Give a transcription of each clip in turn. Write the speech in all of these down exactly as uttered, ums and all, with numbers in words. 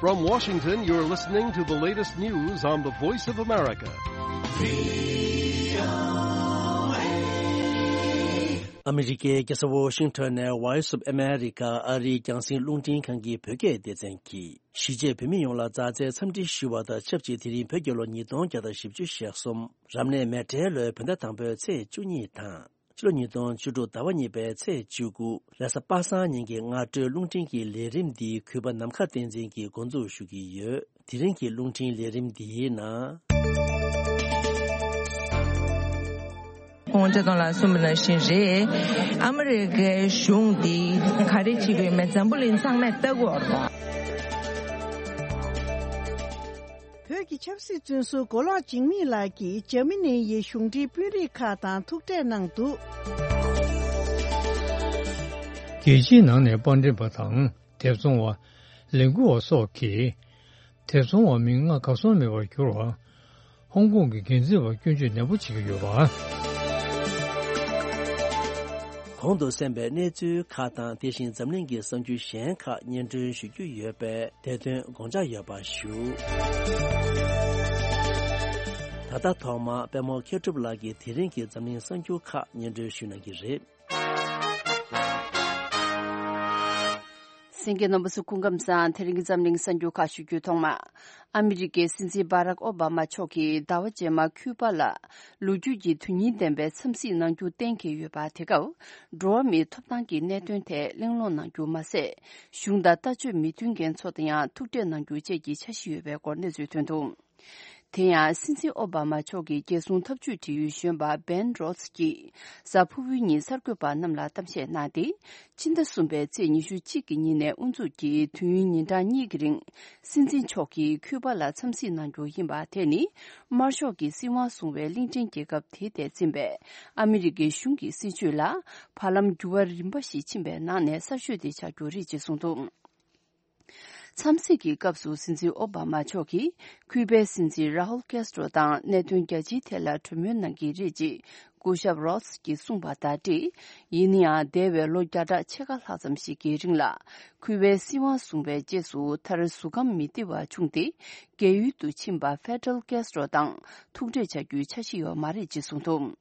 From Washington, you're listening to the latest news on the Voice of America. ཨ་མི་རི་ཀའི་རྒྱལ་ས་ཝོ་ཤིང་ཊོན་ནས་Voice of America ཨ་རིའི་རྒྱང་སྲིང་རླུང་འཕྲིན་ཁང་གི་བོད་སྐད་སྡེ་ཚན་གྱིས། གཞིས་བྱེས་བོད་མི་ཡོངས་ལ་མཛའ་བརྩེའི་འཚམས་འདྲི་ཞུ་བ་དང་ཆབས་ཅིག་དེ་རིང་བོད་རྒྱལ་ལོ་ཉིས་སྟོང་བརྒྱ་དང་བཞི་བཅུ་ཞེ་གསུམ། རབ་གནས་མེ་བྲལ་ལོའི་བོད་ཟླ་དང་པོའི་ཚེས་བཅུ་གཉིས་དང་། ཕྱི་ལོ་ཉིས་སྟོང་བཅུ་དྲུག་ཟླ་བ་གཉིས་པའི་ཚེས་བཅུ་དགུ། རེས་གཟའ་པ་སངས་ཉིན་གྱི་སྔ་དྲོའི་རླུང་འཕྲིན་གྱི་ལས་རིམ་འདི་གུས་པ་ནམ་མཁའ་བསྟན་འཛིན་གྱིས་འགོ་འཛུགས་ཞུ་གི་ཡོད། དེ་རིང་གི་རླུང་འཕྲིན་ལས་རིམ་འདིའི་ནང་། ཁོང་སྤྱིར་བཏང་ལ་གསུངས་པ་ནང་བཞིན་རེད། ཨ་མི་རི་ཀའི་གཞུང་འདི་ག་རེ་བྱེད་ཀྱི་ཡོད་མེད་འཛམ་བུ་གླིང་ཚང་མས་ལྟ་གི་ཡོད་རེད་པ། བོད་ཀྱི་ཆབ་སྲིད་བཙོན་ཟུར་མགོ་ལོག་འཇིགས་མེད་ལགས་ཀྱིས་འཇར་མ་ནི་ཡི་གཞུང་འབྲེལ་དཔོན་རིགས་ཁག་དང་ཐུག་འཕྲད་གནང་འདུག། རྒྱལ་སྤྱིའི་ནང་ནས་པར་འགྲེམས་པ་དང་། དེབ་བཙོང་བ། ལས་འགུལ་བ་སོགས་ཀྱིས། དེབ་བཙོང་བ་མི་ལྔ་གར་སོང་མེད་པར་གྱུར་བ། ཧོང་ཀོང་གི་འགན་འཛིན་པ་སྐྱོན་བརྗོད་ནན་པོ་བྱེད་ཀྱི་ཡོད་པ། གོང་དུ་གསན་པའི་གནས་ཚུལ་ཁག་དང་དེ་བཞིན་འཛམ་གླིང་གི་གསར་འགྱུར་གཞན་ཁག་སྙན་སྒྲོན་ཞུ་རྒྱུ་ཡོད་པས་དེ་དོན་དགོངས་འཇགས་ཡོད་པ་ཞུ། ད་ལྟ་ཐོག་མར་པད་མོ་མཁས་གྲུབ་ལགས་ཀྱིས་དེ་རིང་གི་འཛམ་གླིང་གསར་འགྱུར་ཁག་སྙན་སྒྲོན་ཞུ་གནང་གི་རེད། གསན་མཁན་རྣམ་པ་ཚོ་སྐུ་ཁམས་བཟང་། དེ་རིང་གི་འཛམ་གླིང་གསར་འགྱུར་ཁག་ཞུ་རྒྱུའི་ཐོག་མ། ཨ་མི་རི་ཀའི་སྲིད་འཛིན་བྷ་རག་ཨོ་བྷ་མ་མཆོག་གིས་ཟླ་བ་རྗེས་མར་ཁུ་པ་ལ་ལོ་རྒྱུས་ཀྱི་དོན་སྙིང་ལྡན་པའི་འཚམས་གཟིགས་གནང་རྒྱུ་གཏན་འཁེལ་ཡོད་པ། དེ་སྐབས་འགྲོ་བ་མིའི་ཐོབ་ཐང་གི་གནད་དོན་ཐད་གླེང་སློང་གནང་རྒྱུ་མ་ཟད། གཞུང་དང་ལྟ་སྤྱོད་མི་མཐུན་མཁན་ཚོ་དང་ཡང་ཐུག་འཕྲད་གནང་རྒྱུ་བཅས་ཀྱི་འཆར་གཞི་ཡོད་པའི་སྐོར་གནས་ཚུལ་ཐོན་འདུག། དེ་ཡང་སྲིད་འཛིན་ཨོ་བྷ་མ་མཆོག་གི་རྒྱལ་སྲུང་འཐབ་ཇུས་འབྲེལ་ཡོད་གཞོན་པ་བྷེན་རོད་སི་ཀྱིས་གཟའ་ཕུར་བུའི་ཉིན་གསར་འགོད་པ་རྣམས་ལ་གཏམ་བཤད་གནང་སྟེ། ཕྱི་ཟླ་གསུམ་པའི་ཚེས་ཉི་ཤུ་གཅིག་གི་ཉིན་ནས་དབུ་འཛུགས་ཀྱིས་དུས་ཡུན་ཉིན་གྲངས་གཉིས་ཀྱི་རིང་། སྲིད་འཛིན་མཆོག་གིས་ཁུ་པ་ལ་འཚམས་གཟིགས་གནང་རྒྱུ་ཡིན་པ། དེ་ནི་དམར་ཤོག་གིས་སྲིད་དབང་བཟུང་བའི་གླིང་ཕྲན་རྒྱལ་ཁབ་དེའི་ཐད་འཛིན་པའི་ཨ་མི་རི་ཀའི་གཞུང་གི་སྲིད་བྱུས་ལ་བར་ལམ་འགྱུར་བ་རིམ་པ་ཞིག་ཕྱིན་པའི་ནང་ནས་གསར་ཤོས་དེ་ཆགས་རྒྱུ་རེད་ཅེས་གསུངས་འདུག། འཚམས་གཟིགས་ཀྱི་སྐབས་སུ་སྲིད་འཛིན་ཨོ་བྷ་མ་མཆོག་གིས་ཁུ་པའི་སྲིད་འཛིན་ར་ཧུལ་ཀེ་སི་ཏྲོ་དང་གནད་དོན་རྒྱ་ཆེའི་ཐད་ལ་གྲོས་མོལ་གནང་གི་རེད་ཅེས་སྐུ་ཞབས་རོ་སི་ཀྱིས་གསུངས་པ་དང་འབྲེལ། ཡིན་ན་ཡང་འདས་པའི་ལོ་བརྒྱ་ཕྲག་ཕྱེད་ཀ་ལྷག་ཙམ་ཞིག་གི་རིང་ལ་ཁུ་པའི་སྲིད་དབང་བཟུང་བའི་རྗེས་སུ་མཐར་གཟུགས་ཁམས་མི་བདེ་བ་བྱུང་སྟེ། རྒས་ཡུལ་དུ་ཕྱིན་པ་ཧྥེ་ཌ་རལ་ཀེ་སི་ཏྲོ་དང་ཐུག་འཕྲད་བྱ་རྒྱུའི་འཆར་གཞི་ཡོད་མ་རེད་ཅེས་གསུངས་འདུག།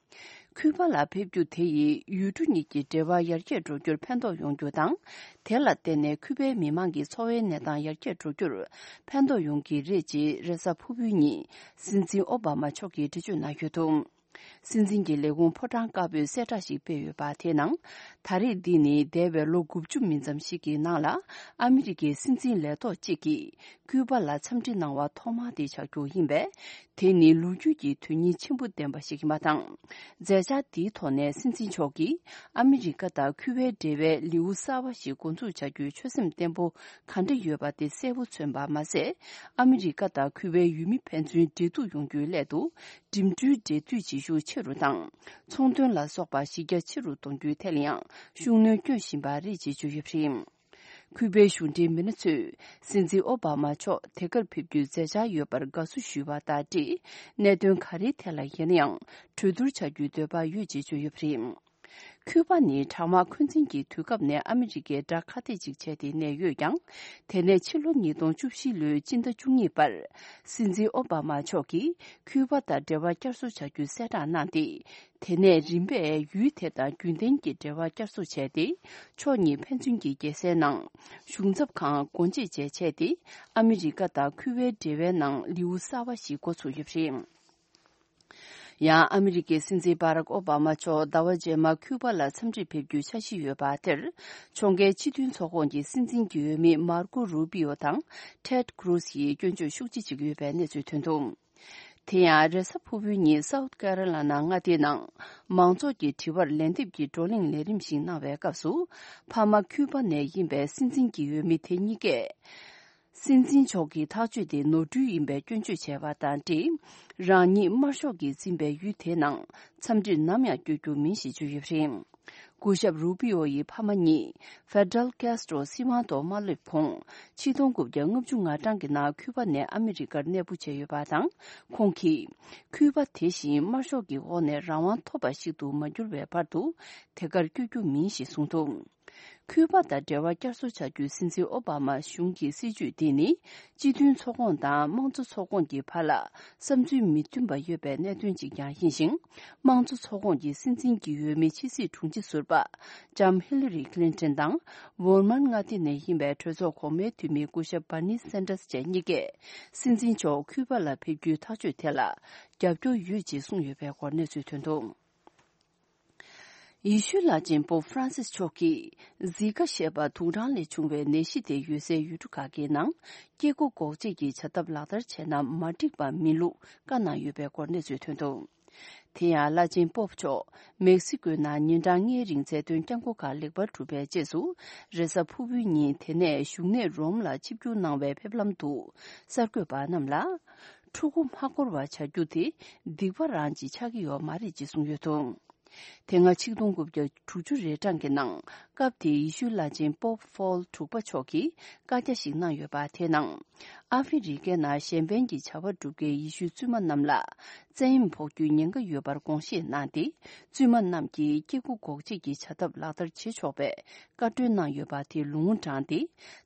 ཁུ་པ་ལ་ཕེབས་རྒྱུ་དེ་ཡིས་ཡུལ་གྲུ་གཉིས་ཀྱི་འབྲེལ་བ་ཡར་རྒྱས་འགྲོ་རྒྱུར་ཕན་ཐོགས་ཡོང་རྒྱུ་དང་། དེ་ལ་བརྟེན་ནས་ཁུ་པའི་མི་མང་གི་འཚོ་བའི་གནས་སྟངས་ཡར་རྒྱས་འགྲོ་རྒྱུར་ཕན་ཐོགས་ཡོང་གི་རེད་ཅེས་རེས་གཟའ་ཕུར་བུའི་ཉིན་སྲིད་འཛིན་ཨོ་བྷ་མ་མཆོག་གིས་འགྲེལ་བརྗོད་གནང་ཡོད་འདུག། སྲིད་འཛིན་གྱི་ལས་ཁུངས་ཕོ་བྲང་དཀར་པོས་གསལ་བསྒྲགས་ཤིག་སྤེལ་ཡོད་པ། དེའི་ནང་། ད་རེས་འདི་ནི་འདས་པའི་ལོ་དགུ་བཅུ་མིན་ཙམ་ཞིག་གི་ནང་ལ་ཨ་མི་རི་ཀའི་སྲིད་འཛིན་ལས་ཐོག་ཅིག་གིས་ཁུ་པ་ལ་འཚམས་འདྲི་གནང་བ་ཐོག་མ་དེ་ཆགས་རྒྱུ་ཡིན་པས། དེ་ནི་ལོ་རྒྱུས་ཀྱི་དོན་སྙིང་ཆེན་པོ་ལྡན་པ་ཞིག་ཡིན་པ་དང་། མཛད་འཆར་འདིའི་ཐོག་ནས་སྲིད་འཛིན་མཆོག་གིས་ཨ་མི་རི་ཀ་དང་ཁུ་པའི་འབྲེལ་བའི་ལེའུ་གསར་བ་ཞིག་འགོ་འཛུགས་བྱ་རྒྱུའི་ཆོད་སེམས་བརྟན་པོ་ག་འདྲ་ཡོད་པ་དེ་གསལ་པོ་མཚོན་པ་མ་ཟད། ཨ་མི་རི་ཀ་དང་ཁུ་པའི་ཡུལ་མི་ཕན་ཚུན་འབྲེལ་གཏུག་ཡོང་རྒྱུའི་སླད་དུ། འགྲིམ་འགྲུལ་འབྲེལ་མཐུད་བྱེད་ཤུགས་ཆེ་རུ་དང་། ཚོང་དོན་ལ་སོགས་པ་གཞི་རྒྱ་ཆེ་རུ་གཏོང་རྒྱུའི་ཐད་ལ་ཡང་ཤུགས་སྣོན་སྐྱོན་བཞིན་པ་རེད་ཅེས་བརྗོད་ཡོད་པ་རེད། ཁུ་པའི་གཞུང་འབྲེལ་མི་སྣ་ཚོས་སྲིད་འཛིན་ཨོ་བྷ་མ་མཆོག་དེ་གར་ཕེབས་རྒྱུའི་མཛད་འཆར་ཡོད་པར་དགའ་བསུ་ཞུས་པ་དང་འབྲེལ། གནད་དོན་ག་རེའི་ཐད་ལ་ཡིན་ན་ཡང་གྲོས་བསྡུར་བྱ་རྒྱུའི་འདོད་པ་ཡོད་ཅེས་བརྗོད་ཡོད་པ་རེད། ཁུ་པ་ནི་གྲང་དམག་འཁོན་འཛིན་གྱི་དུས་སྐབས་ནས་ཨ་མི་རི་ཀའི་དགྲ་ཁ་གཏད་ཅིག་བྱས་ཏེ་གནས་ཡོད་ཀྱང་། དེ་ནས་ཕྱི་ལོ་ཉིས་སྟོང་བཅུ་བཞི་ལོའི་སྤྱི་ཟླ་བཅུ་གཉིས་པར། སྲིད་འཛིན་ཨོ་བྷ་མ་མཆོག་གིས་ཁུ་པ་དང་འབྲེལ་བ་བསྐྱར་གསོ་བྱ་རྒྱུའི་གསལ་བསྒྲགས་གནང་སྟེ། དེ་ནས་རིམ་པས་ཡུལ་དེ་དང་རྒྱུན་ལྡན་གྱི་འབྲེལ་བ་བསྐྱར་གསོ་བྱས་ཏེ། ཕྱོགས་གཉིས་ཕན་ཚུན་གྱི་རྒྱལ་སའི་ནང་གཞུང་ཚབ་ཁང་སྒོ་འབྱེད་བཅས་བྱས་ཏེ། ཨ་མི་རི་ཀ་དང་ཁུ་པའི་འབྲེལ་བའི་ནང་ལེའུ་གསར་བ་ཞིག་འགོ་ཚུགས་ཡོད་པ་རེད། ཡང་ཨ་མི་རི་ཀའི་སྲིད་འཛིན་བྷ་རག་ཨོ་བྷ་མ་མཆོག་ཟླ་བ་རྗེས་མར་ཁུ་པ་ལ་འཚམས་འདྲིར་ཕེབས་རྒྱུའི་འཆར་གཞི་ཡོད་པ་དེར། ཕྱོགས་འགལ་སྤྱི་མཐུན་ཚོགས་ཁོངས་ཀྱི་སྲིད་འཛིན་གྱི་འོས་མི་མར་ཀོ་རུ་པི་ཨོ་དང་ཊེད་ཀྲུ་སི་ཡིས་སྐྱོན་བརྗོད་ཤུགས་ཆེ་བྱེད་ཀྱི་ཡོད་པའི་གནས་ཚུལ་ཐོན་འདུག། དེ་ཡང་རེས་གཟའ་ཕུར་བུའི་ཉིན་སའུཐ་ཀེ་རོ་ལ་ན་མངའ་སྡེའི་ནང་མང་ཚོགས་ཀྱི་དྲི་བར་ལན་འདེབས་ཀྱི་བགྲོ་གླེང་ལས་རིམ་ཞིག་གནང་བའི་སྐབས་སུ། ཕ་མ་ཁུ་པ་ནས་ཡིན་པའི་སྲིད་འཛིན་གྱི་འོས་མི་དེ་གཉིས་ཀས། སྲིད་འཛིན་མཆོག་གི་ཐག་གཅོད་དེ་ནོར་འཁྲུལ་ཡིན་པའི་སྐྱོན་བརྗོད་བྱས་པ་དང་འབྲེལ། རང་ཉིད་དམར་ཤོག་གིས་འཛིན་པའི་ཡུལ་དེའི་ནང་འཚམས་འདྲིར་ནམ་ཡང་བསྐྱོད་རྒྱུ་མིན་ཞེས་བརྗོད་ཡོད་པ་རེད། སྐུ་ཞབས་རུ་པི་ཨོ་ཡི་ཕ་མ་གཉིས་ཧྥེ་ཌ་རལ་ཀེ་སི་ཏྲོ་སྲིད་དབང་ཐོག་མ་སླེབས་གོང་ཆིག་སྟོང་དགུ་བརྒྱ་ལྔ་བཅུ་ང་གྲངས་ཀྱི་ནང་ཁུ་པ་ནས་ཨ་མི་རི་ཀར་གནས་སྤོ་བྱས་ཡོད་པ་དང་། ཁོང་གིས་ཁུ་པ་དེ་བཞིན་དམར་ཤོག་གི་འོག་ནས་རང་དབང་ཐོབ་པ་ཞིག་ཏུ་མ་འགྱུར་བའི་བར་དུ་དེ་གར་བསྐྱོད་རྒྱུ་མིན་ཞེས་གསུངས་འདུག། ཁུ་པ་དང་འབྲེལ་བ་བསྐྱར་གསོ་བྱ་རྒྱུའི་སྲིད་འཛིན་ཨོ་བྷ་མ་གཞུང་གི་སྲིད་བྱུས་འདི་ནི། སྤྱི་མཐུན་ཚོགས་ཁོངས་དང་དམངས་གཙོ་ཚོགས་ཁོངས་ཀྱི་བར་ལ་བསམ་ཚུལ་མི་མཐུན་པ་ཡོད་པའི་གནད་དོན་ཅིག་ཀྱང་ཡིན་ཞིང་། དམངས་གཙོ་ཚོགས་ཁོངས་ཀྱི་སྲིད་འཛིན་གྱི་འོས་མི་ཕྱི་སྲིད་དྲུང་ཆེ་ཟུར་པ་ལྕམ་ཧི་ལི་རི་ཁི་ལིན་ཏོན་དང་། ཝར་མན་མངའ་སྡེ་ནས་ཡིན་པའི་གྲོས་ཚོགས་གོང་མའི་འཐུས་མི་སྐུ་ཞབས་བར་ནི་སན་ཏྲས་བཅས་གཉིས་ཀས། སྲིད་འཛིན་མཆོག་ཁུ་པ་ལ་ཕེབས་རྒྱུའི་ཐག་གཅོད་དེ་ལ་རྒྱབ་སྐྱོར་ཡོད་ཅེས་གསུངས་ཡོད་པའི་སྐོར་གནས་ཚུལ་ཐོན་འདུག་ཡེ་ཤུའི་བླ་ཆེན་པོབ་ཧྥ་རན་སིས་མཆོག་གིས་ཟི་ཀ་ཞེས་པ་དུག་སྦྲང་ལས་བྱུང་བའི་ནད་གཞི་དེ་ཡོད་སའི་ཡུལ་གྲུ་ཁག་གི་ནང་སྐྱེ་སྒོ་འགོག་བཅོས་ཀྱི་བྱ་ཐབས་ལག་བསྟར་བྱས་ན་མ་འགྲིག་པ་མིན་ལུགས་བཀའ་གནང་ཡོད་པའི་སྐོར་གནས་ཚུལ་ཐོན་འདུག་དེ་ཡང་བླ་ཆེན་པོབ་མཆོག་མེག་སི་ཀོའི་ནང་ཉིན་གྲངས་ལྔའི་རིང་ཚད་ལྡན་སྐྱབས་མགོན་ཁག་ལེགས་པར་གྲུབ་པའི་རྗེས་སུ། རེས་གཟའ་ཕུར་བུའི་ཉིན་དེ་ནས་བཞུགས་གནས་རོམ་ལ་ཆིབས་བསྒྱུར་གནང་བའི་ཕེབས་ལམ་དུ་གསར་འགོད་པ་རྣམས་ལ། ཕྲུ་གུ་མ་འཁོར་བ་བྱ་རྒྱུ་དེ་སྡིག་པ་རང་ཅིག་ཆགས་ཀྱི་ཡོད་མ་རེད་ཅེས་གསུངས་ཡོད་འདུག་དེ་སྔ་ཆིག་སྟོང་དགུ་བརྒྱ་དྲུག་ཅུ་རེ་གྲངས་ཀྱི་ནང་སྐབས་དེའི་ཡེ་ཤུའི་བླ་ཆེན་པོབ་ཕོལ་དྲུག་པ་མཆོག་གིས་བཀའ་རྒྱ་ཞིག་གནང་ཡོད་པ། དེའི་ནང་ཨ་ཧྥེ་རི་ཀའི་ནང་གཞན་ཕན་གྱི་བྱ་བ་སྒྲུབ་མཁན་ཡེ་ཤུའི་བཙུན་མ་རྣམས་ལ་བཙན་གཡེམ་ཕོག་རྒྱུའི་ཉེན་ཁ་ཡོད་པར་དགོངས་བཞེས་གནང་སྟེ། བཙུན་མ་རྣམས་ཀྱིས་སྐྱེ་སྒོ་འགོག་བཅོས་ཀྱི་བྱ་ཐབས་ལག་བསྟར་བྱེད་ཆོག་པའི་བཀའ་འཁྲོལ་གནང་ཡོད་པ་དེ་ལུང་དྲངས་ཏེ།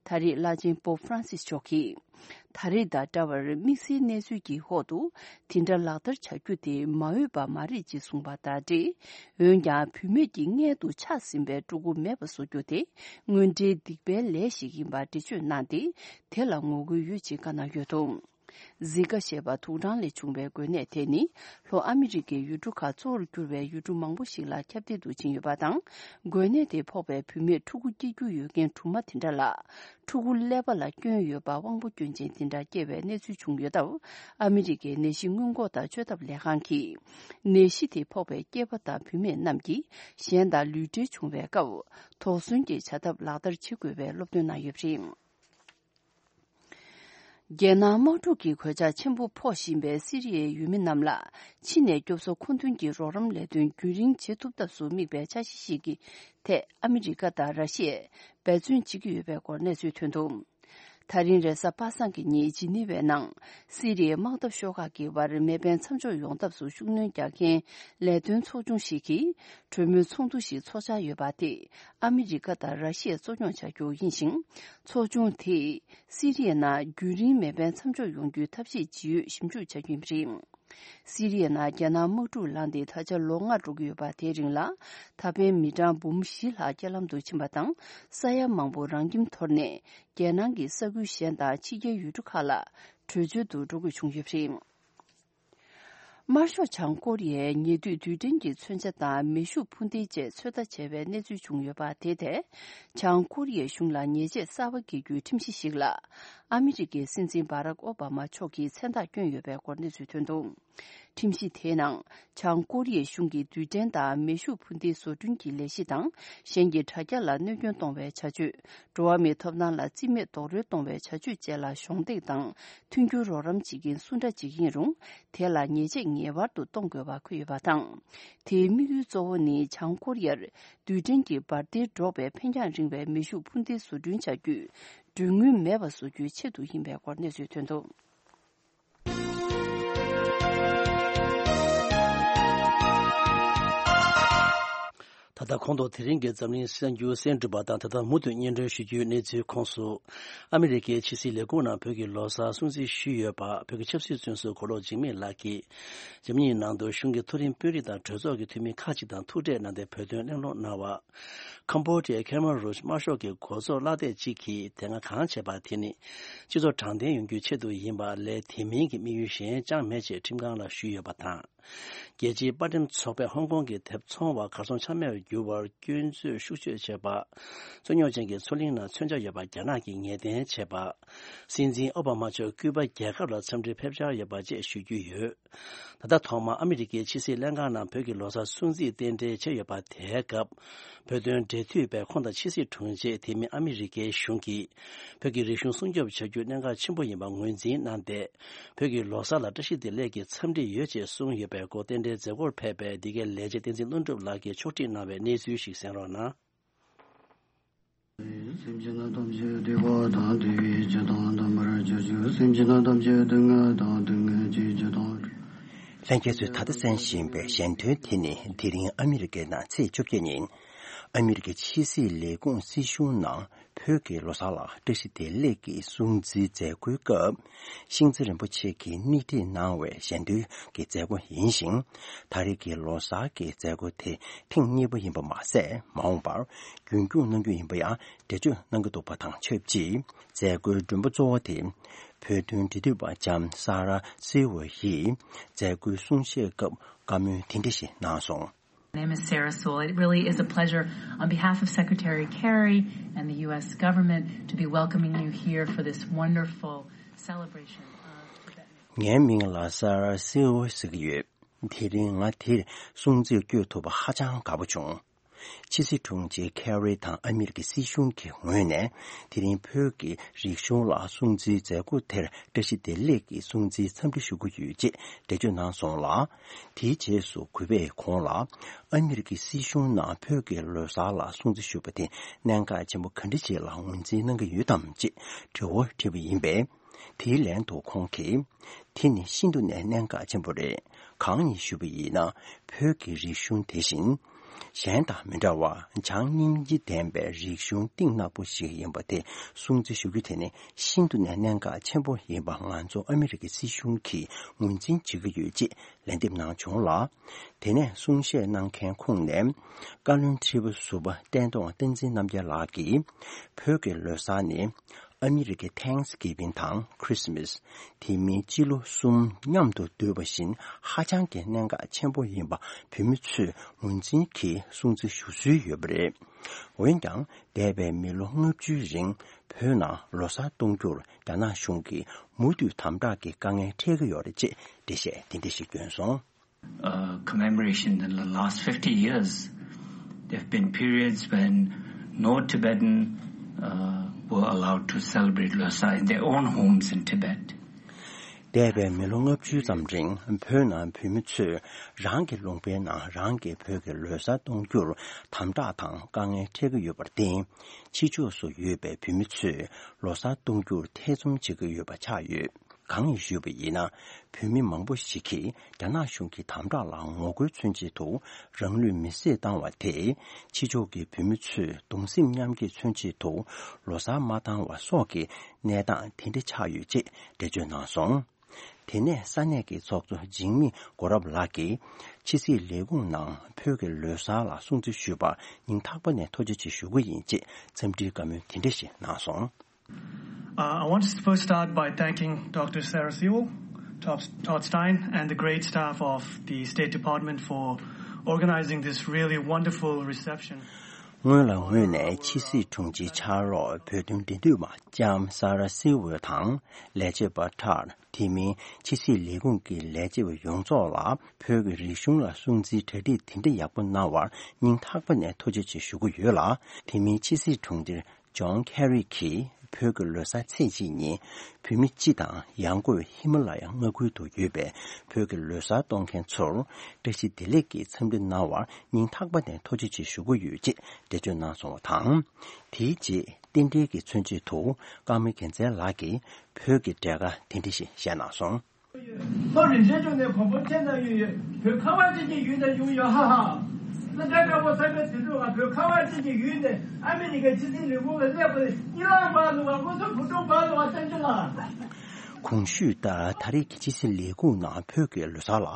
ད་རེས་བླ་ཆེན་པོབ་ཧྥ་རན་སིས་མཆོག་གིས། ད་རེས་དང་འདྲ་བར་དམིགས་བསལ་གནས་ཚུལ་གྱི་འོག་ཏུ་དེ་འདྲ་ལག་བསྟར་བྱ་རྒྱུ་དེ་མ་འོས་པ་མ་རེད་ཅེས་གསུངས་པ་དང་འབྲེལ། འོན་ཀྱང་བུད་མེད་ཀྱི་མངལ་དུ་ཆགས་ཟིན་པའི་ཕྲུ་གུ་མེད་པ་བཟོ་རྒྱུ་དེ་དངོས་འབྲེལ་སྡིག་པའི་ལས་ཤིག་ཡིན་པར་འགྲེལ་བརྗོད་གནང་སྟེ། དེ་ལ་ངོ་རྒོལ་ཡོད་ཅེས་བཀའ་གནང་ཡོད་འདུག་ཟི་ཀ་ཞེས་པ་དུག་སྦྲང་ལས་བྱུང་བའི་འགོས་ནད་དེ་ནི་ལྷོ་ཨ་མི་རི་ཀའི་ཡུལ་གྲུ་ཁག་གཙོ་བོར་གྱུར་བའི་ཡུལ་གྲུ་མང་པོ་ཞིག་ལ་ཁྱབ་གདལ་དུ་ཕྱིན་ཡོད་པ་དང་། འགོས་ནད་དེ་ཕོག་པའི་བུད་མེད་ཕྲུ་གུ་སྐྱེ་རྒྱུ་ཡོད་མཁན་སྦྲུམ་མ་དེ་འདྲ་ལ། ཕྲུ་གུ་ཀླད་པ་ལ་སྐྱོན་ཡོད་པ་དབང་པོ་སྐྱོན་ཅན་དེ་འདྲ་སྐྱེས་པའི་གནས་ཚུལ་བྱུང་ཡོད་སྟབས། ཨ་མི་རི་ཀའི་ནད་གཞི་སྔོན་འགོག་དང་བཅོས་ཐབས་ལས་ཁང་གིས། ནད་གཞི་དེ་ཕོག་པའི་སྐྱེས་པ་དང་བུད་མེད་རྣམས་ཀྱིས་གཞན་དང་ལུས་འབྲེལ་བྱུང་བའི་སྐབས། དོགས་ཟོན་གྱི་བྱ་ཐབས་ལག་བསྟར་བྱེད་དགོས་པའི་སློབ་སྟོན་གནང་ཡོད་པ་རེད། རྒྱལ་ནང་དམག་འཁྲུག་གི་གོད་ཆག་ཆེན་པོ་ཕོག་བཞིན་པའི་སི་རི་ཡའི་ཡུལ་མི་རྣམས་ལ་ཕྱི་ནས་སྐྱོབ་གསོ་མཁོ་འདོན་གྱི་རོགས་རམ་ལས་དོན་རྒྱུན་རིང་བྱེད་ཐུབ་ཐབས་སུ་དམིགས་པའི་འཆར་གཞི་ཞིག་གི་ཐད་ཨ་མི་རི་ཀ་དང་ར་ཤི་ཡས་འབད་བརྩོན་བྱེད་ཀྱི་ཡོད་པའི་སྐོར་གནས་ཚུལ་ཐོན་འདུག་ད་རིང་རེས་གཟའ་པ་སངས་ཀྱི་ཉིན་ཇི་ནི་ཝའི་ནང་སི་རི་ཡའི་དམག་འཐབ་ཤོག་ཁག་གི་བར་མེ་འཕེན་མཚམས་འཇོག་ཡོང་ཐབས་སུ་ཤུགས་སྣོན་རྒྱག་མཁན་ལས་དོན་ཚོགས་ཆུང་ཞིག་གིས་གྲོས་མོལ་ཚོགས་འདུ་ཞིག་འཚོགས་འཆར་ཡོད་པ་དེ། ཨ་མི་རི་ཀ་དང་ར་ཤི་ཡས་གཙོ་སྐྱོང་བྱ་རྒྱུ་ཡིན་ཞིང་། ཚོགས་ཆུང་དེས་སི་རི་ཡའི་ནང་རྒྱུན་རིང་མེ་འཕེན་མཚམས་འཇོག་ཡོང་རྒྱུའི་ཐབས་ཤེས་ཇི་ཡོད་ཞིབ་འཇུག་བྱ་རྒྱུ་ཡིན་པ་རེད། སི་རི་ཡའི་ནང་རྒྱལ་ནང་དམག་འཁྲུག་ལངས་ཏེ་ད་ཆ་ལོ་ལྔ་འགྲོ་གི་ཡོད་པ། དེའི་རིང་ལ་ད་ཕན་མི་གྲངས་འབུམ་བཞི་ལྷག་རྐྱེན་ལམ་དུ་ཕྱིན་པ་དང་། ས་ཡ་མང་པོ་རང་ཁྱིམ་དོར་ནས་རྒྱལ་ནང་གི་ས་ཁུལ་གཞན་དང་ཕྱི་རྒྱལ་ཡུལ་གྲུ་ཁག་ལ་བྲོས་བྱོལ་དུ་འགྲོ་དགོས་བྱུང་ཡོད་པ་རེད། དམར་ཤོག་བྱང་ཀོ་རི་ཡས་ཉེ་དུས་རྡུལ་ཕྲན་གྱི་མཚོན་ཆ་དང་མེ་ཤུགས་འཕུར་མདེལ་བཅས་ཚོད་ལྟ་བྱས་པའི་གནས་ཚུལ་བྱུང་ཡོད་པ། དེ་ཐད་བྱང་ཀོ་རི་ཡའི་གཞུང་ལ་ཉེས་ཆད་གསར་པ་འགེལ་རྒྱུའི་ཁྲིམས་གཞི་ཞིག་ལ་ཨ་མི་རི་ཀའི་སྲིད་འཛིན་བྷ་རག་ཨོ་བྷ་མ་མཆོག་གིས་མཚན་རྟགས་བསྐྱོན་ཡོད་པའི་སྐོར་གནས་ཚུལ་ཐོན་འདུག་ཁྲིམས་གཞི་དེའི་ནང་བྱང་ཀོ་རི་ཡའི་གཞུང་གིས་རྡུལ་ཕྲན་དང་མེ་ཤུགས་འཕུར་མདེལ་བཟོ་སྐྲུན་གྱི་ལས་གཞི་དང་། གཞན་གྱི་དྲ་རྒྱ་ལ་གནོད་སྐྱོན་གཏོང་བའི་བྱ་སྤྱོད། འགྲོ་བ་མིའི་ཐོབ་ཐང་ལ་རྩིས་མེད་རྡོག་རོལ་གཏོང་བའི་བྱ་སྤྱོད་བཅས་ལ་གཞོགས་འདེགས་དང་མཐུན་འགྱུར་རོགས་རམ་བྱེད་མཁན་སུ་འདྲ་ཅིག་ཡིན་རུང་། དེ་ལ་ཉེས་ཆད་ངེས་པར་དུ་གཏོང་དགོས་པ་འཁོད་ཡོད་པ་དང་། དེའི་དམིགས་ཡུལ་གཙོ་བོ་ནི་བྱང་ཀོ་རི་ཡར་རྡུལ་ཕྲན་གྱི་འབར་མདེལ་སྒྲོག་པའི་འཕེན་རྒྱང་རིང་བའི་མེ་ཤུགས་འཕུར་མདེལ་བཟོ་སྐྲུན་བྱ་རྒྱུའི་གྲོན་དངུལ་མེད་པ་བཟོ་རྒྱུའི་ཆེད་དུ་ཡིན་པའི་སྐོར་གནས་ཚུལ་ཐོན་འདུག་ད་ལྟ་གོང་དུ་དེ་རིང་གི་འཛམ་གླིང་གསར་འགྱུར་གསན་གྲུབ་པ་དང་། ད་ལྟ་མུ་མཐུད་སྙན་སྒྲོན་ཞུ་རྒྱུའི་གནས་ཚུལ་ཁོངས་སུ། ཨ་མི་རི་ཀའི་ཕྱི་སྲིད་ལས་ཁུངས་ནང་བོད་ཀྱི་ལོ་གསར་སྲུང་བརྩི་ཞུས་ཡོད་པ། བོད་ཀྱི་ཆབ་སྲིད་བཙོན་ཟུར་གོ་ལོག་འཇིགས་མེད་ལགས་ཀྱིས་རྒྱ་མིའི་ནང་དུ་གཞུང་གི་མཐོ་རིམ་དཔོན་རིགས་དང་གྲོས་ཚོགས་ཀྱི་འཐུས་མི་ཁག་ཅིག་དང་ཐུག་འཕྲད་གནང་སྟེ་བོད་དོན་གླེང་སློང་གནང་བ། ཁམ་བྷོ་ཌི་ཡའི་ཁེ་མ་རུཇ་དམར་ཤོག་གི་གོ་ཚོགས་གླ་སྟེགས་གཅིག་གིས་དེ་སྔ་གང་བྱས་པ་དེ་ནི་སྤྱི་ཚོགས་དྲང་བདེན་ཡོང་རྒྱུའི་ཆེད་དུ་ཡིན་པ་ལས། དེ་མིན་གྱི་དམིགས་ཡུལ་གཞན་ཅང་མེད་ཅེས་ཁྲིམས་ཁང་ལ་ཞུས་ཡོད་པ་དང་། རྒྱལ་སྤྱིའི་པར་འགྲེམས་ཚོགས་པས་ཧོང་ཀོང་གི་དེབ་ཚོང་བ་གར་སོང་ཆ་མེད་པར་གྱུར་བར་སྐྱོན་བརྗོད་ཤུགས་ཆེ་བྱས་པ། རྩོད་རྙོག་ཅན་གྱི་མཚོ་གླིང་ནང་མཚོན་ཆ་ཡོད་པ་རྒྱ་ནག་གིས་ངེས་གཏན་བྱས་པ། སྲིད་འཛིན་ཨོ་བྷ་མ་མཆོག་ཀུ་པ་རྒྱལ་ཁབ་ལ་འཚམས་འདྲིར་ཕེབས་འཆར་ཡོད་པ་བཅས་ཞུ་རྒྱུ་ཡོད། ད་ལྟ་ཐོག་མར་ཨ་མི་རི་ཀའི་ཕྱི་སྲིད་ལྷན་ཁང་ནང་བོད་ཀྱི་ལོ་གསར་སྲུང་བརྩི་རྟེན་འབྲེལ་བྱས་ཡོད་པ་དེའི་སྐབས། བོད་དོན་འབྲེལ་མཐུད་པས་ཁོང་དང་ཕྱི་སྲིད་དྲུང་ཆེ། དེ་མིན་ཨ་མི་རི་ཀའི་གཞུང་གིས་བོད་ཀྱི་རིག་གཞུང་སྲུང་སྐྱོབ་བྱ་རྒྱུ་གནད་འགག་ཆེན་པོ་ཡིན་པ་ངོས་འཛིན་གནང་སྟེ། བོད་ཀྱི་ལོ་གསར་ལ་བཀྲ་ཤིས་བདེ་ལེགས་ཀྱི་འཚམས་འདྲི་ཡོད་ཅེས་གསུངས་ཡོད་པའི་སྐོར་རྟེན་འབྲེལ་མཛད་སྒོར་ཕེབས་པའི་འདི་གའི་ལས་བྱེད་བསྟན་འཛིན་ཀླུ་སྒྲུབ་ལགས་ཀྱིས་ཕྱོགས་སྒྲིག་གནང་བའི་གནས་ཚུལ་ཞིག་གསན་རོགས་གནང་། སེམས་ཅན་རྣམས་ཐམས་ཅད་བདེ་བ་དང་བདེ་བའི་རྒྱུ་དང་ལྡན་པར་གྱུར་ཅིག་སེམས་ཅན་རྣམས་ཐམས་ཅད་སྡུག་བསྔལ་དང་སྡུག་བསྔལ་གྱི་རྒྱུ་དང་། ལྷན་རྒྱས་ཚོས་ད་ལྟ་གསན་བཞིན་པའི་ཞལ་འདོན་དེ་ནི་དེ་རིང་ཨ་མི་རི་ཀའི་ནང་ཚེས་བཅོ་བརྒྱད་ཉིན། ཨ་མི་རི་ཀའི་ཕྱི་སྲིད་ལས་ཁུངས་སྲིད་གཞུང་ནང་བོད་ཀྱི་ལོ་གསར་ལ་བཀྲ་ཤིས་བདེ་ལེགས་ཀྱི་སྲུང་བརྩིའི་མཛད་སྒོའི་སྐབས། ཤིང་རྩེ་རིན་པོ་ཆེ་གིས་སྣེ་ཁྲིད་གནང་བའི་ཞལ་འདོན་གྱི་མཛད་སྒོ་ཡིན་ཞིང་། ད་རེས་ཀྱི་ལོ་གསར་གྱི་མཛད་སྒོ་དེ་ཐེངས་གཉིས་པ་ཡིན་པ་མ་ཟད། མ་འོངས་པར་རྒྱུན་སྐྱོང་གནང་རྒྱུ་ཡིན་པ་ཡང་འགྲེལ་བརྗོད་གནང་གི་འདུག་པ་དང་ཆབས་ཅིག་མཛད་སྒོའི་མགྲོན་པོ་གཙོ་བོ་དེ། བོད་དོན་འབྲེལ་མཐུད་པ་ལྕམ་ས་ར་སི་ཝེ་ཡིས་མཛད་སྒོའི་གསུང་བཤད་སྐབས་བཀའ་མོལ་དེ་འདྲ་ཞིག་གནང་སོང་། My name is Sarah Sewell. It really is a pleasure on behalf of Secretary Kerry and the U S government to be welcoming you here for this wonderful celebration of Tibetan. ངའི་མིང་ལ་ས་ར་སི་ཝེ་ཟེར་གྱི་ཡོད། དེ་རིང་ང་འདིར་སྲུང་བརྩི་བསྐྱོད་ཐུབ་པ་ཧ་ཅང་དགའ་པོ་བྱུང་། ཕྱི་སྲིད་དྲུང་ཆེ་ཁེ་རི་དང་ཨ་མི་རི་ཀའི་སྲིད་གཞུང་གི་ངོས་ནས་དེ་རིང་བོད་ཀྱི་རིག་གཞུང་ལ་སྲུང་བརྩིའི་མཛད་སྒོ་དེར་བཀྲ་ཤིས་བདེ་ལེགས་ཀྱི་སྲུང་བརྩིའི་འཚམས་འདྲི་ཞུ་གི་ཡོད་ཅེས་འགྲེལ་བརྗོད་གནང་སོང་ལ། དེའི་རྗེས་སུ་གུས་པས་ཁོང་ལ་ཨ་མི་རི་ཀའི་སྲིད་གཞུང་ནང་བོད་ཀྱི་ལོ་གསར་ལ་སྲུང་བརྩི་ཞུ་བ་དེ་གནད་འགག་ཆེན་པོ་ག་འདྲ་ཞིག་ལ་ངོས་འཛིན་གནང་གི་ཡོད་དམ་ཅེས་དྲི་བ་དྲིས་པ་ཡིན་པས། དེའི་ལན་དུ་ཁོང་གིས། དེ་ནི་ཤིན་ཏུ་ནས་གནད་འགག་ཆེན་པོ་རེད། གང་ཡིན་ཞུས་པ་ཡིན་ན། བོད་ཀྱི་རིག་གཞུང་དེ་བཞིན། གཞན་དང་མི་འདྲ་བར་བྱམས་སྙིང་རྗེ་ལྡན་པའི་རིག་གཞུང་གཏིང་ནག་པོ་ཞིག་ཡིན་པ་དེ་སྲུང་བརྩི་ཞུ་རྒྱུ་དེ་ནི་ཤིན་ཏུ་ནས་གནད་འགག་ཆེན་པོ་ཡིན་པ་ང་ཚོ་ཨ་མི་རི་ཀའི་སྲིད་གཞུང་གིས་ངོས་འཛིན་བྱེད་ཀྱི་ཡོད་ཅེས་ལན་འདེབས་གནང་བྱུང་ལ། དེ་ནས་གསུང་བཤད་གནང་མཁན་ཁོངས་ནས་བཀའ་བློན་ཁྲི་པ་ཟུར་པ་བསྟན་རྡོར་བསྟན་འཛིན་རྣམ་རྒྱལ་ལགས་ཀྱིས། བོད་ཀྱི་ལོ་གསར་ནི། ཨ་མི་རི་ཀའི་Thanksgiving དང་Christmas། དེ་མིན་སྤྱི་ལོ་གསུམ་མཉམ་དུ་བསྡུས་པ་བཞིན་ཧ་ཅང་གི་གནད་འགག་ཆེན་པོ་ཡིན་པ་བོད་མི་ཚོས་ངོས་འཛིན་གྱིས་སྲུང་བརྩི་ཞུ་སྲོལ་ཡོད་པ་རེད། འོན་ཀྱང་འདས་པའི་མི་ལོ་ལྔ་བཅུའི་རིང་བོད་ནང་ལོ་གསར་གཏོང་རྒྱུར་རྒྱ་ནག་གཞུང་གིས་མུ་མཐུད་དམ་དྲག་གི་དཀའ་ངལ་འཕྲད་ཀྱི་ཡོད་རེད་ཅེས་འགྲེལ་བཤད་དེ་འདྲ་ཞིག་བསྐྱོན་སོང་། Uh, commemoration in the last fifty years, there have been periods when no Tibetan uh, were allowed to celebrate Losar in their own homes in Tibet. འདས་པའི་མི་ལོ་ལྔ་བཅུ་ཙམ་རིང་བོད་ནང་བོད་མི་ཚོས་རང་གི་ལུང་པའི་ནང་རང་གི་བོད་ཀྱི་ལོ་གསར་གཏོང་རྒྱུར་དམ་དྲག་དང་དཀའ་ངལ་འཕྲད་ཀྱི་ཡོད་པར་བརྟེན། ཕྱི་ཕྱོགས་སུ་ཡོད་པའི་བོད་མི་ཚོས་ལོ་གསར་གཏོང་རྒྱུར་ཐེ་ཚོམ་བྱེད་ཀྱི་ཡོད་པ་ཆགས་ཡོད། གང་ཡིན་ཞུས་པ་ཡིན་ན། བོད་མི་མང་པོ་ཞིག་གིས་རྒྱ་ནག་གཞུང་གི་དམ་དྲག་ལ་ངོ་རྒོལ་མཚོན་ཆེད་དུ་རང་ལུས་མེར་སྲེག་བཏང་བ་དེས་ཕྱི་ཕྱོགས་ཀྱི་བོད་མི་ཚོས་གདུང་སེམས་མཉམ་སྐྱེད་མཚོན་ཆེད་དུ་ལོ་གསར་མ་བཏང་བ་སོགས་ཀྱི་གནས་སྟངས་དེ་འདྲ་ཆགས་ཡོད་ཅེས་འགྲེལ་བརྗོད་གནང་སོང་། དེ་ནས་ས་གནས་ཀྱི་ཚོགས་གཙོ་འཇིགས་མེད་སྒོ་རབ་ལགས་ཀྱིས་ཕྱི་སྲིད་ལས་ཁུངས་ནང་བོད་ཀྱི་ལོ་གསར་ལ་སྲུང་བརྩི་ཞུས་པར་སྙིང་ཐག་པ་ནས་ཐུགས་རྗེ་ཆེ་ཞུ་གི་ཡིན་ཅེས་འཚམས་འདྲིའི་བཀའ་མོལ་དེ་འདྲ་ཞིག་གནང་སོང་། Uh, I want to first start by thanking Doctor Sarah Sewell, Todd Stein, and the great staff of the State Department for organizing this really wonderful reception. སྔོན་ལ་ངོས་ནས་ཕྱི་སྲིད་དྲུང་ཆེའི་ཕྱག་རོགས་བོད་དོན་འབྲེལ་མཐུད་པ་ལྕམ་ས་ར་སི་ཝེ་དང་ལས་བྱེད་པ་ཁྲར། དེ་མིན་ཕྱི་སྲིད་ལས་ཁུངས་ཀྱི་ལས་བྱེད་པ་ཡོངས་རྫོགས་ལ་བོད་ཀྱི་རིག་གཞུང་ལ་སྲུང་བརྩིའི་གྲ་སྒྲིག་དེ་འདྲ་ཡག་པོ་གནང་བར་སྙིང་ཐག་པ་ནས་ཐུགས་རྗེ་ཆེ་ཞུ་གི་ཡོད་ལ། དེ་མིན་ཕྱི་སྲིད་དྲུང་ཆེ་ཇོན་ཁེ་རི་གིས་བོད་ཀྱི་ལོ་གསར་ཚེས་གཅིག་ཉིན་བོད་མི་སྤྱི་དང་ཡང་སྒོས་ཧི་མ་ལ་ཡ་མངའ་ཁུལ་དུ་ཡོད་པའི་བོད་ཀྱི་ལོ་གསར་གཏོང་མཁན་ཚོར་བཀྲ་ཤིས་བདེ་ལེགས་ཀྱི་འཚམས་འདྲི་གནང་བར་སྙིང་ཐག་པ་ནས་ཐུགས་རྗེ་ཆེ་ཞུ་གི་ཡོད་ཅེས་འགྲེལ་བརྗོད་གནང་སོང་བ་དང་། དེའི་རྗེས་རྟེན་འབྲེལ་གྱི་མཚོན་བྱེད་དུ་ཀརྨ་རྒྱལ་མཚན་ལགས་ཀྱིས་བོད་ཀྱི་འབྲས་དཀར་དེ་འདྲ་ཞིག་བཞེས་གནང་སོང་། ལྷོ་རིན་ཆེན་ལྗོངས་ནས་གོང་བུ་ཁྱེད་ན་ཡོད་ཡོད། བོད་ཁ་བ་ཅན་གྱི་ཡུལ་ནས་བྱུང་ཡོད། ཧ་ཧ། ས་ཆ་དཀར་པོ་ས་ཆ་དུད་འགྲོ་བ། བོད་ཁ་བ་ཅན་གྱི་ཡུལ་ནས་ཨ་མི་རི་ཀའི་ཕྱི་སྲིད་ལས་ཁུངས་ལ་སླེབས་པ་ནི་གཉིད་ལམ་བར་ལུག་པ། སྔོ་ཚོད་བུ་ཕྲུག་བར་ལུག་པ་བསྟན་རྒྱུ་ལ། གོང་ཞུས་ལྟར་ད་རེས་ཀྱི་ཕྱི་སྲིད་ལས་ཁུངས་ནང་བོད་ཀྱི་ལོ་གསར་ལ་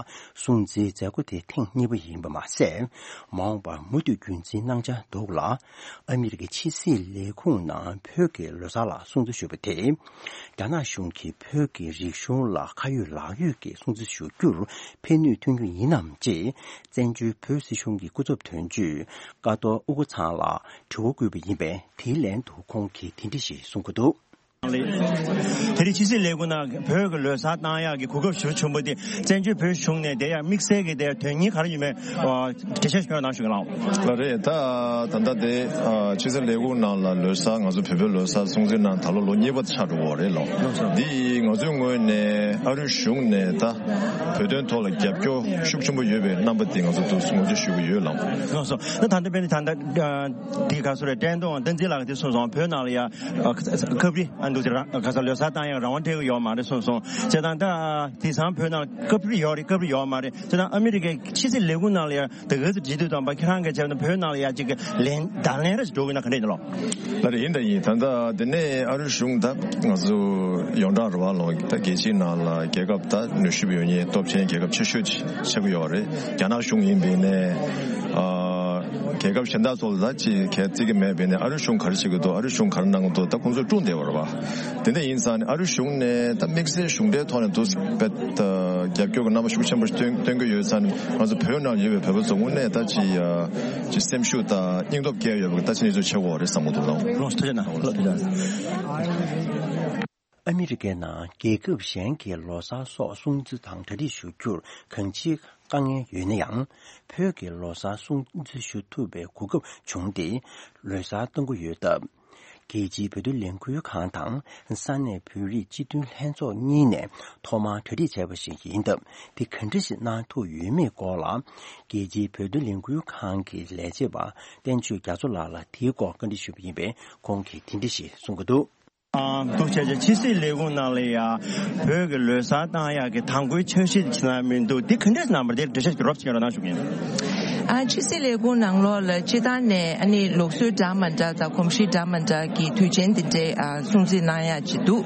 སྲུང་བརྩིའི་མཛད་སྒོ་དེ་ཐེངས་གཉིས་པ་ཡིན་པ་མ་ཟད། མ་འོངས་པར་མུ་མཐུད་རྒྱུན་འཛིན་གནང་འཆར་འདུག་ལ། ཨ་མི་རི་ཀའི་ཕྱི་སྲིད་ལས་ཁུངས་ནང་བོད་ཀྱི་ལོ་གསར་ལ་སྲུང་བརྩི་ཞུ་བ་དེ། རྒྱ་ནག་གཞུང་གིས་བོད་ཀྱི་རིག་གཞུང་ལ་ཁ་ཡོད་ལག་ཡོད་ཀྱིས་སྲུང་བརྩི་ཞུ་རྒྱུར་ཕན་ནུས་ཐོན་རྒྱུ་ཡིན་ནམ་ཅེས་བཙན་བྱོལ་བོད་སྲིད་གཞུང་གི་སྐུ་ཚབ་དོན་གཅོད་ཀ་ཏོ་ཨུ་ཀུ་ཚང་ལ་དྲི་བ་བཀོད་པ་ཡིན་པས། དེའི་ལན་དུ་ཁོང་གིས་དེ་འདྲ་ཞིག་གསུང་གི་འདུག། དེ་རིང་ཕྱི་སྲིད་ལས་ཁུངས་ནང་བོད་ཀྱི་ལོ་གསར་བཏང་ཡག་གི་གོ་སྐབས་ཞེ་པོ་བྱུང་བ་དེ་བཙན་བྱོལ་བོད་གཞུང་ནས་དེ་ཡང་དམིགས་བསལ་གྱི་དེ་དོན་སྙིང་ག་རེ་ཡོད་མེད་འགྲེལ་བཤད་ཞུ་གནང་ཞུ་གི་ལགས། ལགས་རེད། ད་ད་ལྟ་དེ་ཕྱི་སྲིད་ལས་ཁུངས་ནང་ལ་ལོ་གསར་ང་ཚོ་བོད་པའི་ལོ་གསར་སྲུང་བརྩི་གནང་ད་ལོ་ལོ་གཉིས་པ་ཆགས་འགྲོ་གི་རེད་ལགས། འདི་ང་ཚོའི་ངོས་ནས་ཨ་རིའི་གཞུང་ནས་ད་བོད་དོན་ཐོག་ལ་རྒྱབ་སྐྱོར་ཤུགས་ཆེན་པོ་ཡོད་པའི་རྣམ་པ་དེ་ང་ཚོ་ཐུགས་ངོ་སྤྲོད་ཞུ་གི་ཡོད་ལགས། ལགས་སོ། ད་ད་ལྟ་དཔེར་ན་ད་ལྟ་དེ་ག་སོ་རེད། བསྟན་རྡོར་བསྟན་འཛིན་ལགས་དེ་གསུངས་སོང་། བོད་ནང་ལ་ཡ་ཁབ་རི། འདུག་དེ་རང་ག་ས་ལོ་གསར་བཏང་ཡག་རང་དབང་སྤྲད་ཀྱི་ཡོད་མ་རེད་གསུངས་སོང་། བྱས་ཙང་ད་དེང་སང་བོད་ནང་སྐབས་རེ་ཡོད་རེད། སྐབས་རེ་ཡོད་མ་རེད། བྱས་ཙང་ཨ་མི་རི་ཀའི་ཕྱི་སྲིད་ལས་ཁུངས་ནང་ལ་ཡང་ད་ག་ཚོད་བྲིས་དུས་ཙམ་པ་ཁྱེད་རང་གིས་བྱས་ན་བོད་ནང་ལ་ཡང་ཅིག་ལན་བརྡ་ལན་རེ་ཞིག་འགྲོ་གི་ན་ག་འདྲ་ཡིན་ལོ། ལ་རེད། ཡིན་ད་ཡིན། ད་ལྟ་དེ་ནས་ཨ་རི་གཞུང་ད་ང་ཚོ་ཡོངས་གྲགས་རེད་བ་ལོ། ད་རྒྱལ་སྤྱིའི་ནང་ལ་རྒྱལ་ཁབ་ད་ནུས་ཤུགས་ཡོད་མཁན་སྟོབས་ཆེན་རྒྱལ་ཁབ་ཆེ་ཤོས་ཆགས་ཀྱི་ཡོད་རེད། རྒྱ་ནག་གཞུང་ཡིན་པའི་ནས་ཨ། རྒྱལ་ཁབ་གཞན་དག་ཚོ་ལ་ད་ཅི་གལ་བརྩི་གི་མེད་པས་ནས་ཨ་རི་གཞུང་ག་རེ་བྱེད་ཀྱི་འདུག་ཨ་རི་གཞུང་ག་རེ་གནང་གི་འདུག་ད་ཁོང་ཚོས་དཀྲུག་བསྡད་པ་རེད་བ། དེ་འདྲ་ཡིན་ཙང་ནས་ཨ་རི་གཞུང་ནས་ད་དམིགས་བསལ་གཞུང་འབྲེལ་ཐོག་ནས་འདུག་པའི་ད་རྒྱབ་སྐྱོར་གྱི་རྣམ་པ་ཤུགས་ཆེན་པོ་སྟོན་སྟོན་གྱི་ཡོད་ཙང་ནས་ང་ཚོ་བོད་ནང་ཡོད་པའི་བོད་པ་ཚོ་དངོས་གནས་ད་ཅི་ཡ་ཅི་སེམས་ཤུགས་དང་སྙིང་སྟོབས་སྐྱེ་ཡོད་པའི་ད་ཅི་གནས་ཚུལ་ཆེ་བོ་རེད་བསམ་གྱི་འདུག་ལགས། ལགས་སོ། ཐུགས་རྗེ་གནང་། ལགས་སོ། ཐུགས་རྗེ་གནང་། ཨ་མི་རི་ཀའི་ནང་རྒྱལ་ཁབ་གཞན་གྱི་ལོ་གསར་སོགས་སྲུང་བརྩི་དང་གྲ་སྒྲིག་ཞུ་རྒྱུར་གང་ཅིའི་དཀའ་ངལ་ཡོད་ན་ཡང་། བོད་ཀྱི་ལོ་གསར་སྲུང་བརྩི་ཞུ་ཐུབ་པའི་གོ་སྐབས་བྱུང་སྟེ་ལོ་གསར་གཏོང་གི་ཡོད་སྟབས། རྒྱལ་སྤྱིའི་བོད་དོན་ལས་འགུལ་ཁང་དང་ས་གནས་བོད་རིགས་སྤྱི་མཐུན་ལྷན་ཚོགས་གཉིས་ནས་ཐོག་མར་གྲ་སྒྲིག་བྱས་པ་ཞིག་ཡིན་སྟབས། དེ་ག་འདྲ་ཞིག་གནང་ཐུབ་ཡོད་མེད་སྐོར་ལ། རྒྱལ་སྤྱིའི་བོད་དོན་ལས་འགུལ་ཁང་གི་ལས་བྱེད་པ་བསྟན་ཆོས་རྒྱ་མཚོ་ལགས་ལ་དེའི་སྐོར་བཀའ་འདྲི་ཞུས་པ་ཡིན་པས། ཁོང་གིས་དེ་འདྲ་ཞིག་གསུང་གི་འདུག་ཨ། འདུག་བྱས་བྱས་ཕྱི་སྲིད་ལས་ཁུངས་ནང་ལ་ཡ་བོད་ཀྱི་ལོ་གསར་བཏང་ཡག་གི་དང་པོའི་འཆར་གཞི་དེ་ཕྱི་ནང་མི་འདུག་དེ་ག་འདྲས་གནང་བ་དེ་འགྲེལ་བཤད་ཀྱི་རོབ་ཅིག་རོགས་གནང་ཞུ་གི་ཡིན། ཨ། ཕྱི་སྲིད་ལས་ཁུངས་ནང་ལོགས་ལ་སྤྱི་བཏང་ནས་ཨ་ནི་ལུགས་སྲོལ་འདྲ་མི་འདྲ་དང་གོམས་གཤིས་འདྲ་མི་འདྲ་གི་དུས་ཆེན་དེ་འདྲའི་ཨ་སྲུང་བརྩི་གནང་ཡག་ཅིག་འདུག་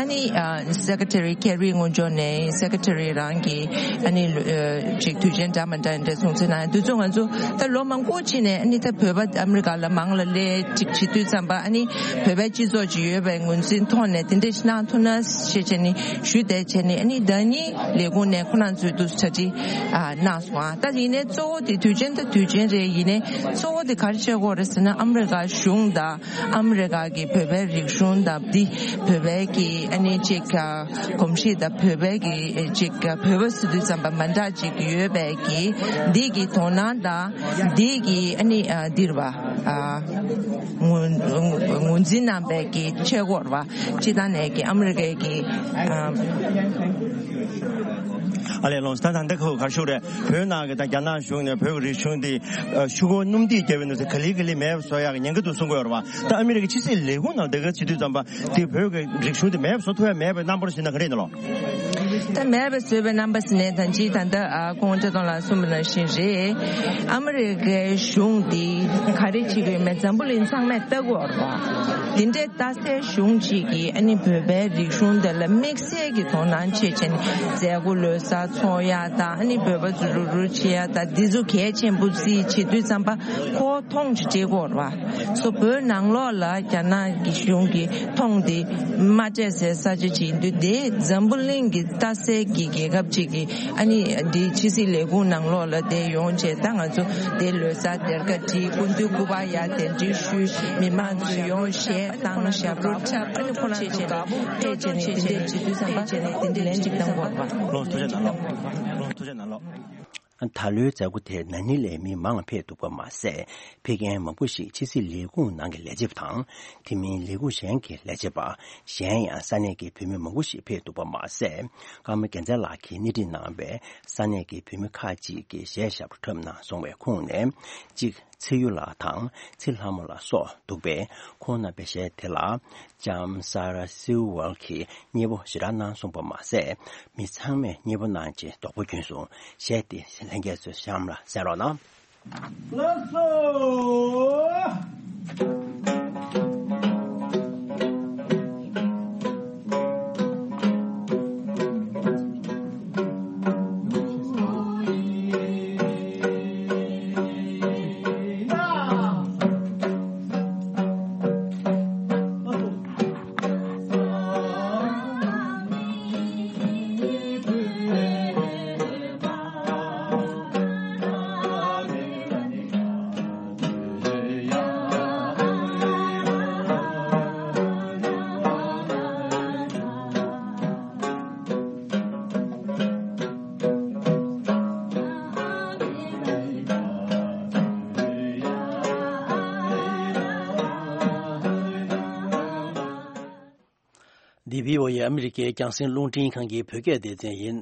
ཨ་ནི་ཨ་སེ་ཀེ་ཊ་རི་ཁེ་རི་ངོས་ཕྱོགས་ནས་སེ་ཀེ་ཊ་རི་རང་གི་ཨ་ནི་ལུ་ཨ་ཅིག་དུས་ཆེན་འདྲ་མི་འདྲ་འདྲ་སྲུང་བརྩི་གནང་ཡག་དུས་ཚོད་ང་ཚོ་ད་ལོ་མང་པོ་ཕྱིན་ནས་ཨ་ནི་ད་བོད་པ་ཨ་མི་རི་ཀ་ལ་མང་ལ་སླེབས་ཅིག་བྱེད་དུས་ཙམ་པ་ཨ་ནི་བོད་པའི་སྤྱི་ཚོགས་ཅིག་ཡོད་པའི་ངོས་འཛིན་ཐོག་ནས་དེ་འདྲ་ཞིག་གནང་ཐུབ་ན་ཞེས་བྱས་ནས་ཞུས་བསྡད་བྱས་ནས། ཨ་ནི་ཟླ་ཉིན་ལས་ཁུངས་ནས་ཁོ་རང་ཚོས་འདུག་གྲ་སྒྲིག་ཨ་གནང་སོང་། ཨ་ད་ཡིན་ནའི་གཙོ་བོ་དེ་དུས་ཆེན་ད་དུས་ཆེན་རེད། ཡིན་ནའི་གཙོ་བོ་དེ་ག་རེ་བྱེད་དགོས་རེད་ཟེར་ན། ཨ་མི་རི་ཀ་གཞུང་དང་ཨ་མི་རི་ཀ་གི་བོད་པའི་རིག་གཞུང་དང་འདི་བོད་པའི་གི་ཨ་ནི་ཅིག་གོམས་གཤིས་དང་བོད་པའི་གི་ཅིག་བོད་པ་ཟེར་དུས་ཙམ་པ་མི་འདྲ་ཅིག་ཡོད་པའི་གི་འདི་གི་དོ་སྣང་དང་འདི་གི་ཨ་ནི་འདིར་བ་ཨ་ངོས་ངོས་འཛིན་གནང་བའི་གི་ཆེད་སྐོར་བ་སྤྱི་བཏང་ནས་གི་ཨ་མི་རི་ཀའི་གི་ཨ། ཨ་ལས་ལོངས་ད་ད་ལྟ་ཁོ་གར་ཤོག་རེད། བོད་ནང་གི་ད་རྒྱ་ནག་གཞུང་ནས་བོད་ཀྱི་རིག་གཞུང་འདི་ཨ་ཤུ་གུ་སྣུམ་དུས་རྒྱབ་པའི་ནང་ག་ལེ་ག་ལེ་མེད་པ་བཟོ་ཡག་གི་ཉེན་ཁ་འདུག་གསུང་གི་ཡོད་རེད་བ། ད་ཨ་མི་རི་ཀའི་ཕྱི་སྲིད་ལས་ཁུངས་ནང་ད་ག་བྱེད་དུས་ཙམ་པ་དེ་བོད་ཀྱི་རིག་གཞུང་དེ་མེད་པ་བཟོ་ཐུབ་ཡག་མེད་པའི་རྣམ་པར་ཞིག་ན་ག་རེ་ཡིན་ནོ། ད་མེད་པ་བཟོས་པའི་རྣམ་པ་ཟེར་ནས་ད་ཅི་ད་ལྟ་ཨ་ཁོང་ཁྲི་སྟོང་ལགས་གསུངས་པ་ནང་བཞིན་རེད། ཨ་མི་རི་ཀའི་གཞུང་འདི་ག་རེ་བྱེད་ཀྱི་ཡོད་མེད་འཛམ་བུ་གླིང་ཚང་མས་ལྟ་གི་ཡོད་རེད་བ། དེ་འདྲའི་ལྟ་སའི་གཞུང་གཅིག་གིས་ཨ་ནི་བོད་པའི་རིག་གཞུང་དེ་ལ་དམིགས་བསལ་གྱི་དོ་སྣང་བྱེད་བྱས་ནས་མཛད་སྒོ་ལོ་གསར་ཚོགས་ཡག་དང་ཨ་ནི་བོད་པ་ཚོ་རུབ་རུབ་བྱེད་ཡག་དང་འདི་ཚོ་གལ་ཆེན་པོ་བརྩིས་བྱེད་དུས་ཙམ་པ་ཁོ་མཐོང་ཅིག་བྱེད་དགོས་རེད་བ། སོ་བོད་ནང་ལོགས་ལ་རྒྱ་ནག་གི་གཞུང་གིས་མཐོང་སྟེ་མ་སྤྲད་སའི་ས་ཆ་ཅིག་ཡིན་དུས། དེ་འཛམ་བུ་གླིང་གི་ལྟ་སའི་གི་རྒྱལ་ཁབ་ཅིག་གིས་ཨ་ནི་འདི་ཕྱི་སྲིད་ལས་ཁུངས་ནང་ལོགས་ལ་དེ་ཡོང་བྱས། ད་ང་ཚོ་དེ་ལོ་གསར་སྡེར་ཁ་བྲིས། སྐུ་མདུན་སྐུ་པར་ཡར་གདན་འདྲེན་ཞུས། མི་མང་ཚོས་ཡོང་གཞས་བཏང་། ཞབས་བྲོ་འཁྲབ། ཨ་ནི་ཁོ་རང་ཚོ་དགའ་པོ་ཕེབས་བྱས་ནས་དེ་འདྲས་བྱེད་དུས་ཙམ་པ་དེ་འདྲས་ལན་ཅིག་བཏང་དགོས་པ། ལོ་ཐུགས་རྗེ་གནང་ལོ། ལོ་ཐུགས་རྗེ་གནང་ལོ། ད་ལོའི་མཛད་སྒོ་དེར་ན་ནིང་ལས་མི་མང་ཕེབས་འདུག་པ་མ་ཟད། ཕེབས་མཁན་མང་པོ་ཞིག་ཕྱི་སྲིད་ལས་ཁུངས་ནང་གི་ལས་བྱེད་པ་དང་། དེ་མིན་ལས་ཁུངས་གཞན་གྱི་ལས་བྱེད་པ། གཞན་ཡང་ས་གནས་ཀྱི་བོད་མི་མང་པོ་ཞིག་ཕེབས་འདུག་པ་མ་ཟད། ཀརྨ་རྒྱལ་མཚན་ལགས་ཀྱིས་སྣེ་ཁྲིད་གནང་བའི་ས་གནས་ཀྱི་བོད་མི་ཁག་ཅིག་གིས་གཞས་ཞབས་བྲོ་འཁྲབ་གནང་སོང་བའི་ཁོངས་ནས་གཅིག་ཚེ་ཡུ་ལགས་དང་ཚེ་ལྷ་མོ་ལགས་སོགས་འདུག་པས། ཁོང་རྣམ་པའི་གཞས་དེ་ལ་ལྕམ་Sarah Sewell གྱིས་མཉེས་པོ་ཞེ་དྲག་གནང་སོང་པ་མ་ཟད། མི་ཚང་མས་མཉེས་པོ་གནང་རྗེས་རྡོག་པོ་གྱོན་སོང་། གཞས་དེ་ལྷན་རྒྱས་ཚོས་གཤམ་ལ་གསན་རོགས་གནང་། ལགས་སོ། འདི་བྷི་ཨོ་ཨེ་ཨ་མི་རི་ཀའི་རྒྱང་སྲིང་རླུང་འཕྲིན་ཁང་གི་བོད་སྐད་སྡེ་ཚན་ཡིན།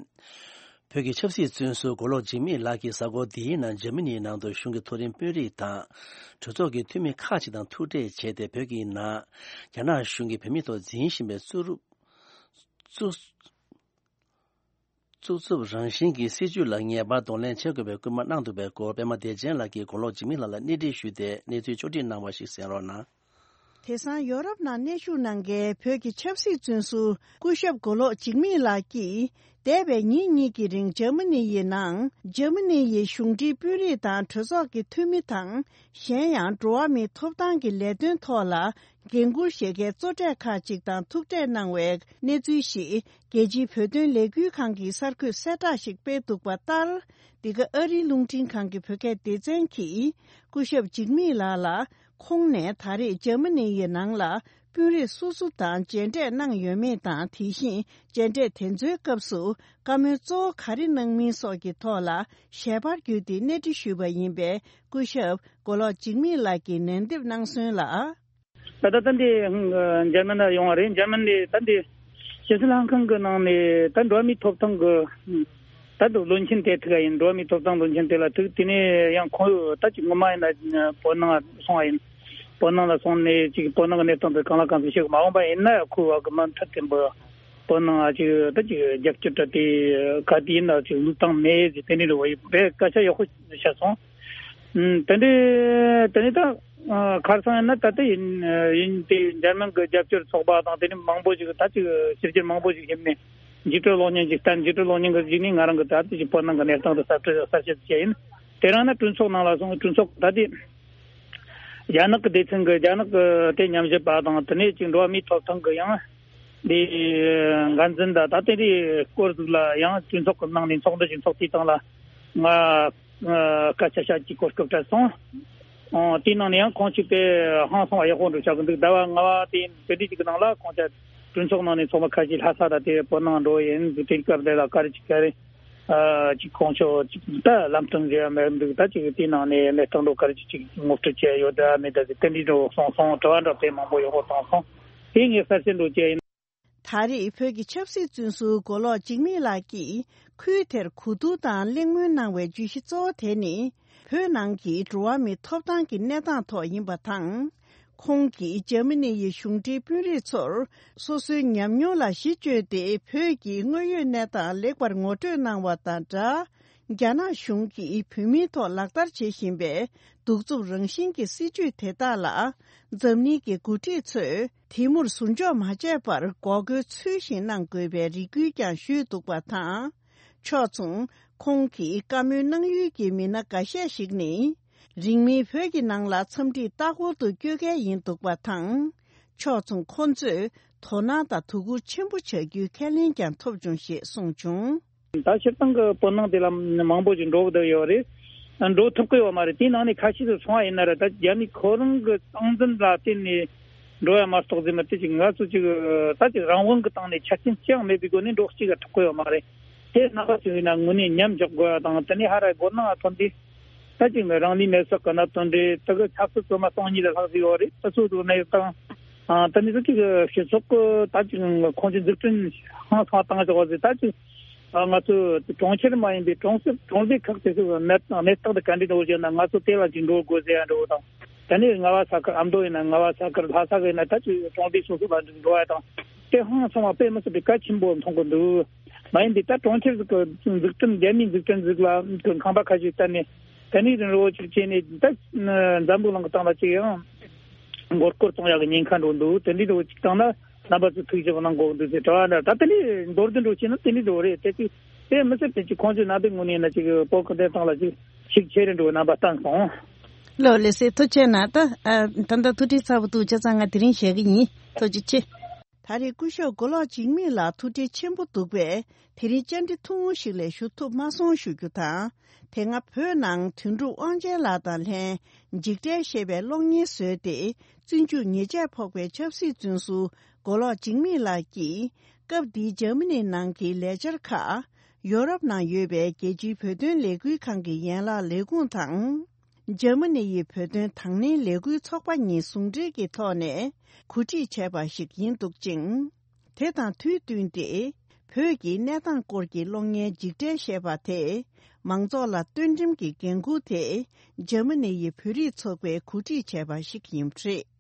བོད་ཀྱི་ཆབ་སྲིད་བཙོན་ཟུར་མགོ་ལོག་འཇིགས་མེད་ལགས་ཀྱིས་གཟའ་འཁོར་འདིའི་ནང་འཇར་མ་ནིའི་ནང་དུ་གཞུང་གི་མཐོ་རིམ་དཔོན་རིགས་དང་། གྲོས་ཚོགས་ཀྱི་འཐུས་མི་ཁག་ཅིག་དང་ཐུག་འཕྲད་བྱས་ཏེ། བོད་ཀྱི་ནང་རྒྱ་ནག་གཞུང་གིས་བོད་མིའི་ཐོག་འཛིན་བཞིན་པའི་རྩུབ་རྩུབ་རྩུབ་རྩུབ་རང་བཞིན་གྱི་སྲིད་བྱུས་ལ་ངེས་པར་གདོང་ལེན་བྱེད་དགོས་པའི་སྐུལ་མ་གནང་འདུག་པའི་སྐོར། པད་མ་བདེ་ཆེན་ལགས་ཀྱིས་མགོ་ལོག་འཇིགས་མེད་ལགས་ལ་སྣེ་ཁྲིད་ཞུས་ཏེ། གནས་ཚུལ་ཕྱོགས་སྒྲིག་གནང་བ་ཞིག་གསན་རོགས་གནང་། དེང་སང་ཡོ་རོབ་ནང་གནས་བཞུགས་གནང་མཁན་བོད་ཀྱི་ཆབ་སྲིད་བཙོན་ཟུར་སྐུ་ཞབས་མགོ་ལོག་འཇིགས་མེད་ལགས་ཀྱིས། འདས་པའི་ཉིན་གཉིས་ཀྱི་རིང་འཇར་མ་ནི་ཡི་ནང་། འཇར་མ་ནི་ཡི་གཞུང་འབྲེལ་དཔོན་རིགས་དང་གྲོས་ཚོགས་ཀྱི་འཐུས་མི་དང་། གཞན་ཡང་འགྲོ་བ་མིའི་ཐོབ་ཐང་གི་ལས་དོན་ཐོག་ལ་འགན་འཁུར་བཞེས་མཁན་གཙོ་གྲས་ཁག་ཅིག་དང་ཐུག་འཕྲད་གནང་བའི་གནས་ཚུལ་ཞིག་རྒྱལ་སྤྱིའི་བོད་དོན་ལས་འགུལ་ཁང་གིས་གསར་འགོད་གསལ་བསྒྲགས་ཤིག་སྤེལ་འདུག་པ་ལྟར། འདི་ག་ཨ་རིའི་རླུང་འཕྲིན་ཁང་གི་བོད་སྐད་སྡེ་ཚན་གྱིས་སྐུ་ཞབས་འཇིགས་མེད་ལགས་ལ། ཁོང་ནས་ད་རེས་འཇར་མ་ནི་ཡི་ནང་ལ་དཔོན་རིགས་སུ་སུ་དང་མཇལ་འཕྲད་གནང་ཡོད་མེད་དང་། དེ་བཞིན་མཇལ་འཕྲད་དེ་ཚོའི་སྐབས་སུ་བཀའ་མོལ་གཙོ་བོ་ག་རེ་གནང་མིན་སོགས་ཀྱི་ཐོག་ལ་ཞལ་པར་བརྒྱུད་དེ་སྣེ་ཁྲིད་ཞུས་པ་ཡིན་པས། སྐུ་ཞབས་མགོ་ལོག་འཇིགས་མེད་ལགས་ཀྱིས་ལན་འདེབས་གནང་སོང་ལ། ད་ལྟ་ད་འདི་འཇར་མན་ལ་ཡོང་བ་རེད། འཇར་མན་ནས་ད་འདི་ཕྱི་སྲིད་ལྷན་ཁང་གི་ནང་ནས་ད་འགྲོ་བ་མིའི་ཐོབ་ཐང་གི་ད་དུ་བློན་ཆེན་དེ་ཐུག་ཡིན། འགྲོ་བ་མིའི་ཐོབ་ཐང་བློན་ཆེན་དེ་ལ་ཐུག་དེ་ནས་ཡང་ཁོང་ད་ཅིག་ངོ་མ་ཡིན་ན་བོད་ནང་སོང་བ་ཡིན། བོད་ནང་ལ་སོང་ནས་ཅིག་བོད་ནང་གི་གནས་སྟངས་དེ་གང་ལ་གང་འཚམ་ཤེས་གི་མ་འོངས་པ་ཡིན་ན་ཁོ་བ་གི་མ་མཐའ་བརྟན་པོ་བོད་ནང་ཅིག་ད་ཅིག་རྒྱབ་སྐྱོར་ད་དེ་ག་དེ་ཡིན་ན་ཅིག་ལུགས་དང་མེད་ཅིག་དེ་ནས་རེ་བ་ཡིན་པའི་སྐད་ཆ་ཡག་པོ་བཤད་སོང་། ཨུམ། དེ་འདྲའི་དེ་ནི་ད་ཨ་ཁར་སང་ཡིན་ན་ད་ལྟ་ཡིན་ཡིན་དེ་འཇར་མན་གྱི་རྒྱབ་སྐྱོར་ཚོགས་པ་དང་དེ་ནི་མང་པོ་ཞིག་ད་ཅིག་ཕྱི་རྒྱལ་མང་པོ་ཞིག་ཡིན་ནས་འཇིགས་སྐྲག་གློག་བརྙན་ཅིག་བསྟན། འཇིགས་སྐྲག་གློག་བརྙན་གྱི་གཞི་ནས་ང་རང་གི་ད་ལྟ་ཅིག་བོད་ནང་གི་གནས་སྟངས་དེ་གསར་གསར་བཤད་བྱས་ཡིན། དེ་རིང་ནི་གྲོས་ཚོགས་ནང་ལ་སོང་། གྲོས་ཚོགས་ད་དེ་རྒྱ་ནག་གི་སྡེ་ཚན་གྱི་རྒྱ་ནག་གི་དེ་ཉམས་ཞིབ་པ་དང་དེ་ནས་ཅིག་འགྲོ་བ་མིའི་ཐོབ་ཐང་གི་ཡང་དེ་འགན་འཛིན་ད་ད་དེ་འདྲའི་སྐོར་ཟིག་ལ་ཡང་གྲོས་ཚོགས་ཀྱི་ནང་ནས་ཚོགས་འདུ་ཞིག་ཚོགས་དུས་སྟེང་ལ་ང་ཨ་སྐད་ཆ་བཤད་ཀྱི་གོ་སྐབས་སྤྲད་སོང་། ཨོ་དེའི་ནང་ནས་ཡང་ཁོང་ཅིག་དཔེ་ཧང་སང་བ་ཡག་པོ་འདྲ་བོ་ཆགས་ཀྱི་འདུག་ཟླ་བ་ལྔ་པ་དེ་དེ་འདྲའི་ཅིག་གི་ནང་ལ་ཁོང་ཅག་གྲོས་ཚོགས་ནང་ནས་ཚོགས་མི་ཁ་ཤས་ལྷ་ས་དང་དེ་བོད་ནང་འགྲོ་ཡིན་འདུག་དེ་སྐབས་དེ་ལ་ག་རེ་ཅིག་ག་རེ་ཨ་ཅིག་ཁོང་ཚོ་ཅིག་ད་ལམ་སྟོན་རེ་ཡང་མེད་འདུག་ད་ཅིག་དེའི་ནང་ནས་གནས་སྟངས་འགྲོ་ག་རེ་ཅིག་ཅིག་ངོ་སྤྲོད་བྱས་ཡོད་ད་མེད་ད་ཟེར་དེ་འདྲའི་འགྲོ་སོང་སོང་། དྲི་བ་འདྲ་དཔེ་མང་པོ་ཡག་པོ་བཏང་སོང་། དེ་ངས་གསལ་བཤད་འགྲོ་བྱས་ཡིན། ད་རེས་བོད་ཀྱི་ཆབ་སྲིད་བཙོན་ཟུར་མགོ་ལོག་འཇིགས་མེད་ལགས་ཀྱིས་ཁུལ་དེར་གོ་བསྡུར་དང་གླེང་མོལ་གནང་བའི་བརྗོད་གཞི་གཙོ་བོ་དེ་ནི། བོད་ནང་གི་འགྲོ་བ་མིའི་ཐོབ་ཐང་གི་གནས་སྟངས་ཐོག་ཡིན་པ་དང་། ཁོང་གིས་འཇར་མ་ནི་ཡི་གཞུང་འབྲེལ་དཔོན་རིགས་ཚོར་སོ་སོའི་ཉམས་མྱོང་ལ་གཞི་བཅོལ་ཏེ། བོད་ཀྱི་དངོས་ཡོད་གནས་སྟངས་ལེགས་པར་ངོ་སྤྲོད་གནང་བ་དང་སྦྲགས། རྒྱ་ནག་གཞུང་གིས་བོད་མིའི་ཐོག་ལག་བསྟར་བྱེད་བཞིན་པའི་གདུག་རྩུབ་རང་བཞིན་གྱི་སྲིད་བྱུས་དེ་དག་ལ། འཛམ་གླིང་གི་འགོ་ཁྲིད་ཚོས་དེ་མུར་ཟུར་འཇོག་མ་བྱས་པར་འགོག་རྒོལ་ཚུལ་བཞིན་གནང་དགོས་པའི་རེ་སྐུལ་ཀྱང་ཞུས་འདུག་པ་དང་། ཕྱོགས་མཚུངས། ཁོང་གིས་བཀའ་མོལ་གནང་ཡུལ་གྱི་མི་སྣ་འགའ་ཤས་ཤིག་ནི། རིང་མིན་བོད་ཀྱི་ནང་ལ་འཚམས་འདྲིར་ལྟ་སྐོར་དུ་བསྐྱོད་མཁན་ཡིན་འདུག་པ་དང་། ཕྱོགས་མཚུངས། ཁོང་ཚོས་དོ་སྣང་དང་དོ་ཁུར་ཆེན་པོ་བྱ་རྒྱུའི་ཁས་ལེན་ཀྱང་ཐོབ་བྱུང་ཞེས་གསུངས་བྱུང་། ད་སྤྱིར་བཏང་གི་བོད་ནང་དེ་ལ་མང་པོ་ཞིག་འགྲོ་གི་ཡོད་རེད། འགྲོ་ཐུབ་ཀྱི་ཡོད་མ་རེད། དེའི་ནང་ནས་ཁ་ཤས་ཚོ་སོང་བ་ཡིན་ན་ར། ད་རྒྱ་མི་ཁོ་རང་གི་སྟངས་འཛིན་ལ་བརྟེན་ནས་འགྲོ་ཡ་མ་གཏོགས་ཟེར་མ་དེ་ཅིག་ང་ཚོ་ཅིག་ད་ཅིག་རང་དབང་གི་སྟེང་ནས་ཆ་རྐྱེན་ཅི་ཡང་མེད་པའི་སྒོ་ནས་འགྲོ་ཅིག་ཐུབ་ཀྱི་ཡོད་མ་རེད། དེ་རྣམ་པ་ཚོས་ཡིན་ན་དངོས་གནས་མཉམ་འཇོག་དགོས་ཡ་དང་། དེ་ནས་ཧ་ར་སྒོ་ནང་ཐོན་དུས་ད་ཅིག་རང་ལུས་མེར་སྲེག་གི་གནད་དོན་རེད། དེ་གི་ཆབ་སྲིད་བཙོན་མ་སྟོང་གཉིས་ལ་ལྷག་ཟིག་ཡོད་རེད། དེ་ཚོ་དུ་གནས་སྟངས་དེ་ནས་ཚོ་ཅིག་སྤྱི་ཚོགས་ཀྱི་ད་ཅིག་ཁོང་ཚོས་འཛུགས་སྐྲུན་ཧང་སང་བཏང་ཆོག་ཟིག་ད་ཅིག་ང་ཚོ་གྲོང་ཁྱེར་མ་ཡིན་པའི་གྲོང་གསེབ་གྲོང་སྡེ་ཁག་དེ་ཚོའི་གནས་གནས་སྟངས་དེ་ག་འདྲ་འགྲོ་བཞིན་ན་ང་ཚོ་དེ་ལ་ཅིག་འགྲོ་དགོས་ཟེར་ཡ་འགྲོ་དང་། དེ་ནས་རྔ་བ་ས་ཁུལ། ཨ་མདོ་ཡིན་ན་རྔ་བ་ས་ཁུལ། ལྷ་ས་གི་ཡིན་ན་ད་ཅིག་གྲོང་སྡེ་སོ་སོ་ལ་འགྲོ་ཡ་དང་། དེ་ཧང་སང་བ་དཔེ་མི་སྲིད་པའི་གལ་ཆེན་པོ་མཐོང་གི་འདུག་མ་ཡིན་པའི་ད་གྲོང་ཁྱེར་ཟིག་གི་འཛུགས་སྐྲུན། རྒྱ་མིའི་འཛུགས་སྐྲུན་ཟིག་ལ་ཁང་པ་ཁ་ཤས་བསྟར་ནས་དེ་ནས་རིན་རོ་ཅིག་བྱས་ནས་ད་འཛམ་བུ་གླིང་གི་སྟེང་ལ་ཅིག་ཡང་མགོ་སྐོར་གཏོང་ཡག་གི་ཉེན་ཁ་འགྲོ་འདུག་དེ་འདྲའི་འགྲོ་ཅིག་བཏང་ན། རྣམ་པ་ཚོས་ཐུགས་ཞིབ་གནང་དགོས་འདུག་ཟེར་དྲི་བ་འདྲ། ད་དེ་ནས་མདོར་བསྡུས་འགྲོ་བྱས་ན་དེ་འདྲའི་འགྲོ་རེད། དེ་ཅིག་དེ་མི་སྲིད་པའི་ཅིག་ཁོང་ཚོས་ནང་པའི་ངོས་ནས་ན་ཅིག་བོད་ཀྱི་བདེན་དོན་ལ་ཅིག་ཤུགས་ཆེ་རུ་འགྲོ་བའི་རྣམ་པ་བསྟན་སོང་། ལགས་ལགས་སེ། ཐུགས་རྗེ་གནང་། ད་ཨ་ད་ལྟ་ཐུགས་ཁྲལ་ཚ་པོ་འདུག་བྱས་ཙང་ང་དེ་རིང་བཞག་གི་ཡིན། ཐུགས་རྗེ་ཆེ། ད་རེས་སྐུ་ཞབས་མགོ་ལོག་འཇིགས་མེད་ལགས་ཐུགས་ཁྲལ་ཆེན་པོ་འདུག་པས། དེ་རིང་བཅར་འདྲི་ཐུང་ངུ་ཞིག་ལས་ཞུ་ཐུབ་མ་སོང་ཞུ་རྒྱུ་དང་། དེ་སྔ་བོད་ནང་དོན་གྲུབ་དབང་ཆེན་ལགས་དང་ལྷན་འཇིགས་བྲལ་ཞེས་པའི་གློག་བརྙན་བཟོས་ཏེ། བཙོན་འཇུག་ཉེས་ཆད་ཕོག་པའི་ཆབ་སྲིད་བཙོན་ཟུར་མགོ་ལོག་འཇིགས་མེད་ལགས་ཀྱིས། སྐབས་འདིའི་འཇར་མ་ནི་ནང་གི་ལས་འཆར་ཁག་ཡོ་རོབ་ནང་ཡོད་པའི་རྒྱལ་སྤྱིའི་བོད་དོན་ལས་འགུལ་ཁང་གི་ཡན་ལག་ལས་ཁུངས་དང་། འཇར་མ་ནི་ཡི་བོད་དོན་དང་ལེན་ལས་འགུལ་ཚོགས་པ་གཉིས་ཟུང་འབྲེལ་གྱི་ཐོག་ནས་གོ་སྒྲིག་བྱས་པ་ཞིག་ཡིན་འདུག་ཅིང་། དེ་དང་དུས་བསྟུན་ཏེ། བོད་ཀྱི་གནས་སྟངས་སྐོར་གྱི་གློག་བརྙན་འཇིགས་བྲལ་ཞེས་པ་དེས། མང་ཚོགས་ལ་བསྟུན་ཁྲིམས་ཀྱི་འགན་འཁུར་དེ། འཇར་མ་ནི་ཡི་བོད་རིགས་ཚོགས་པས་གོ་སྒྲིག་བྱས་པ་ཞིག་ཡིན་པ་རེད།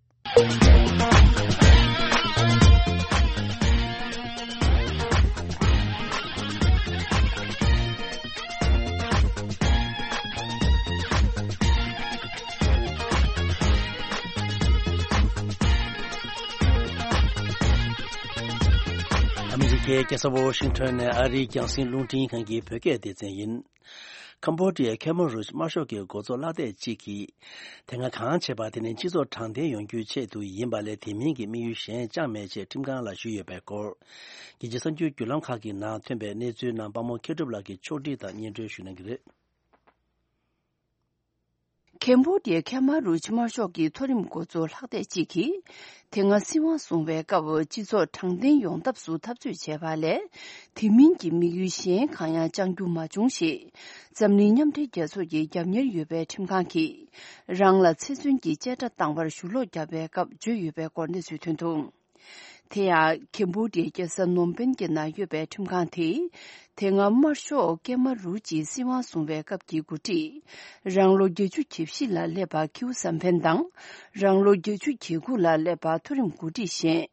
ཨ་མི་རི་ཀའི་རྒྱལ་ས་ཝོ་ཤིང་ཊོན་ནས་ཨ་རིའི་རྒྱང་སྲིང་རླུང་འཕྲིན་ཁང་གི་བོད་སྐད་སྡེ་ཚན་ཡིན། ཁམ་བྷོ་ཌི་ཡའི་ཁེ་མ་རུཇ་དམར་ཤོག་གི་འགོ་གཙོ་ལྷག་བསྡད་གཅིག་གིས། དེ་སྔ་གང་བྱས་པ་དེ་ནི་སྤྱི་ཚོགས་དྲང་བདེན་ཡོང་རྒྱུའི་ཆེད་དུ་ཡིན་པ་ལས། དེ་མིན་གྱི་དམིགས་ཡུལ་གཞན་ཅང་མེད་ཅེས་ཁྲིམས་ཁང་ལ་ཞུས་ཡོད་པའི་སྐོར། རྒྱལ་སྤྱིའི་གསར་འགྱུར་བརྒྱུད་ལམ་ཁག་གི་ནང་ཐོན་པའི་གནས་ཚུལ་རྣམས་དཔའ་མོ་མཁས་གྲུབ་ལགས་ཀྱིས་ཕྱོགས་སྒྲིག་དང་སྙན་སྒྲོན་ཞུ་གནང་གི་རེད། ཁེམ་བྷོ་ཌི་ཡའི་ཁེ་མ་རུཇ་དམར་ཤོག་གི་མཐོ་རིམ་འགོ་གཙོ་ལྷག་བསྡད་གཅིག་གིས། དེ་སྔ་སྲིད་དབང་བཟུང་བའི་སྐབས། སྤྱི་ཚོགས་དྲང་བདེན་ཡོང་ཐབས་སུ་འཐབ་རྩོད་བྱས་པ་ལས། དེ་མིན་གྱི་དམིགས་ཡུལ་གཞན་གང་ཡང་བཅང་རྒྱུ་མ་བྱུང་ཞེས། འཛམ་གླིང་མཉམ་འབྲེལ་རྒྱལ་ཚོགས་ཀྱི་རྒྱབ་གཉེར་ཡོད་པའི་ཁྲིམས་ཁང་གིས། རང་ལ་ཚེ་བཙོན་གྱི་བཅད་ཁྲ་བཏང་བར་ཞུ་ལོག་བརྒྱབ་པའི་སྐབས་བརྗོད་ཡོད་པའི་སྐོར་གནས་ཚུལ་ཐོན་འདུག་དེ་ཡང་། ཁེམ་བྷོ་ཌི་ཡའི་རྒྱལ་ས་ནོམ་པེན་གྱི་ནང་ཡོད་པའི་ཁྲིམས་ཁང་དེས། དེ་སྔ་དམར་ཤོག་ཀེ་མ་རུ་ཇིས་སྲིད་དབང་བཟུང་བའི་སྐབས་ཀྱི་འགོ་ཁྲིད། རང་ལོ་བརྒྱད་ཅུ་གྱ་བཞི་ལ་སླེབས་པ་ཁིའུ་ཟམ་ཕན་དང་། རང་ལོ་བརྒྱད་ཅུ་གྱ་དགུ་ལ་སླེབས་པ་མཐོ་རིམ་འགོ་ཁྲིད་གཞན།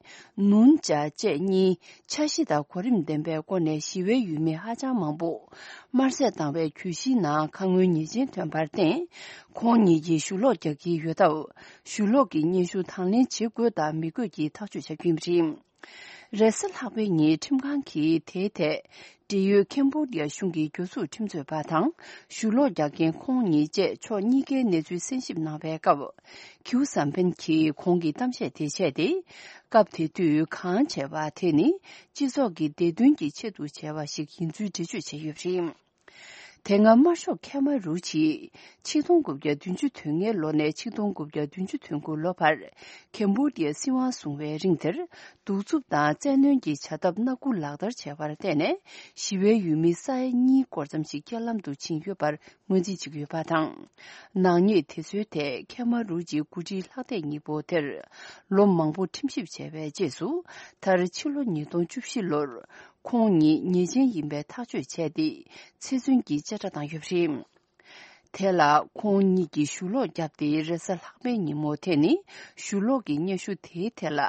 ནུན་ཅཱ་བཅས་གཉིས། འཆར་གཞི་དང་གོ་རིམ་ལྡན་པའི་སྒོ་ནས་ཞི་བའི་ཡུལ་མི་ཧ་ཅང་མང་པོ། དམར་གསོད་བཏང་བའི་གྱོད་གཞིའི་ནང་ཁ་སྔོན་ཉེས་ཅན་ཐོན་པར་བརྟེན། ཁོང་ཉིད་ཀྱིས་ཞུ་ལོག་རྒྱག་གི་ཡོད་སྟབས། ཞུ་ལོག་གི་སྙན་ཞུ་དང་ལེན་བྱེད་དགོས་དང་མི་དགོས་ཀྱི་ཐག་གཅོད་བྱ་རྒྱུ་ཡིན་པ་རེད། རེས་གཟའ་ལྷག་པའི་ཉིན་ཁྲིམས་ཁང་གིས་དེའི་ཐད། འབྲེལ་ཡོད་ཁེམ་བྷོ་ཌི་ཡ་གཞུང་གི་རྒྱུ་ཟུར་ཁྲིམས་རྩོད་པ་དང་། ཞུ་ལོག་རྒྱག་མཁན་ཁོང་ཉིད་བཅས་ཕྱོགས་གཉིས་ཀའི་གནས་ཚུལ་གསན་ཞིབ་གནང་བའི་སྐབས། ཁིའུ་ཟམ་ཕན་གྱིས་ཁོང་གི་གཏམ་བཤད་དེ་བྱས་ཏེ། སྐབས་དེ་དུས་གང་བྱས་པ་དེ་ནི་སྤྱི་ཚོགས་ཀྱི་བདེ་དོན་གྱི་ཆེད་དུ་བྱས་པ་ཞིག་ཡིན་ཚུལ་འགྲེལ་བརྗོད་བྱས་ཡོད་པ་རེད། དེ་སྔ་དམར་ཤོག་ཁེ་མ་རུ་ཇིས་ཆིག་སྟོང་དགུ་བརྒྱ་བདུན་ཅུ་དོན་ལྔའི་ལོ་ནས་ཆིག་སྟོང་དགུ་བརྒྱ་བདུན་ཅུ་དོན་དགུ་ལོ་བར། ཁེམ་བྷོ་ཌི་ཡའི་སྲིད་དབང་བཟུང་བའི་རིང་དེར། གདུག་རྩུབ་དང་བཙན་གནོན་གྱི་བྱ་ཐབས་སྣ་དགུ་ལག་བསྟར་བྱས་པར་བརྟེན་ནས། ཞི་བའི་ཡུལ་མི་ས་ཡ་གཉིས་སྐོར་ཙམ་ཞིག་རྐྱེན་ལམ་དུ་ཕྱིན་ཡོད་པར་ངོས་འཛིན་བྱེད་ཀྱི་ཡོད་པ་དང་། ནག་ཉེས་དེ་ཚོའི་ཐད་ཁེ་མ་རུ་ཇིའི་འགོ་ཁྲིད་ལྷག་བསྡད་གཉིས་པོ་དེར། ལོ་མང་པོ་ཁྲིམས་ཞིབ་བྱས་པའི་རྗེས་སུ། མཐར་ཕྱི་ལོ་ཉིས་སྟོང་བཅུ་བཞི་ལོར། ཁོང་ཉིད་ཉེས་ཅན་ཡིན་པའི་ཐག་གཅོད་བྱས་ཏེ། ཚེ་བཙོན་གྱི་བཅད་ཁྲ་བཏང་ཡོད་པ་རེད། དེ་ལ་ཁོང་ཉིད་ཀྱིས་ཞུ་ལོག་བརྒྱབ་སྟེ། རེས་གཟའ་ལྷག་པའི་ཉིན་མོ་དེ་ནི་ཞུ་ལོག་གི་སྙན་ཞུ་དེའི་ཐད་ལ།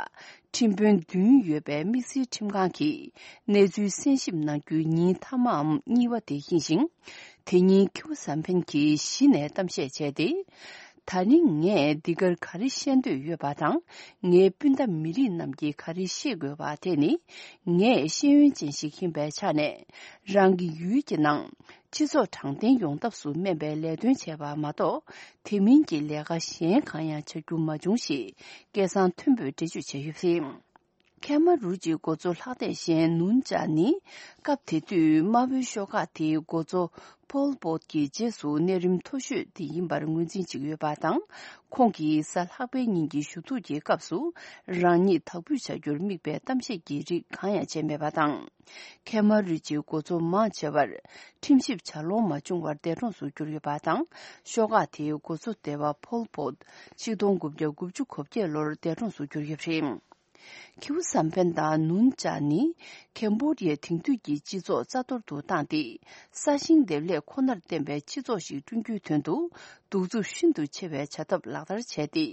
ཁྲིམས་དཔོན་བདུན་ཡོད་པའི་དམིགས་བསལ་ཁྲིམས་ཁང་གིས་གནས་ཚུལ་གསན་ཞིབ་གནང་རྒྱུའི་ཉིན་མཐའ་མའམ་གཉིས་པ་དེ་ཡིན་ཞིང་། དེ་ཉིན་ཁིའུ་ཟམ་ཕན་གྱིས་གཞི་ནས་གཏམ་བཤད་བྱས་ཏེ། ད་ནི་ངས་འདི་གར་ག་རེ་བཤད་འདོད་ཡོད་པ་དང་། ངའི་སྤུན་ཟླ་མི་རིགས་རྣམས་ཀྱིས་ག་རེ་ཤེས་དགོས་པ་དེ་ནི། ངས་ཤེས་ཡོན་ཅན་ཞིག་ཡིན་པའི་ཆ་ནས། རང་གི་ཡུལ་གྱི་ནང་སྤྱི་ཚོགས་དྲང་བདེན་ཡོང་ཐབས་སུ་སྨན་པའི་ལས་དོན་བྱས་པ་མ་གཏོགས། དེ་མིན་གྱི་ལས་ཀ་གཞན་གང་ཡང་བྱ་རྒྱུ་མ་བྱུང་ཞེས་སྐད་གསང་མཐོན་པོས་འགྲེལ་བརྗོད་བྱས་ཡོད་པ་རེད། ཁེ་མ་རུ་ཇིའི་འགོ་གཙོ་ལྷག་བསྡད་གཞན་ནུན་ཅཱ་ནི། སྐབས་དེ་དུས་དམར་པོའི་ཤོག་ཁག་དེའི་འགོ་གཙོ་ཕོལ་པོད་ཀྱི་རྗེས་སུ་གནས་རིམ་མཐོ་ཤོས་དེ་ཡིན་པར་ངོས་འཛིན་བྱེད་ཀྱི་ཡོད་པ་དང་། ཁོང་གིས་གཟའ་ལྷག་པའི་ཉིན་གྱི་ཞུ་གཏུག་གི་སྐབས་སུ། རང་ཉིད་དག་འབུད་བྱ་རྒྱུར་དམིགས་པའི་གཏམ་བཤད་ཀྱི་རིགས་གང་ཡང་བྱས་མེད་པ་དང་། ཁེ་མ་རུ་ཇིའི་འགོ་གཙོ་མང་ཆེ་བར། ཁྲིམས་ཞིབ་བྱ་ལོང་མ་བྱུང་བར་འདས་གྲོངས་སུ་གྱུར་ཡོད་པ་དང་། ཤོག་ཁག་དེའི་འགོ་གཙོ་སྡེ་པ་ཕོལ་པོད། ཆིག་སྟོང་དགུ་བརྒྱ་དགུ་བཅུ་གོ་བརྒྱད་ལོར་འདས་གྲོངས་སུ་གྱུར་ཡོད་པ་རེད། ཁིའུ་ཟམ་ཕན་དང་ནུན་ཅཱ་ནི། ཁེམ་བྷོ་ཌི་ཡའི་དེང་དུས་ཀྱི་སྤྱི་ཚོགས་རྩ་གཏོར་དུ་བཏང་སྟེ། ས་ཞིང་འདེབས་ལས་ཁོ་ནར་བརྟེན་པའི་སྤྱི་ཚོགས་ཤིག་བསྐྲུན་རྒྱུའི་དོན་དུ། གདུག་རྩུབ་ཤིན་ཏུ་ཆེ་བའི་བྱ་ཐབས་ལག་བསྟར་བྱས་ཏེ།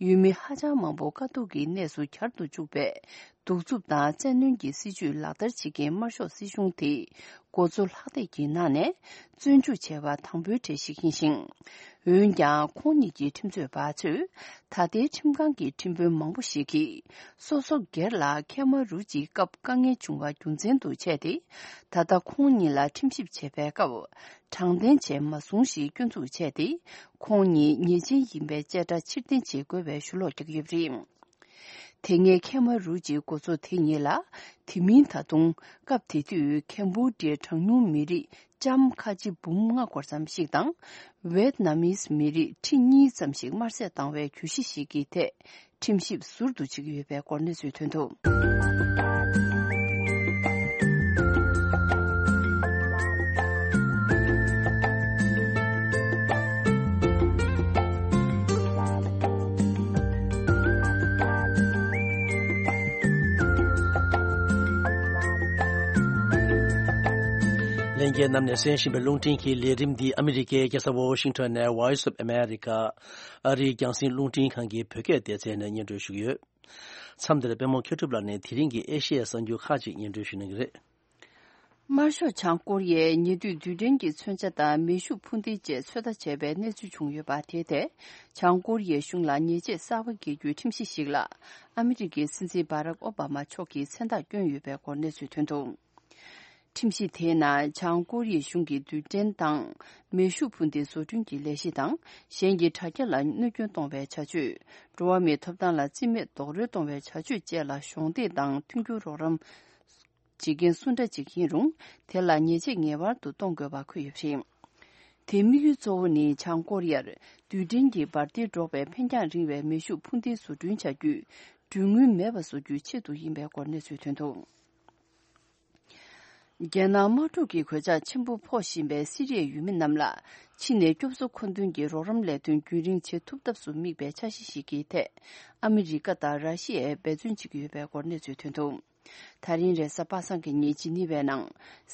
ཡུལ་མི་ཧ་ཅང་མང་པོ་དཀའ་སྡུག་གི་གནས་སུ་གྱར་དུ་བཅུག་པའི། གདུག་རྩུབ་དང་བཙན་གནོན་གྱི་སྲིད་བྱུས་ལག་བསྟར་བྱེད་མཁན་དམར་ཤོག་སྲིད་གཞུང་དེ། འགོ་གཙོ་ལྷག་བསྡད་ཀྱི་ནང་ནས། བཙོན་འཇུག་བྱས་པ་དང་པོའི་གྲས་ཤིག་ཡིན་ཞིང་། འོན་ཀྱང་། ཁོང་ཉིད་ཀྱི་ཁྲིམས་རྩོད་པ་ཚོས། ད་ལྟའི་ཁྲིམས་ཁང་གི་ཁྲིམས་དཔོན་མང་པོ་ཞིག་གིས། སོ་སོ་སྒེར་ལ་ཁེ་མ་རུ་ཇིའི་སྐབས་དཀའ་ངལ་བྱུང་བ་རྒྱུ་མཚན་དུ་བྱས་ཏེ། ད་ལྟ་ཁོང་ཉིད་ལ་ཁྲིམས་ཞིབ་བྱེད་པའི་སྐབས། དྲང་བདེན་བྱས་མ་སོང་ཞེས་སྐྱོན་འཛུགས་བྱས་ཏེ། ཁོང་ཉིད་ཉེས་ཅན་ཡིན་པའི་བཅད་ཁྲ་ཕྱིར་འཐེན་བྱེད་དགོས་པའི་ཞུ་ལོག་རྒྱག་གི་ཡོད་པ་རེད། དེ་སྔའི་ཁེ་མ་རུ་ཇིའི་འགོ་གཙོ་དེ་ཉིད་ལ། དེ་མིན་ད་དུང་སྐབས་དེ་དུས་ཁེམ་བྷོ་ཌི་ཡའི་གྲངས་ཉུང་མི་རིགས་ལྕམ་ཁ་ཆེ་འབུམ་ལྔ་སྐོར་ཙམ་ཞིག་དང་། ཝེད་ནམ་མིས་མི་རིགས་ཁྲི་གཉིས་ཙམ་ཞིག་དམར་གསོད་བཏང་བའི་གྱོད་གཞི་ཞིག་གི་ཐད། ཁྲིམས་ཞིབ་ཟུར་དུ་བྱེད་ཀྱི་ཡོད་པའི་སྐོར་གནས་ཚུལ་ཐོན་འདུག་རྒྱལ་རྣམས་ནས་གསན་བཞིན་པའི་རླུང་འཕྲིན་གྱི་ལས་རིམ་འདི་ཨ་མི་རི་ཀའི་རྒྱལ་ས་ཝོ་ཤིང་ཊོན་ནས་Voice of America ཨ་རིའི་རྒྱང་སྲིང་རླུང་འཕྲིན་ཁང་གི་བོད་སྐད་སྡེ་ཚན་ནས་སྙན་སྒྲོན་ཞུ་གི་ཡོད། མཚམས་འདིར་པད་མ་མཁས་གྲུབ་ལགས་ནས་དེ་རིང་གི་ཨེ་ཤི་ཡའི་གསར་འགྱུར་ཁག་ཅིག་སྙན་སྒྲོན་ཞུ་གནང་གི་རེད། དམར་ཤོག་བྱང་ཀོ་རི་ཡས་ཉེ་དུས་རྡུལ་ཕྲན་གྱི་མཚོན་ཆ་དང་མེ་ཤུགས་འཕུར་མདེལ་བཅས་ཚོད་ལྟ་བྱས་པའི་གནས་ཚུལ་བྱུང་ཡོད་པ་དེ་ཐད། བྱང་ཀོ་རི་ཡའི་གཞུང་ལ་ཉེས་ཆད་གསར་པ་འགེལ་རྒྱུའི་ཁྲིམས་གཞི་ཞིག་ལ་ཨ་མི་རི་ཀའི་སྲིད་འཛིན་བྷ་རག་ཨོ་བྷ་མ་མཆོག་གིས་མཚན་རྟགས་བསྐྱོན་ཡོད་པའི་སྐོར་གནས་ཚུལ་ཐོན་འདུག་ཁྲིམས་གཞི་དེའི་ནང་བྱང་ཀོ་རི་ཡའི་གཞུང་གིས་རྡུལ་ཕྲན་དང་མེ་ཤུགས་འཕུར་མདེལ་བཟོ་སྐྲུན་གྱི་ལས་གཞི་དང་། གཞན་གྱི་དྲ་རྒྱ་ལ་གནོད་སྐྱོན་གཏོང་བའི་བྱ་སྤྱོད། འགྲོ་བ་མིའི་ཐོབ་ཐང་ལ་རྩིས་མེད་རྡོག་རོལ་གཏོང་བའི་བྱ་སྤྱོད་བཅས་ལ་གཞོགས་འདེགས་དང་མཐུན་འགྱུར་རོགས་རམ་བྱེད་མཁན་སུ་འདྲ་ཅིག་ཡིན་རུང་། དེ་ལ་ཉེས་ཆད་ངེས་པར་དུ་གཏོང་དགོས་པ་འཁོད་ཡོད་པ་རེད། དེའི་དམིགས་ཡུལ་གཙོ་བོ་ནི་བྱང་ཀོ་རི་ཡར་རྡུལ་ཕྲན་གྱི་འབར་མདེལ་སྒྲོག་པའི་འཕེན་རྒྱང་རིང་བའི་མེ་ཤུགས་འཕུར་མདེལ་བཟོ་སྐྲུན་བྱ་རྒྱུས་གྲོན་དངུལ་མེད་པ་བཟོ་རྒྱུའི་ཆེད་དུ་ཡིན་པའི་སྐོར་གནས་ཚུལ་ཐོན་འདུག་རྒྱལ་ནང་དམག་འཁྲུག་གི་གོད་ཆག་ཆེན་པོ་ཕོག་བཞིན་པའི་སི་རི་ཡའི་ཡུལ་མི་རྣམས་ལ་ཕྱི་ནས་སྐྱོབ་གསོ་མཁོ་འདོན་གྱི་རོགས་རམ་ལས་དོན་རྒྱུན་རིང་བྱེད་ཐུབ་ཐབས་སུ་དམིགས་པའི་འཆར་གཞི་ཞིག་གི་ཐད། ཨ་མི་རི་ཀ་དང་ར་ཤི་ཡས་འབད་བརྩོན་བྱེད་ཀྱི་ཡོད་པའི་སྐོར་གནས་ཚུལ་ཐོན་འདུག་ད་རིང་རེས་གཟའ་པ་སངས་ཀྱི་ཉིན་ཇི་ནི་ཝའི་ནང་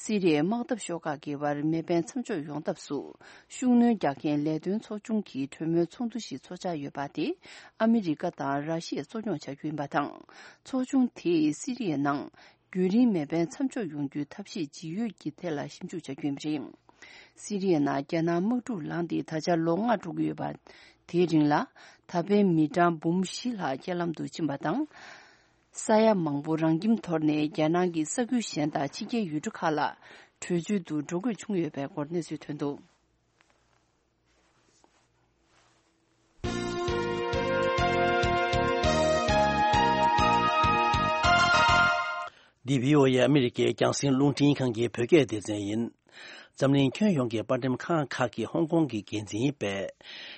སི་རི་ཡའི་དམག་འཐབ་ཤོག་ཁག་གི་བར་མེ་འཕེན་མཚམས་འཇོག་ཡོང་ཐབས་སུ་ཤུགས་སྣོན་རྒྱག་མཁན་ལས་དོན་ཚོགས་ཆུང་གི་གྲོས་མོལ་ཚོགས་འདུ་ཞིག་ཚོགས་འཆར་ཡོད་པ་དེ་ཨ་མི་རི་ཀ་དང་ར་ཤི་ཡས་གཙོ་སྐྱོང་བྱ་རྒྱུ་ཡིན་པ་དང་། ཚོགས་ཆུང་དེས་སི་རི་ཡའི་ནང་རྒྱུན་རིང་མེ་འཕེན་མཚམས་འཇོག་ཡོང་རྒྱུའི་ཐབས་ཤེས་ཇི་ཡོད་ཀྱི་ཐད་ལ་ཞིབ་འཇུག་བྱ་རྒྱུ་ཡིན་པ་རེད། སི་རི་ཡའི་ནང་རྒྱལ་ནང་དམག་འཁྲུག་ལངས་ཏེ་ད་ཆ་ལོ་ལྔ་འགྲོ་གི་ཡོད་པ། དེའི་རིང་ལ་ད་ཕན་མི་གྲངས་འབུམ་བཞི་ལྷག་རྐྱེན་ལམ་དུ་ཕྱིན་པ་དང་། ས་ཡ་མང་པོ་རང་ཁྱིམ་དོར་ནས་རྒྱལ་ནང་གི་ས་ཁུལ་གཞན་དང་ཕྱི་རྒྱལ་ཡུལ་གྲུ་ཁག་ལ་བྲོས་བྱོལ་དུ་འགྲོ་དགོས་བྱུང་ཡོད་པའི་སྐོར་གནས་ཚུལ་ཐོན་འདུག་འདི་བྷི་ཨོ་ཨེ་ཨ་མི་རི་ཀའི་རྒྱང་སྲིང་རླུང་འཕྲིན་ཁང་གི་བོད་སྐད་སྡེ་ཚན་ཡིན། འཛམ་གླིང་ཁྱོན་ཡོངས་ཀྱི་པར་འགྲེམས་ཁང་ཁག་གི་ཧོང་ཀོང་གི་འགན་འཛིན་པས།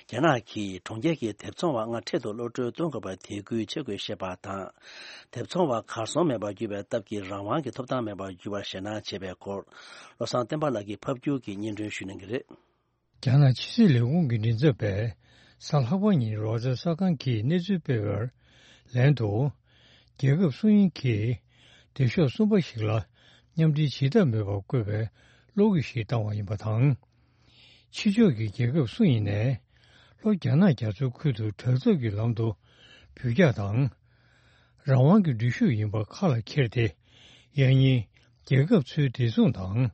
རྒྱ་ནག་གིས་གྲོང་ཁྱེར་གྱི་དེབ་ཚོང་བ་ལྔ་འཕྲལ་དུ་གློད་གྲོལ་གཏོང་དགོས་པར་དད་གུས་བྱེད་དགོས་ཞེས་པ་དང་། དེབ་ཚོང་བ་གར་སོང་མེད་པར་གྱུར་པའི་སྟབས་ཀྱིས་རང་དབང་གི་ཐོབ་ཐང་མེད་པར་གྱུར་བར་ཞེད་སྣང་བྱས་པའི་སྐོར། བློ་བཟང་བསྟན་པ་ལགས་ཀྱིས་ཕབ་སྒྱུར་གྱིས་སྙན་སྒྲོན་ཞུ་གནང་གི་རེད། རྒྱ་ནག་ཕྱི་སྲིད་ལས་ཁུངས་ཀྱི་མགྲིན་ཚབ་པས་གཟའ་ལྷག་པ་ཉིན་རོའི་ཊར་གསར་ཁང་གིས་གནས་ཚུལ་སྤེལ་བར་ལན་དུ། རྒྱལ་ཁབ་སུ་ཡིན་གྱིས་སྡེ་ཤོག་གསུམ་པ་ཞིག་ལ་མཉམ་འབྲེལ་བྱེད་ཐབས་མེད་པར་བཀོད་པའི་གློག་འགུལ་ཞིག་བཏང་བ་ཡིན་པ་དང་། ཕྱི་ཕྱོགས་ཀྱི་རྒྱལ་ཁབ་སུ་ཡིན་ནས་ལྷོ་རྒྱ་ནག་རྒྱ་མཚོའི་ཁུལ་དུ་དྲག་འཐབ་ཀྱི་ལམ་དུ་འབུད་རྒྱག་དང་། རང་དབང་གི་འགྲུལ་བཞུད་ཡིན་པ་ཁ་ལ་འཁྱེར་ཏེ། ཡང་སྙིང་རྒྱལ་ཁབ་ཚོའི་བདེ་སྲུང་དང་།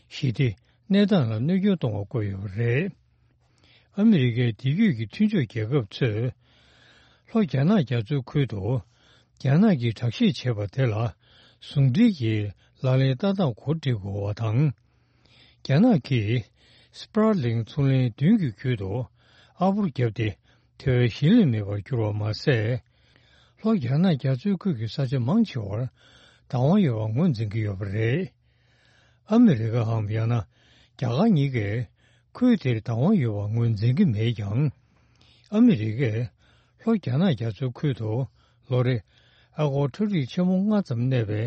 ཞི་བདེ་གནས་སྟངས་ལ་གནོད་སྐྱོན་གཏོང་བ་བཀོད་ཡོད་པ་རེད། ཨ་མི་རི་ཀའི་འདས་རྒྱུད་ཀྱི་མཐུན་ཕྱོགས་རྒྱལ་ཁབ་ཚོས། ལྷོ་རྒྱ་ནག་རྒྱ་མཚོའི་ཁུལ་དུ། རྒྱ་ནག་གིས་དྲག་ཤེད་བྱས་པ་དེ་ལ་ཟུང་འབྲེལ་གྱིས་ལག་ལེན་བསྟར་སྟངས་གོ་སྒྲིག་དགོས་པ་དང་། རྒྱ་ནག་གིས་སྤྲ་གླིང་མཚོ་གླིང་མདུན་གྱི་ཁུལ་དུ་ཨ་སྦུར་བརྒྱབ་སྟེ་དེ་བས་ཞི་ལྷོད་མེད་པར་གྱུར་བ་མ་ཟད། ལྷོ་རྒྱ་ནག་རྒྱ་མཚོའི་ཁུལ་གྱི་ས་ཆ་མང་ཆེ་བར་བདག་དབང་ཡོད་པ་ངོས་འཛིན་གྱི་ཡོད་པ་རེད། ཨ་མི་རི་ཀའམ་ཡང་ན་རྒྱ་གར་གཉིས་ཀས་ཁུལ་དེར་བདག་དབང་ཡོད་པ་ངོས་འཛིན་གྱི་མེད་ཀྱང་། ཨ་མི་རི་ཀས་ལྷོ་རྒྱ་ནག་རྒྱ་མཚོའི་ཁུལ་དུ་ལོ་རེ་ཨ་སྒོར་ཁྲོམ་རིགས་ཆེན་མོ་ལྔ་ཙམ་གནས་པའི་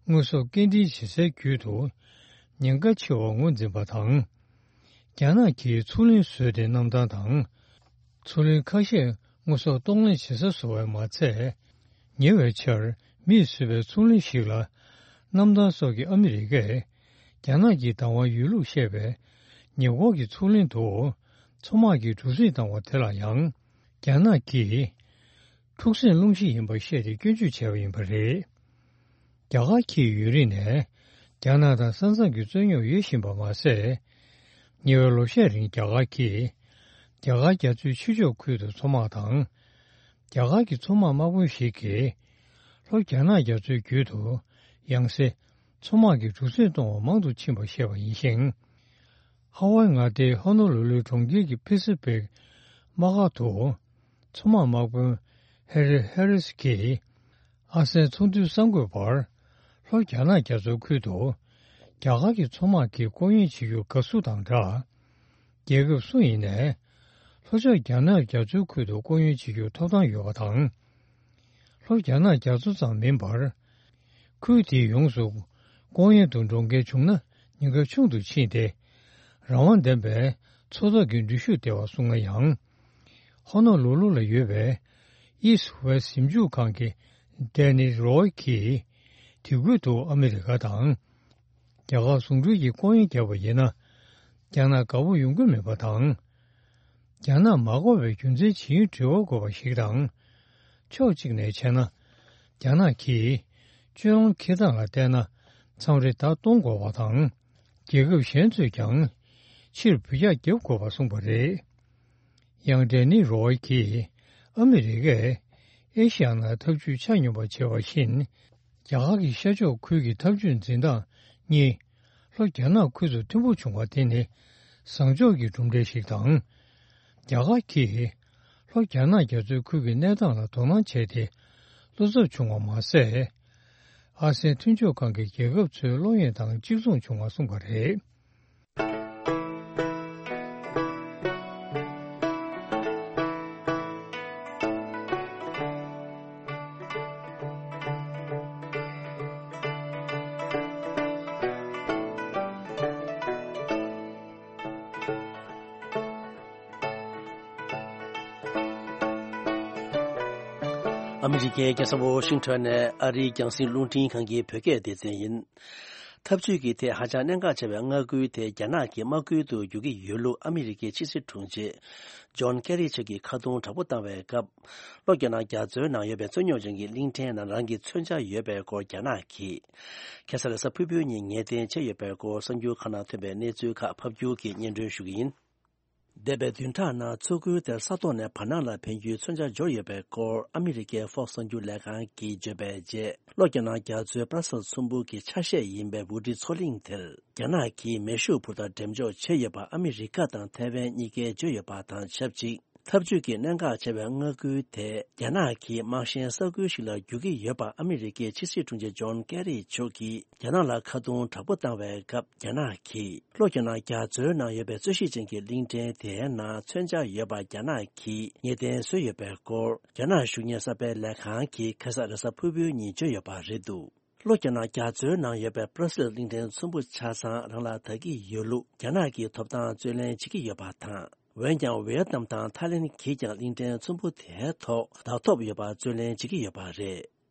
དངོས་ཟོག་སྐྱེལ་འདྲེན་བྱེད་སའི་བརྒྱུད་དུ་ཉེན་ཁ་ཆེ་བ་ངོས་འཛིན་པ་དང་། རྒྱ་ནག་གིས་མཚོ་གླིང་བཟོས་ཏེ་གནམ་ཐང་དང་། མཚོ་གླིང་ཁ་ཤས་དངོས་ཟོག་གཏོང་ལེན་བྱེད་ས་བཟོ་བས་མ་ཚད། ཉེ་བའི་ཆར་མིས་བཟོས་པའི་མཚོ་གླིང་ཞིག་ལ། གནམ་ཐང་སོགས་ཀྱི་ཨ་མི་རི་ཀས་རྒྱ་ནག་གི་བདག་དབང་ཡོད་ལུགས་བཤད་པའི་ཉེ་འཁོར་གྱི་མཚོ་གླིང་དུ། མཚོ་དམག་གིས་གྲུ་གཟིངས་བཏང་བ་དེ་ལ་ཡང་། རྒྱ་ནག་གིས་འཁྲུག་སྲིད་སློང་གཞི་ཡིན་པར་བཤད་དེ་སྐྱོན་བརྗོད་བྱས་པ་ཡིན་པ་རེད། རྒྱ་གར་གྱིས་ཡུན་རིང་ནས་རྒྱ་ནག་དང་ས་མཚམས་ཀྱི་རྩོད་རྙོག་ཡོད་བཞིན་པ་མ་ཟད། ཉེ་བའི་ལོ་ཤས་རིང་རྒྱ་གར་གྱིས་རྒྱ་གར་རྒྱ་མཚོའི་ཕྱི་ཕྱོགས་ཁུལ་དུ་མཚོ་དམག་དང་། རྒྱ་གར་གྱི་མཚོ་དམག་དམག་དཔོན་ཞིག་གིས་ལྷོ་རྒྱ་ནག་རྒྱ་མཚོའི་རྒྱུད་དུ་ཡང་སེ་མཚོ་དམག་གི་གྲུ་གཟིངས་གཏོང་བ་མང་དུ་ཕྱིན་པ་བཤད་པ་ཡིན་ཞིང་། ཧ་ཝའི་མངའ་སྡེའི་ཧོ་ནོ་ལུ་ལུ་གྲོང་ཁྱེར་གྱི་ཕེ་སི་ཕིག་དམག་སྒར་དུ་མཚོ་དམག་དམག་དཔོན་ཧེ་རི་ཧེ་རིས་ཀྱིས། ཨ་སེའན་ཚོགས་འདུའི་གསར་འགོད་པར། ལྷོ་རྒྱ་ནག་རྒྱ་མཚོའི་ཁུལ་དུ། རྒྱ་གར་གྱི་མཚོ་དམག་གིས་སྐོར་གཡེང་བྱེད་རྒྱུ་དགའ་བསུ་དང་སྦྲགས། རྒྱལ་ཁབ་སུ་ཡིན་ནས། ལྷོ་ཕྱོགས་རྒྱ་ནག་རྒྱ་མཚོའི་ཁུལ་དུ་སྐོར་གཡེང་བྱེད་རྒྱུར་ཐོབ་ཐང་ཡོད་པ་དང་། ལྷོ་རྒྱ་ནག་རྒྱ་མཚོ་ཙམ་མིན་པར། ཁུལ་དེའི་ཡོངས་སུ་སྐོར་གཡེང་དུ་འགྲོ་མཁན་བྱུང་ན་ཉེན་ཁ་ཆུང་དུ་ཕྱིན་ཏེ། རང་དབང་ལྡན་པའི་མཚོ་ཐོག་གི་འགྲུལ་བཞུད་ལྟེ་བ་སུ་ང་ཡང་། ཧོ་ནོ་ལུ་ལུ་ལ་ཡོད་པའི་East West ཞིབ་འཇུག་ཁང་གི་Dennis Roy གྱིས། དེ་ཁུལ་དུ་ཨ་མི་རི་ཀ་དང་། རྒྱ་གར་ཟུང་འབྲེལ་གྱི་ལྐོག་གཡེང་བརྒྱབ་པ་ཡིན་ན། རྒྱ་ནག་དགའ་པོ་ཡོང་གི་མེད་པ་དང་། རྒྱ་ནག་མ་དགའ་བའི་རྒྱུ་མཚན་ཇི་ཡིན་དྲི་བ་དགོས་པ་ཞིག་དང་། ཕྱོགས་གཅིག་ནས་བྱས་ན། རྒྱ་ནག་གིས་སྤྱོད་ལམ་འཁྱེར་སྟངས་ལ་བལྟས་ན། མཚམས་རེ་བརྡ་གཏོང་དགོས་པ་དང་། རྒྱལ་ཁབ་གཞན་ཚོས་ཀྱང་ཕྱིར་འབུད་རྒྱག་རྒྱབ་དགོས་པ་གསུངས་པ་རེད། ཡང་ཌེ་ནི་རོའི་གིས་ཨ་མི་རི་ཀས་ཨེ་ཤི་ཡ་ནང་འཐབ་ཇུས་ཆ་སྙོམས་པ་བྱས་པ་བཞིན། རྒྱ་གར་གྱི་ཤར་ཕྱོགས་ཁུལ་གྱི་འཐབ་ཇུས་འཛིན་སྟངས་གཉིས་ལྷོ་རྒྱ་ནག་ཁུལ་དུ་མཐུན་པོ་བྱུང་བ་དེ་ནི་བཟང་ཕྱོགས་ཀྱི་གྲུབ་འབྲས་ཤིག་དང་། རྒྱ་གར་གྱིས་ལྷོ་རྒྱ་ནག་རྒྱ་མཚོའི་ཁུལ་གྱི་གནས་སྟངས་ལ་དོ་སྣང་བྱས་ཏེ། བློ་འཚབ་བྱུང་བ་མ་ཟད། ཨ་སེའན་མཐུན་ཕྱོགས་ཁང་གི་རྒྱལ་ཁབ་ཚོའི་བློ་ཡོད་དང་གཅིག་མཚུངས་བྱུང་བ་གསུངས་པ་རེད། ཨ་མི་རི་ཀའི་རྒྱལ་ས་ཝོ་ཤིང་ཊོན་ནས་ཨ་རིའི་རྒྱང་སྲིང་རླུང་འཕྲིན་ཁང་གི་བོད་སྐད་སྡེ་ཚན་ཡིན། འཐབ་ཇུས་ཀྱི་ཐད་ཧ་ཅང་གནད་འགག་ཆེ་བའི་མངའ་ཁུལ་དེ་རྒྱ་ནག་གི་དམག་ཁུལ་དུ་འགྱུར་གྱི་ཡོད་ལུགས་ཨ་མི་རི་ཀའི་ཕྱི་སྲིད་དྲུང་ཆེ་ཇོན་ཀེ་རི་མཆོག་གིས་ཁ་རྡུང་དྲག་པོ་བཏང་བའི་སྐབས། ལྷོ་རྒྱ་ནག་རྒྱ་མཚོའི་ནང་ཡོད་པའི་རྩོད་རྙོག་ཅན་གྱི་གླིང་ཕྲན་ནང་རང་གི་མཚོན་ཆ་ཡོད་པའི་སྐོར་རྒྱ་ནག་གིས། ཁ་སང་རེས་གཟའ་ཕུར་བུའི་ཉིན་ངེས་གཏན་བྱས་ཡོད་པའི་སྐོར་གསར་འགྱུར་ཁག་ནང་ཐོན་པའི་གནས་ཚུལ་ཁག་ཕབ་སྒྱུར་གྱིས་སྙན་སྒྲོན་ཞུ་གི་ཡིན། འདས་པའི་བདུན་ཕྲག་ནང་མཚོ་ཁུལ་དེར་ས་ཐོག་ནས་བར་སྣང་ལ་འཕེན་རྒྱུའི་མཚོན་ཆ་འབྱོར་ཡོད་པའི་སྐོར་ཨ་མི་རི་ཀའི་Fox་གསར་འགྱུར་ལས་ཁང་གིས་བརྗོད་པའི་རྗེས། ལྷོ་རྒྱ་ནག་རྒྱ་མཚོའི་པྲ་སིལ་ཚོམ་བུ་གི་ཆ་ཤས་ཡིན་པའི་ཝུ་ཊི་མཚོ་གླིང་དེར་རྒྱ་ནག་གིས་མེ་ཤུགས་འཕུར་མདའ་འགྲེམས་འཇོག་བྱས་ཡོད་པ་ཨ་མི་རི་ཀ་དང་ཐའེ་ཝན་གཉིས་ཀས་བརྗོད་ཡོད་པ་དང་ཆབས་ཅིག་འཐབ་ཇུས་ཀྱི་གནད་འགག་ཆེ་བའི་མངའ་ཁུལ་དེ་རྒྱ་ནག་གིས་དམག་ཞན་ས་ཁུལ་ཞིག་ལ་བསྒྱུར་གྱི་ཡོད་པ་ཨ་མི་རི་ཀའི་ཕྱི་སྲིད་དྲུང་ཆེ་ཇོན་ཀེ་རི་མཆོག་གིས་རྒྱ་ནག་ལ་ཁ་རྡུང་དྲག་པོ་བཏང་བའི་སྐབས། རྒྱ་ནག་གིས་ལྷོ་རྒྱ་ནག་རྒྱ་མཚོའི་ནང་ཡོད་པའི་རྩོད་གཞི་ཅན་གྱི་གླིང་ཕྲན་དེའི་ནང་མཚོན་ཆ་ཡོད་པ་རྒྱ་ནག་གིས་ངེས་གཏན་བཟོས་ཡོད་པའི་སྐོར། རྒྱ་ནག་གཞུང་གཉེར་གསར་སྤེལ་ལས་ཁང་གིས་ཁ་སང་རེས་གཟའ་ཕུར་བུའི་ཉིན་བརྗོད་ཡོད་པ་རེད་འདུག་ལྷོ་རྒྱ་ནག་རྒྱ་མཚོའི་ནང་ཡོད་པའི་པྲ་སིལ་གླིང་ཕྲན་ཚོམ་བུ་ཆ་ཚང་རང་ལ་བདག་གི་ཡོད་ལུགས་རྒྱ་ནག་གིས་ཐོབ་ཐང་རྩོད་ལེན་བྱེད་ཀྱི་ཡོད་པ་དང་། འོན་ཀྱང་ཝེ་ཡེད་ནམ་དང་ཐའི་ལེན་གྱིས་ཀྱང་གླིང་ཕྲན་ཚོམ་བུ་དེའི་ཐོག་བདག་ཐོབ་ཡོད་པར་རྩོད་ལེན་བྱེད་ཀྱི་ཡོད་པ་རེད།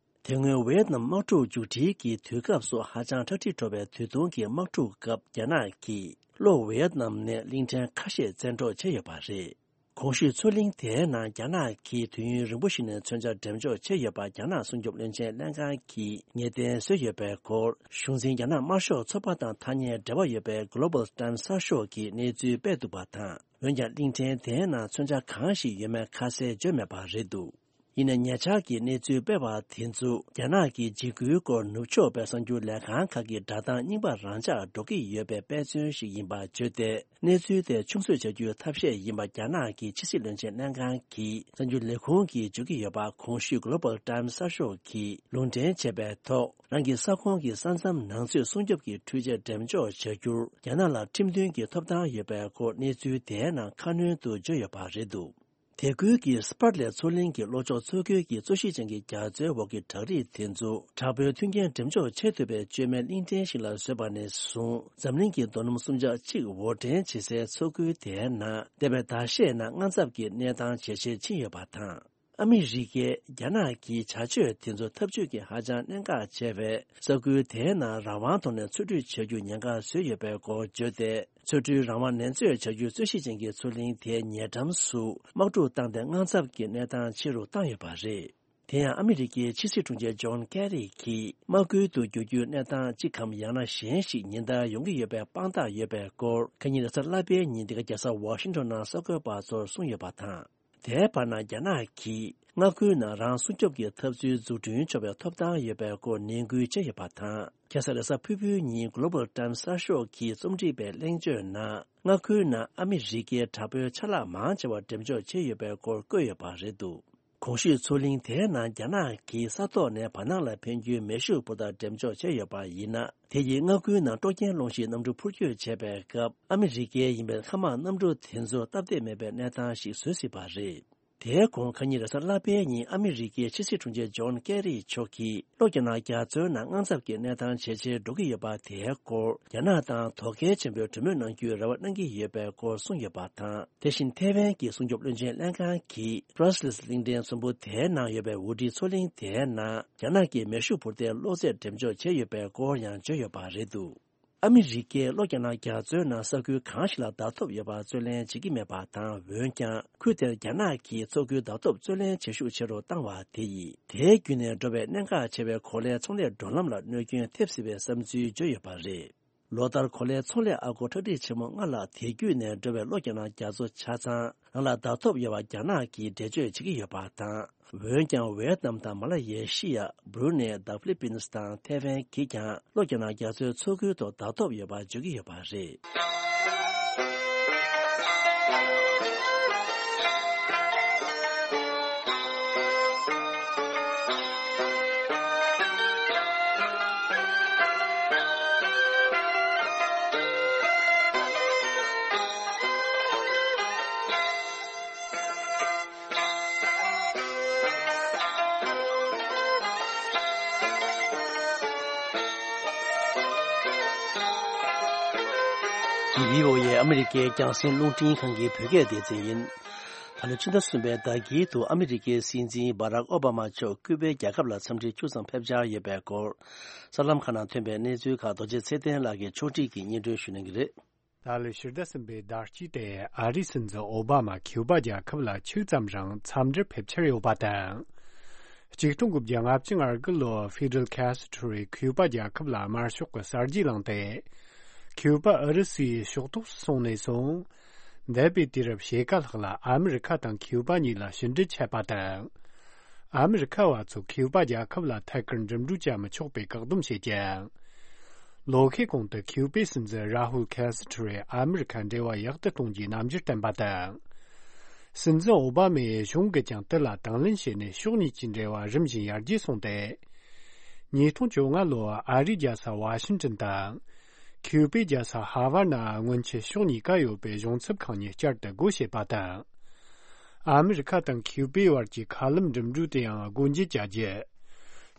དེ་སྔོན་ཝེ་ཡེད་ནམ་དམག་འཁྲུག་མཇུག་སྒྲིལ་གྱི་དུས་སྐབས་སུ་ཧ་ཅང་ཁྲ་ཁྲིག་འགྲོ་བའི་དུས་ཐུང་གི་དམག་འཁྲུག་སྐབས་རྒྱ་ནག་གིས་ལྷོ་ཝེ་ཡེད་ནམ་ནས་གླིང་ཕྲན་ཁ་ཤས་བཙན་འཕྲོག་བྱས་ཡོད་པ་རེད། གོང་ཞུས་མཚོ་གླིང་དེའི་ནང་རྒྱ་ནག་གིས་དུས་ཡུན་རིང་པོ་ཞིག་ནས་མཚོན་ཆ་འགྲེམས་འཇོག་བྱས་ཡོད་པ་རྒྱ་ནག་སྲུང་སྐྱོབ་བློན་ཆེན་ལྷན་ཁང་གིས་ངེས་གཏན་བཟོས་ཡོད་པའི་སྐོར་གཞུང་འཛིན་རྒྱ་ནག་དམར་ཤོག་ཚོགས་པ་དང་ཐག་ཉེ་འབྲེལ་བ་ཡོད་པའི་Global Times་གསར་ཤོག་གིས་གནས་ཚུལ་སྤེལ་འདུག་པ་དང་། འོན་ཀྱང་གླིང་ཕྲན་དེའི་ནང་མཚོན་ཆ་གང་ཞིག་ཡོད་མེད་ཁ་གསལ་བརྗོད་མེད་པ་རེད་འདུག་ཡིན་ནའི་ཉེ་ཆར་གྱི་གནས་ཚུལ་སྤེལ་བ་དེ་ཚོ་རྒྱ་ནག་གི་འཇིགས་སྐུལ་སྐོར་ནུབ་ཕྱོགས་པའི་གསར་འགྱུར་ལས་ཁང་ཁག་གི་སྒྲ་གདངས་རྙིང་པ་རང་འཇགས་འགྲོ་གི་ཡོད་པའི་དཔེ་མཚོན་ཞིག་ཡིན་པར་བརྗོད་དེ། གནས་ཚུལ་དེ་ཆུང་བཟོས་བྱ་རྒྱུའི་ཐབས་ཤེས་ཡིན་པ་རྒྱ་ནག་གི་ཕྱི་སྲིད་བློན་ཆེན་ལྷན་ཁང་གི་གསར་འགྱུར་ལས་ཁུངས་ཀྱིས་བརྗོད་ཀྱི་ཡོད་པ་གོང་ཞུས་Global Times་གསར་ཤོག་གིས་ལུང་འདྲེན་བྱས་པའི་ཐོག་རང་གི་ས་ཁོངས་ཀྱི་ས་མཚམས་ནང་ཚུད་སྲུང་སྐྱོབ་ཀྱི་འཕྲུལ་ཆས་འགྲེམས་འཇོག་བྱ་རྒྱུར་རྒྱ་ནག་ལ་ཁྲིམས་མཐུན་གྱི་ཐོབ་ཐང་ཡོད་པའི་སྐོར་གནས་ཚུལ་དེའི་ནང་ཁ་སྣོན་དུ་བརྗོད་ཡོད་པ་རེད་འདུག་དེ་ཁུལ་གྱི་སྤར་ལེ་མཚོ་གླིང་གི་ལྷོ་ཕྱོགས་མཚོ་ཁུལ་གྱི་རྩོད་གཞི་ཅན་གྱི་རྒྱ་མཚོའི་འོག་གི་བྲག་རིས་དེ་ཚོ་དྲག་པོའི་མཐུན་རྐྱེན་འགྲེམས་འཇོག་བྱེད་ཐུབ་པའི་བཅོས་མའི་གླིང་ཕྲན་ཞིག་ལ་བཟོས་པ་ནས་བཟུང་འཛམ་གླིང་གི་རྡོ་སྣུམ་གསུམ་ཆ་གཅིག་དབོར་འདྲེན་བྱེད་སའི་མཚོ་ཁུལ་དེའི་ནང་འདས་པའི་ཟླ་ཤས་ནང་དངངས་འཚབ་ཀྱི་གནས་སྟངས་ཇེ་ཆེར་ཕྱིན་ཡོད་པ་དང་། ཨ་མི་རི་ཀས་རྒྱ་ནག་གི་བྱ་སྤྱོད་དེ་ཚོ་འཐབ་ཇུས་ཀྱི་ཧ་ཅང་གནད་འགག་ཆེ་བས་ས་ཁུལ་དེའི་ནང་རང་དབང་ཐོག་ནས་འཚོ་སྡོད་བྱ་རྒྱུ་ཉེན་ཁ་བཟོས་ཡོད་པའི་སྐོར་བརྗོད་དེ། མཚོ་ཁྲོད་རང་དབང་ནན་རྩོད་བྱ་རྒྱུའི་རྩོད་གཞི་ཅན་གྱི་མཚོ་གླིང་དེའི་ཉེ་འགྲམ་སུ་དམག་འཁྲུག་བཏང་སྟེ་དངངས་འཚབ་ཀྱི་གནས་སྟངས་ཆེ་རུ་བཏང་ཡོད་པ་རེད། དེ་ཡང་ཨ་མི་རི་ཀའི་ཕྱི་སྲིད་དྲུང་ཆེ་ཇོན་ཀེ་རི་གིས་དམག་ཁུལ་དུ་བསྒྱུར་རྒྱུའི་གནས་སྟངས་གཅིག་གམ་ཡང་ན་གཞན་ཞིག་ཉིན་ལྟར་ཡོང་གི་ཡོད་པའི་དཔང་རྟགས་ཡོད་པའི་སྐོར་ཁ་ཉིན་རེས་གཟའ་ལྷག་པའི་ཉིན་འདི་ག་རྒྱལ་ས་ཝ་ཤིང་ཊོན་ནང་གསར་འགོད་པ་ཚོར་གསུངས་ཡོད་པ་དང་། དེའི་བར་ན་རྒྱ་ནག་གིས་མངའ་ཁུལ་ནང་རང་སྲུང་སྐྱོབ་ཀྱི་འཐབ་རྩོད་འཛུགས་སྐྲུན་ཆོག་པའི་ཐོབ་ཐང་ཡོད་པའི་སྐོར་ནན་སྐུལ་བྱས་ཡོད་པ་དང་། ཁ་སང་རེས་གཟའ་ཕུར་བུའི་ཉིན་Global Times་གསར་ཤོག་གིས་རྩོམ་སྒྲིག་པའི་གླེང་བརྗོད་ནང་མངའ་ཁུལ་ནང་ཨ་མི་རི་ཀའི་དྲག་པོའི་ཆ་ལག་མང་ཆེ་བ་འགྲེམས་འཇོག་བྱས་ཡོད་པའི་སྐོར་བཀོད་ཡོད་པ་རེད་འདུག་གོང་ཞུས་མཚོ་གླིང་དེའི་ནང་རྒྱ་ནག་གིས་ས་ཐོག་ནས་བར་སྣང་ལ་འཕེན་རྒྱུའི་མེ་ཤུགས་འཕུར་མདའ་འགྲེམས་འཇོག་བྱས་ཡོད་པ་ཡིན་ན། དེ་ཡིས་མངའ་ཁུལ་ནང་དཀྲོག་རྐྱེན་སློང་གཞིའི་གནམ་གྲུ་འཕུར་སྐྱོད་བྱས་པའི་སྐབས་ཨ་མི་རི་ཀའི་ཡིན་པའི་མཁའ་དམག་གནམ་གྲུ་དེ་ཚོར་སྟབས་བདེ་མེད་པའི་གནས་སྟངས་ཤིག་བཟོ་སྲིད་པ་རེད། དེའི་གོང་ཁ་ཉིན་རེས་གཟའ་ལྷག་པའི་ཉིན་ཨ་མི་རི་ཀའི་ཕྱི་སྲིད་དྲུང་ཆེ་ཇོན་ཀེ་རི་མཆོག་གིས་ལྷོ་རྒྱ་ནག་རྒྱ་མཚོའི་ནང་དངངས་འཚབ་ཀྱི་གནས་སྟངས་ཇེ་ཆེར་འགྲོ་གི་ཡོད་པ་དེའི་སྐོར་རྒྱ་ནག་དང་དོ་གལ་ཆེན་པོའི་གྲོས་མོལ་གནང་རྒྱུའི་རེ་བ་གནང་གི་ཡོད་པའི་སྐོར་གསུངས་ཡོད་པ་དང་། དེ་བཞིན་ཐའེ་ཝན་གྱི་སྲུང་སྐྱོབ་བློན་ཆེན་ལྷན་ཁང་གིས་པྲ་སི་ལིས་གླིང་ཕྲན་ཚོམ་བུ་དེའི་ནང་ཡོད་པའི་ཝུ་ཊི་མཚོ་གླིང་དེའི་ནང་རྒྱ་ནག་གི་མེ་ཤུགས་འཕུར་མདའི་གློག་རྫས་འགྲེམས་འཇོག་བྱས་ཡོད་པའི་སྐོར་ཡང་བརྗོད་ཡོད་པ་རེད་འདུག་ཨ་མི་རི་ཀས་ལྷོ་རྒྱ་ནག་རྒྱ་མཚོའི་ནང་ས་ཁུལ་གང་ཞིག་ལ་བརྡ་ཐོབ་ཡོད་པ་རྩོད་ལེན་བྱེད་ཀྱི་མེད་པ་དང་། འོན་ཀྱང་ཁུལ་དེར་རྒྱ་ནག་གིས་མཚོ་ཁུལ་བརྡ་ཐོབ་རྩོད་ལེན་བྱེད་ཤུགས་ཆེ་རུ་བཏང་བ་དེ་ཡིས། དེའི་བརྒྱུད་ནས་འགྲོ་བའི་གནད་འགག་ཆེ་བའི་གོ་ལའི་ཚོང་ལས་འགྲོ་ལམ་ལ་གནོད་སྐྱོན་ཐེབས་སྲིད་པའི་བསམ་ཚུལ་བརྗོད་ཡོད་པ་རེད། ལོ་ལྟར་གོ་ལའི་ཚོང་ལས་ཨ་སྒོར་ཁྲག་ཁྲིག་ཆེན་མོ་ལྔ་ལྷག་དེ་བརྒྱུད་ནས་འགྲོ་བའི་ལྷོ་རྒྱ་ནག་རྒྱ་མཚོ་ཆ་ཚང་ནང་ལ་བརྡ་ཐོབ་ཡོད་པ་རྒྱ་ནག་གིས་འགྲེལ་བརྗོད་བྱེད་ཀྱི་ཡོད་པ་དང་། འོན་ཀྱང་ཝེ་ཏི་ནམ་དང་མ་ལ་ཡེ་ཤི་ཡ། སྦུ་རུ་ནེ་དང་ཧྥི་ལི་པིན་སི་དང་ཐའེ་ཝན་གྱིས་ཀྱང་ལྷོ་རྒྱ་ནག་རྒྱ་མཚོའི་མཚོ་ཁུལ་དུ་བརྡ་ཐོབ་ཡོད་པ་བརྗོད་ཀྱི་ཡོད་པ་རེད། འདི་བྷི་ཨོ་ཨེ་ཨ་མི་རི་ཀའི་རྒྱང་སྲིང་རླུང་འཕྲིན་ཁང་གི་བོད་སྐད་སྡེ་ཚན་ཡིན། ད་ལོ་ཕྱི་ཟླ་གསུམ་པའི་ཟླ་དཀྱིལ་དུ་ཨ་མི་རི་ཀའི་སྲིད་འཛིན་བྷ་རག་ཨོ་བྷ་མ་མཆོག་ཀུ་པའི་རྒྱལ་ཁབ་ལ་འཚམས་འདྲིར་ཕྱོགས་མཚམས་ཕེབས་འཆར་ཡོད་པའི་སྐོར། གསར་ལམ་ཁག་ནང་ཐོན་པའི་གནས་ཚུལ་ཁག་རྡོ་རྗེ་ཚེ་བརྟན་ལགས་ཀྱིས་ཕྱོགས་སྒྲིག་གིས་སྙན་སྒྲོན་ཞུ་གནང་གི་རེད། ད་ལོའི་ཕྱི་ཟླ་གསུམ་པའི་ཟླ་དཀྱིལ་ཏེ་ཨ་རིའི་སྲིད་འཛིན་ཨོ་བྷ་མ་ཁིའུ་པ་རྒྱལ་ཁབ་ལ་ཕྱོགས་མཚམས་རང་འཚམས་འདྲིར་ཕེབས་འཆར་ཡོད་པ་དང་། ཆིག་སྟོང་དགུ་བརྒྱ་ལྔ་བཅུ་ང་དགུ་ལོར་ཧྥི་ཌེལ་ཁེ་སི་ཊོ་རི་ཁིའུ་པ་རྒྱལ་ཁབ་ལ་དམར་ཤོག་གི་གསར་བརྗེ་བསླངས་ཏེ། ཁིའུ་པ་ཨུ་རུ་སུའི་ཕྱོགས་གཏོགས་སུ་སོང་ནས་བཟུང་། འདས་པའི་དུས་རབས་ཕྱེད་ཀ་ལྷག་ལ་ཨ་མི་རི་ཁ་དང་ཁིའུ་པ་གཉིས་ལ་ཕྱི་འབྲེལ་ཆད་པ་དང་། ཨ་མི་རི་ཁ་བ་ཚོས་ཁིའུ་པ་རྒྱལ་ཁབ་ལ་ཐད་ཀར་འགྲིམ་འགྲུལ་བྱ་མི་ཆོག་པའི་བཀག་སྡོམ་བྱས་ཀྱང་། ལོ་ཤས་གོང་དུ་ཁིའུ་པའི་སྲིད་འཛིན་རཱ་ཧུལ་ཁེ་སི་ཊོ་རེས་ཨ་མི་རི་ཁ་འབྲེལ་བ་ཡག་ཏུ་གཏོང་རྒྱུའི་རྣམ་འགྱུར་བསྟན་པ་དང་། སྲིད་འཛིན་ཨོ་བྷ་མའི་གཞུང་གིས་ཀྱང་དེ་ལ་དང་ལེན་བྱས་ནས་ཕྱོགས་གཉིས་ཀྱི་འབྲེལ་བ་རིམ་བཞིན་ཡར་རྒྱས་སོང་སྟེ། ཉིས་སྟོང་བཅོ་ལྔ་ལོར་ཨ་རིའི་རྒྱལ་ས་ཝ་ཤིང་ཏོན་དང་། ཁིའུ་པའི་རྒྱལ་ས་ཧ་ཝར་ནང་སྔོན་ཆད་ཕྱོགས་གཉིས་ཀ་ཡོད་པའི་གཞུང་ཚབ་ཁང་གཉིས་བསྐྱར་དུ་སྒོ་ཕྱེས་པ་དང་། ཨ་མི་རི་ཁ་དང་ཁིའུ་པའི་བར་གྱི་མཁའ་ལམ་འགྲིམ་འགྲུལ་དེའང་སྒོ་འབྱེད་བྱ་རྒྱུ།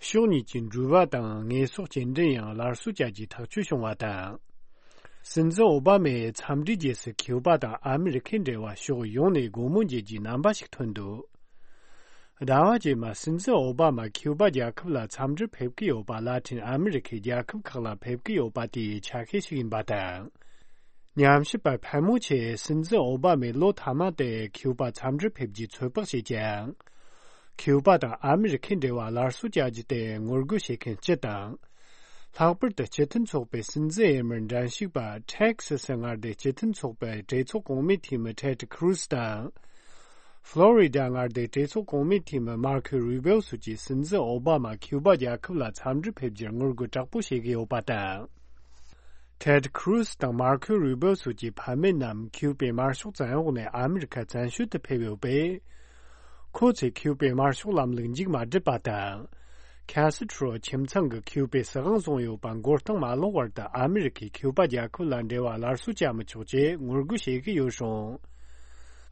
ཕྱོགས་གཉིས་ཀྱི་འགྲུལ་པ་དང་དངོས་ཟོག་སྐྱེལ་འདྲེན་ཡང་སླར་གསོ་བྱ་རྒྱུའི་ཐག་གཅོད་བྱུང་བ་དང་། སྲིད་འཛིན་ཨོ་བྷ་མའི་འཚམས་འདྲིའི་རྗེས་སུ་ཁིའུ་པ་དང་ཨ་མི་རི་ཁའི་འབྲེལ་བ་ཕྱོགས་ཡོངས་ནས་སྒོ་མོ་འབྱེད་རྒྱུའི་རྣམ་པ་ཞིག་ཐོན་འདུག་ཟླ་བ་རྗེས་མ་སྲིད་འཛིན་ཨོ་བྷ་མ་ཁིའུ་པ་རྒྱལ་ཁབ་ལ་འཚམས་འདྲིར་ཕེབས་ཀྱི་ཡོད་པ། ལ་ཏིན་ཨ་མི་རི་ཁའི་རྒྱལ་ཁབ་ཁག་ལ་ཕེབས་ཀྱི་ཡོད་པ་དེའི་ཆ་ཤས་ཤིག་ཡིན་པ་དང་། ཉམས་ཞིབ་པ་ཕལ་མོ་ཆེས་སྲིད་འཛིན་ཨོ་བྷ་མས་ལོ་མཐའ་མ་དེ་ཁིའུ་པ་འཚམས་འདྲིར་ཕེབས་རྒྱུའི་ཚོད་དཔག་བྱེད་ཀྱང་། ཁིའུ་པ་དང་ཨ་མི་རི་ཁའི་འབྲེལ་བ་སླར་གསོ་བྱ་རྒྱུ་དེ་ངོ་རྒོལ་བྱེད་མཁན་སྤྱི་དང་། ལྷག་པར་དུ་སྤྱི་མཐུན་ཚོགས་པའི་སྲིད་འཛིན་འོས་མིར་འགྲན་ཞུགས་པ་ཊེག་སི་སི་མངའ་སྡེའི་སྤྱི་མཐུན་ཚོགས་པའི་གྲོས་ཚོགས་གོང་མའི་འཐུས་མི་ཊེ་ཌི་ཁུ་རུ་སི་དང་། ཧྥ་ལོ་རི་ཌ་མངའ་སྡེའི་གྲོས་ཚོགས་གོང་མའི་འཐུས་མི་མར་ཁོ་རུ་བེའོ་སོགས་ཀྱིས་སྲིད་འཛིན་ཨོ་བྷ་མ་ཁིའུ་པ་རྒྱལ་ཁབ་ལ་འཚམས་འདྲིར་ཕེབས་རྒྱུར་ངོ་རྒོལ་དྲག་པོ་བྱེད་ཀྱི་ཡོད་པ་དང་། ཊེ་ཌི་ཁུ་རུ་སི་དང་མར་ཁོ་རུ་བེའོ་སོགས་ཀྱི་ཕ་མེས་རྣམས་ཁིའུ་པའི་དམར་ཤོག་བཙན་འོག་ནས་ཨ་མི་རི་ཁ་བཙན་བྱོལ་དུ་ཕེབས་ཡོད་པས། ཁོ་ཚོས་ཁིའུ་པའི་དམར་ཤོག་ལམ་ལུགས་མཇུག་མ་བསྒྲིལ་པ་དང་། ཁེ་སི་ཁྲོ་ཁྱིམ་ཚང་གིས་ཁིའུ་པའི་སྲིད་དབང་བཟུང་ཡོད་པ་མགོ་རྟིང་མ་ལོག་བར་དུ་ཨ་མི་རི་ཁས་ཁིའུ་པ་རྒྱལ་ཁབ་ལ་འབྲེལ་བ་སླར་གསོ་བྱ་མི་ཆོག་ཅེས་ངོ་རྒོལ་བྱེད་ཀྱི་ཡོད་རུང་།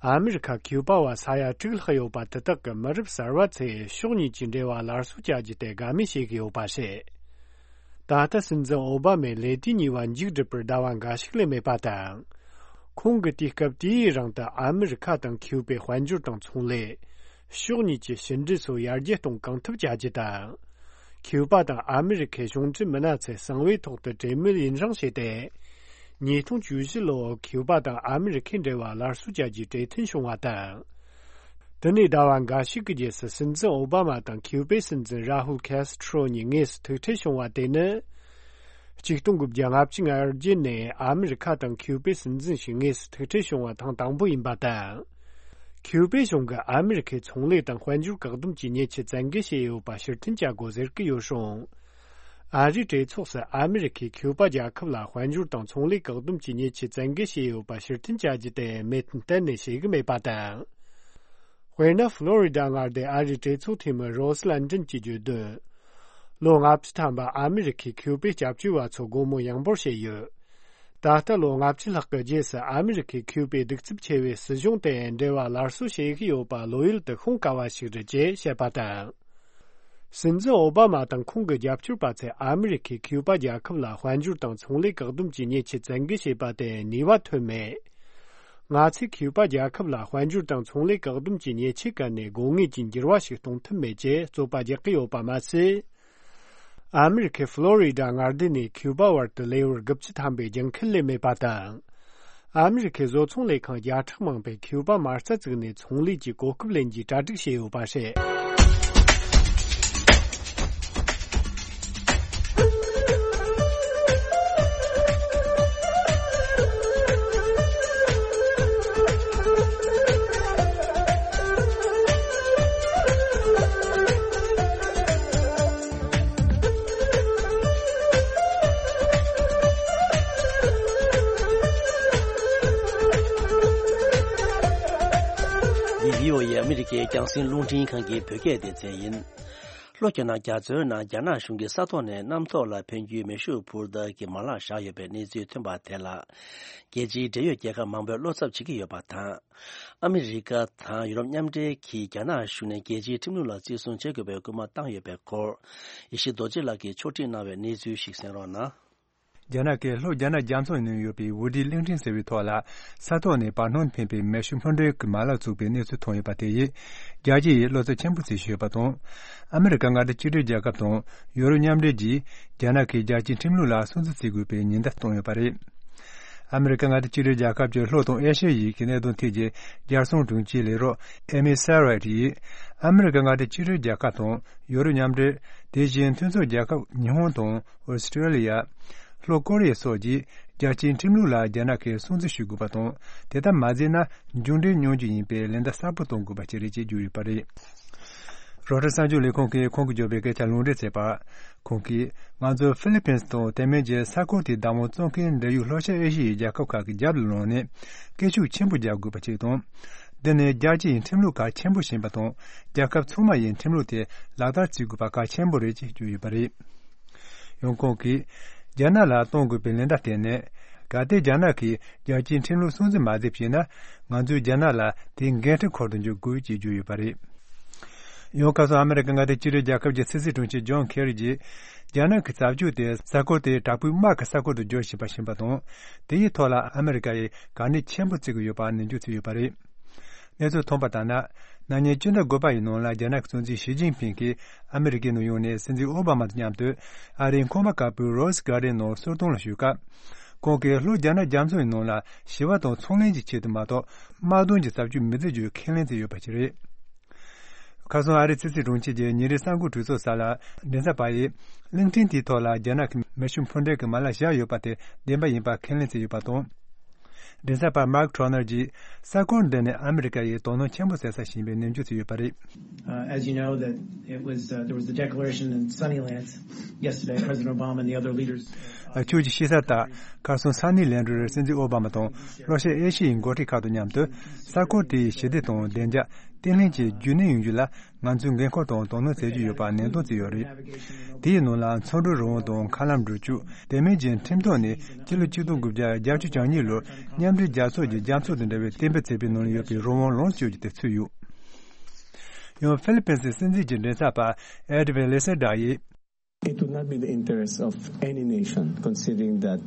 ཨ་མི་རི་ཁ་ཁིའུ་པ་བ་ས་ཡ་དྲུག་ལྷག་ཡོད་པ་དེ་དག་གི་མི་རབས་གསར་བ་ཚོས་ཕྱོགས་གཉིས་ཀྱི་འབྲེལ་བ་སླར་གསོ་བྱ་རྒྱུ་དེ་དགའ་མོས་བྱེད་ཀྱི་ཡོད་པ་རེད། ད་ལྟ་སྲིད་འཛིན་ཨོ་བྷ་མས་ལས་དུས་གཉིས་པ་མཇུག་བསྒྲིལ་བར་ཟླ་བ་འགའ་ཞིག་ལས་མེད་པ་དང་། ཁོང་གིས་དུས་སྐབས་དེའི་རིང་དུ་ཨ་མི་རི་ཁ་དང་ཁིའུ་པའི་དཔལ་འབྱོར་དང་ཚོང་ལས། ཕྱོགས་གཉིས་ཀྱི་ཕྱི་འབྲེལ་སོགས་ཡར་རྒྱས་གཏོང་གང་ཐུབ་བྱ་རྒྱུ་དང་། ཁིའུ་པ་དང་ཨ་མི་རི་ཁའི་གཞུང་འབྲེལ་མི་སྣ་ཚོས་གསང་བའི་ཐོག་ཏུ་གྲོས་མོལ་ཡུན་རིང་བྱས་ཏེ། ཉིས་སྟོང་བཅུ་བཞི་ལོར་ཁིའུ་པ་དང་ཨ་མི་རི་ཁའི་འབྲེལ་བ་སླར་གསོ་བྱ་རྒྱུའི་གྲོས་མཐུན་བྱུང་བ་དང་། དེ་ནས་ཟླ་བ་འགའ་ཞིག་གི་རྗེས་སུ་སྲིད་འཛིན་ཨོ་བྷ་མ་དང་ཁིའུ་པའི་སྲིད་འཛིན་རཱ་ཧུལ་ཁེ་སི་ཁྲོ་གཉིས་དངོས་སུ་ཐུག་འཕྲད་བྱུང་བ་དེ་ནི། ཆིག་སྟོང་དགུ་བརྒྱ་ལྔ་བཅུ་ང་བརྒྱད་ནས་ཨ་མི་རི་ཁ་དང་ཁིའུ་པའི་སྲིད་འཛིན་ཞིག་དངོས་སུ་ཐུག་འཕྲད་བྱུང་བ་ཐེངས་དང་པོ་ཡིན་པ་དང་། ཁིའུ་པའི་གཞུང་གིས་ཨ་མི་རི་ཁའི་ཚོང་ལས་དང་དཔལ་འབྱོར་བཀག་སྡོམ་གྱི་ཉེས་ཆད་བཙན་འགེལ་བྱས་ཡོད་པ་ཕྱིར་འཐེན་བྱ་དགོས་ཟེར་གྱི་ཡོད་རུང་། ཨ་རིའི་གྲོས་ཚོགས་སུ་ཨ་མི་རི་ཁས་ཁིའུ་པ་རྒྱལ་ཁབ་ལ་དཔལ་འབྱོར་དང་ཚོང་ལས་བཀག་སྡོམ་གྱི་ཉེས་ཆད་བཙན་འགེལ་བྱས་ཡོད་པ་ཕྱིར་འཐེན་བྱ་རྒྱུ་དེ་མོས་མཐུན་གཏན་ནས་བྱེད་ཀྱི་མེད་པ་དང་། དཔེར་ན། ཧྥ་ལོ་རི་ཌ་མངའ་སྡེའི་ཨ་རིའི་གྲོས་ཚོགས་འཐུས་མི་རོ་སི་ལན་ཏན་གྱིས་བརྗོད་དོན། ལོ་ལྔ་བཅུ་ཐམ་པ་ཨ་མི་རི་ཁས་ཁིའུ་པའི་སྐྱབས་བཅོལ་བ་ཚོར་སྒོ་མོ་ཡངས་པོར་ཕྱེས་ཡོད། ད་ལྟ་ལོ་ལྔ་བཅུ་ལྷག་གི་རྗེས་སུ་ཨ་མི་རི་ཁས་ཁིའུ་པའི་གདུག་རྩུབ་ཆེ་བའི་སྲིད་གཞུང་དེ་འབྲེལ་བ་སླར་གསོ་བྱེད་ཀྱི་ཡོད་པ་བློ་ཡུལ་དུ་ཤོང་དཀའ་བ་ཞིག་རེད་ཅེས་བཤད་པ་དང་། སྲིད་འཛིན་ཨོ་བྷ་མ་དང་ཁོང་གི་རྒྱབ་སྐྱོར་པ་ཚོས་ཨ་མི་རི་ཁས་ཁིའུ་པ་རྒྱལ་ཁབ་ལ་དཔལ་འབྱོར་དང་ཚོང་ལས་བཀག་སྡོམ་གྱི་ཉེས་ཆད་བཙན་འགེལ་བྱས་པ་དེ་ནུས་པ་ཐོན་མེད། ང་ཚོས་ཁིའུ་པ་རྒྱལ་ཁབ་ལ་དཔལ་འབྱོར་དང་ཚོང་ལས་བཀག་སྡོམ་གྱི་ཉེས་ཆད་བཀལ་ནས་དགོས་ངེས་ཀྱི་འགྱུར་བ་ཞིག་གཏོང་ཐུབ་མེད་ཅེས་རྩོད་པ་རྒྱག་གི་ཡོད་པ་མ་ཟད། ཨ་མི་རི་ཁའི་ཧྥ་ལོ་རི་ཌ་མངའ་སྡེ་ནས་ཁིའུ་པ་བར་དུ་ལེ་ཝར་དགུ་བཅུ་ཐམ་པའི་རྒྱང་འཁེལ་ལས་མེད་པ་དང་། ཨ་མི་རི་ཁའི་བཟོ་ཚོང་ལས་ཁང་བརྒྱ་ཕྲག་མང་པོས་ཁིའུ་པ་མ་རྩ་བཙུགས་ནས་ཚོང་ལས་ཀྱི་གོ་སྐབས་ལེན་རྒྱུའི་གྲ་སྒྲིག་བྱས་ཡོད་པ་རེད། འདི་བྷི་ཨོ་ཨེ་ཨ་མི་རི་ཀའི་རྒྱང་སྲིང་རླུང་འཕྲིན་ཁང་གི་བོད་སྐད་སྡེ་ཚན་ཡིན། ལྷོ་རྒྱ་ནག་རྒྱ་མཚོའི་ནང་རྒྱ་ནག་གཞུང་གིས་ས་ཐོག་ནས་གནམ་ཐོག་ལ་འཕེན་རྒྱུའི་མེ་ཤུགས་འཕུར་མདའ་གྱི་མ་ལག་བཞག་ཡོད་པའི་གནས་ཚུལ་ཐོན་པ་དེ་ལ། རྒྱལ་སྤྱིའི་འབྲེལ་ཡོད་རྒྱལ་ཁབ་མང་པོས་བློ་འཚབ་བྱེད་ཀྱི་ཡོད་པ་དང་། ཨ་མི་རི་ཀ་དང་ཡུ་རོབ་མཉམ་འབྲེལ་གྱིས་རྒྱ་ནག་གཞུང་ནས་རྒྱལ་སྤྱིའི་ཁྲིམས་ལུགས་ལ་བརྩི་སྲུང་བྱེད་དགོས་པའི་སྐུལ་མ་བཏང་ཡོད་པའི་སྐོར། ཡེ་ཤེས་རྡོ་རྗེ་ལགས་ཀྱིས་ཕྱོགས་སྒྲིག་གནང་བའི་གནས་ཚུལ་ཞིག་གསན་རོགས་གནང་། རྒྱ་ནག་གིས་ལྷོ་རྒྱ་ནག་རྒྱ་མཚོ་ནང་ཡོད་པའི་ཝུ་ཌི་གླིང་ཕྲན་ཟེར་བའི་ཐོག་ལ་ས་ཐོག་ནས་བར་སྣང་འཕེན་པའི་མེ་ཤུགས་འཕུར་མདའ་གི་མ་ལག་བཙུགས་པའི་གནས་ཚུལ་ཐོན་ཡོད་པ་དེ་ཡིས་རྒྱལ་སྤྱི་ཡིས་བློ་འཚབ་ཆེན་པོ་བྱེད་བཞིན་ཡོད་པ་དང་། ཨ་མི་རི་ཀ་མངའ་སྡེ་གཅིག་སྒྲིལ་རྒྱལ་ཁབ་དང་ཡུ་རོབ་མཉམ་འབྲེལ་གྱིས་རྒྱ་ནག་གིས་རྒྱལ་སྤྱིའི་ཁྲིམས་ལུགས་ལ་སྲུང་བརྩི་བྱེད་དགོས་པའི་ཉེན་བརྡ་བཏང་ཡོད་པ་རེད། ཨ་མི་རི་ཀ་མངའ་སྡེ་གཅིག་སྒྲིལ་རྒྱལ་ཁབ་ཀྱི་ལྷོ་དང་ཨེ་ཤི་ཡའི་གནད་དོན་ཐད་ཀྱི་རྒྱལ་སྲུང་དྲུང་ཆེའི་ལས་རོགས་ཨེ་མི་སེ་རེད་ཡིས། ཨ་མི་རི་ཀ་མངའ་སྡེ་གཅིག་སྒྲིལ་རྒྱལ་ཁབ་དང་ཡུ་རོབ་མཉམ་འབྲེལ། དེ་བཞིན་མཐུན་ཕྱོགས་རྒྱལ་ཁབ་ཉི་ཧོང་དང་ཨོ་སི་ཀྲེ་ལི་ཡ། ལྷོ་ཀོ་རི་ཡ་སོགས་ཀྱིས་རྒྱལ་སྤྱིའི་ཁྲིམས་ལུགས་ལ་རྒྱ་ནག་གིས་སྲུང་བརྩི་ཞུ་དགོས་པ་དང་། དེ་ལྟར་མ་མཛད་ན་མཇུག་འབྲས་མྱོང་རྒྱུ་ཡིན་པས་ལན་བརྡ་གསལ་པོ་གཏོང་དགོས་པ་ཞིག་རེད་ཅེས་བརྗོད་ཡོད་པ་རེད། རོའི་ཊར་གསར་འགྱུར་ལས་ཁང་གིས་ཁོང་གིས་བརྗོད་པའི་སྐད་ཆ་ལུང་འདྲེན་བྱས་པར། ཁོང་གིས་ང་ཚོ་ཧྥི་ལི་ཕིན་སི་དང་དེ་མིན་གྱི་ས་ཁུལ་དེའི་བདག་དབང་བཙོང་མཁན་འབྲེལ་ཡོད་ལྷོ་ཤར་ཨེ་ཤི་ཡའི་རྒྱལ་ཁབ་ཁག་གི་རྒྱབ་ལ་ལངས་ནས་སྐད་ཤུགས་ཆེན་པོ་རྒྱག་དགོས་པ་ཞིག་དང་། འདི་ནི་རྒྱལ་སྤྱི་ཡི་ཁྲིམས་ལུགས་གལ་ཆེན་པོ་ཞིག་ཡིན་པ་དང་། རྒྱལ་ཁབ་ཚང་མ་ཡིས་ཁྲིམས་ལུགས་དེ་ལག་བསྟར་བྱེད་དགོས་པ་གལ་ཆེན་པོ་རེད་ཅེས་བརྗོད་ཡོད་པ་རེད། ཡང་ཁོང་གིས། རྒྱ་ནག་ལ་གཏོང་དགོས་པའི་ལན་བརྡ་དེ་ནི། གལ་ཏེ་རྒྱ་ནག་གིས་རྒྱལ་སྤྱིའི་ཁྲིམས་ལུགས་སྲུང་བརྩི་མ་བྱས་པ་ཡིན་ན། ང་ཚོས་རྒྱ་ནག་ལ་དེའི་འགན་འཁྲི་འཁུར་དུ་འཇུག་དགོས་ཅེས་བརྗོད་ཡོད་པ་རེད། ཡང་ཁ་སང་ཨ་མི་རི་ཀ་མངའ་སྡེ་གཅིག་སྒྲིལ་རྒྱལ་ཁབ་ཀྱི་ཕྱི་སྲིད་དྲུང་ཆེ་ཇོན་ཁེ་རི་གྱིས། རྒྱ་ནག་གི་རྩ་བཅོས་དེ་ས་ཁུལ་དེའི་དྲག་པོའི་དམག་གི་ས་ཁུལ་དུ་བསྒྱུར་བཞིན་པ་ཞིག་ཡིན་པ་དང་། དེ་ཡི་ཐོག་ལ་ཨ་མི་རི་ཀ་ཡིས་གལ་གནད་ཆེན་པོ་བརྩི་གི་ཡོད་པ་ནན་བརྗོད་བྱས་ཡོད་པ་རེད། གནས་ཚུལ་ཐོན་པ་ལྟར་ན། ན་ནིང་སྤྱི་ཟླ་དགུ་པ་ཡི་ནང་ལ་རྒྱ་ནག་གི་སྲིད་འཛིན་ཞི་ཅིན་ཕིང་གིས་ཨ་མི་རི་ཀའི་ནང་ཡོང་ནས་སྲིད་འཛིན་ཨོ་བྷ་མ་དང་མཉམ་དུ་ཨ་རིའི་ཁང་པ་དཀར་པོའི་རོ་སི་གྷར་ཌེན་ནང་གསོལ་སྟོན་ལ་ཞུགས་སྐབས། ཁོང་གིས་ལྷོ་རྒྱ་ནག་རྒྱ་མཚོ་ཡི་ནང་ལ་ཞི་བ་དང་ཚོང་ལེན་གྱི་ཆེད་དུ་མ་གཏོགས་དམག་དོན་གྱི་རྩ་བཅོས་མི་བྱེད་རྒྱུའི་ཁས་ལེན་བྱས་ཡོད་པ་ཞིག་རེད། ཁ་སང་ཨ་རིའི་ཕྱི་སྲིད་དྲུང་ཆེ་གིས་ཉིན་རེའི་གསར་འགོད་གྲོས་ཚོགས་ས་ལ་མགྲིན་ཚབ་པ་ཡིས་གླིང་ཕྲན་དེའི་ཐོག་ལ་རྒྱ་ནག་གི་མེ་ཤུགས་འཕུར་མདའ་གི་མ་ལག་བཞག་ཡོད་པ་དེ་བདེན་པ་ཡིན་པ་ཁས་ལེན་བྱས་ཡོད་པ་དང་། མགྲིན་ཚབ་པ་མཱག་ཁྲོ་ནར་གྱིས་ས་ཁུལ་འདི་ནི་ཨ་མི་རི་ཀ་ཡིས་དོ་སྣང་ཆེན་པོ་བྱེད་ས་ཞིག་ཡིན་པའི་ནན་བརྗོད་བྱས་ཡོད་པ་རེད། Uh, as you know, that it was, uh, there was the declaration in Sunnyland yesterday. President Obama and the other leaders. ཁྱོད་ཀྱིས་ཤེས་གསལ་ལྟར། ཁ་སང་ས་ནི་ལན་རུ་སྲིད་འཛིན་ཨོ་བྷ་མ་དང་ལྷོ་ཤར་ཨེ་ཤི་ཡའི་འགོ་ཁྲིད་ཁག་དང་མཉམ་དུ། ས་ཁུལ་དེའི་ཞི་བདེ་དང་བདེ་འཇགས་བརྟན་ལྷིང་བཅས་རྒྱུན་གནས་ཡོང་རྒྱུ་ལ། ང་ཚོས་འགན་ཁུར་དང་དོ་སྣང་བྱེད་ཀྱི་ཡོད་པ་ནན་སྟོན་བྱས་ཡོད་རེད། དེའི་ནང་ལ་མཚོ་འབྲུག་རི་བོང་དང་མཁའ་ལམ་འགྲུལ་སྐྱོད། དེ་མིན་གྱི་ཁྲིམས་ཐོག་ནས་སྤྱི་ལོ་ཆིག་སྟོང་དགུ་བརྒྱ་བརྒྱད་ཅུ་གྱ་གཉིས་ལོར་མཉམ་འབྲེལ་རྒྱལ་ཚོགས་ཀྱི་རྒྱ་མཚོ་དང་འབྲེལ་བའི་གཏན་འབེབས་བྱས་པའི་ནང་ལ་ཡོད་པའི་རི་བོང་ལོངས་སྤྱོད་ཀྱི་དེ་ཚུད་ཡོད། ཡང་ཧྥི་ལི་པིན་སི་སྲིད་འཛིན་གྱི་མགྲིན་ཚབ་པ་ཨེ་ཌི་ཝིན་ལེ་སེ་ཌ་ཡིས། It would not be the interest of any nation, considering that,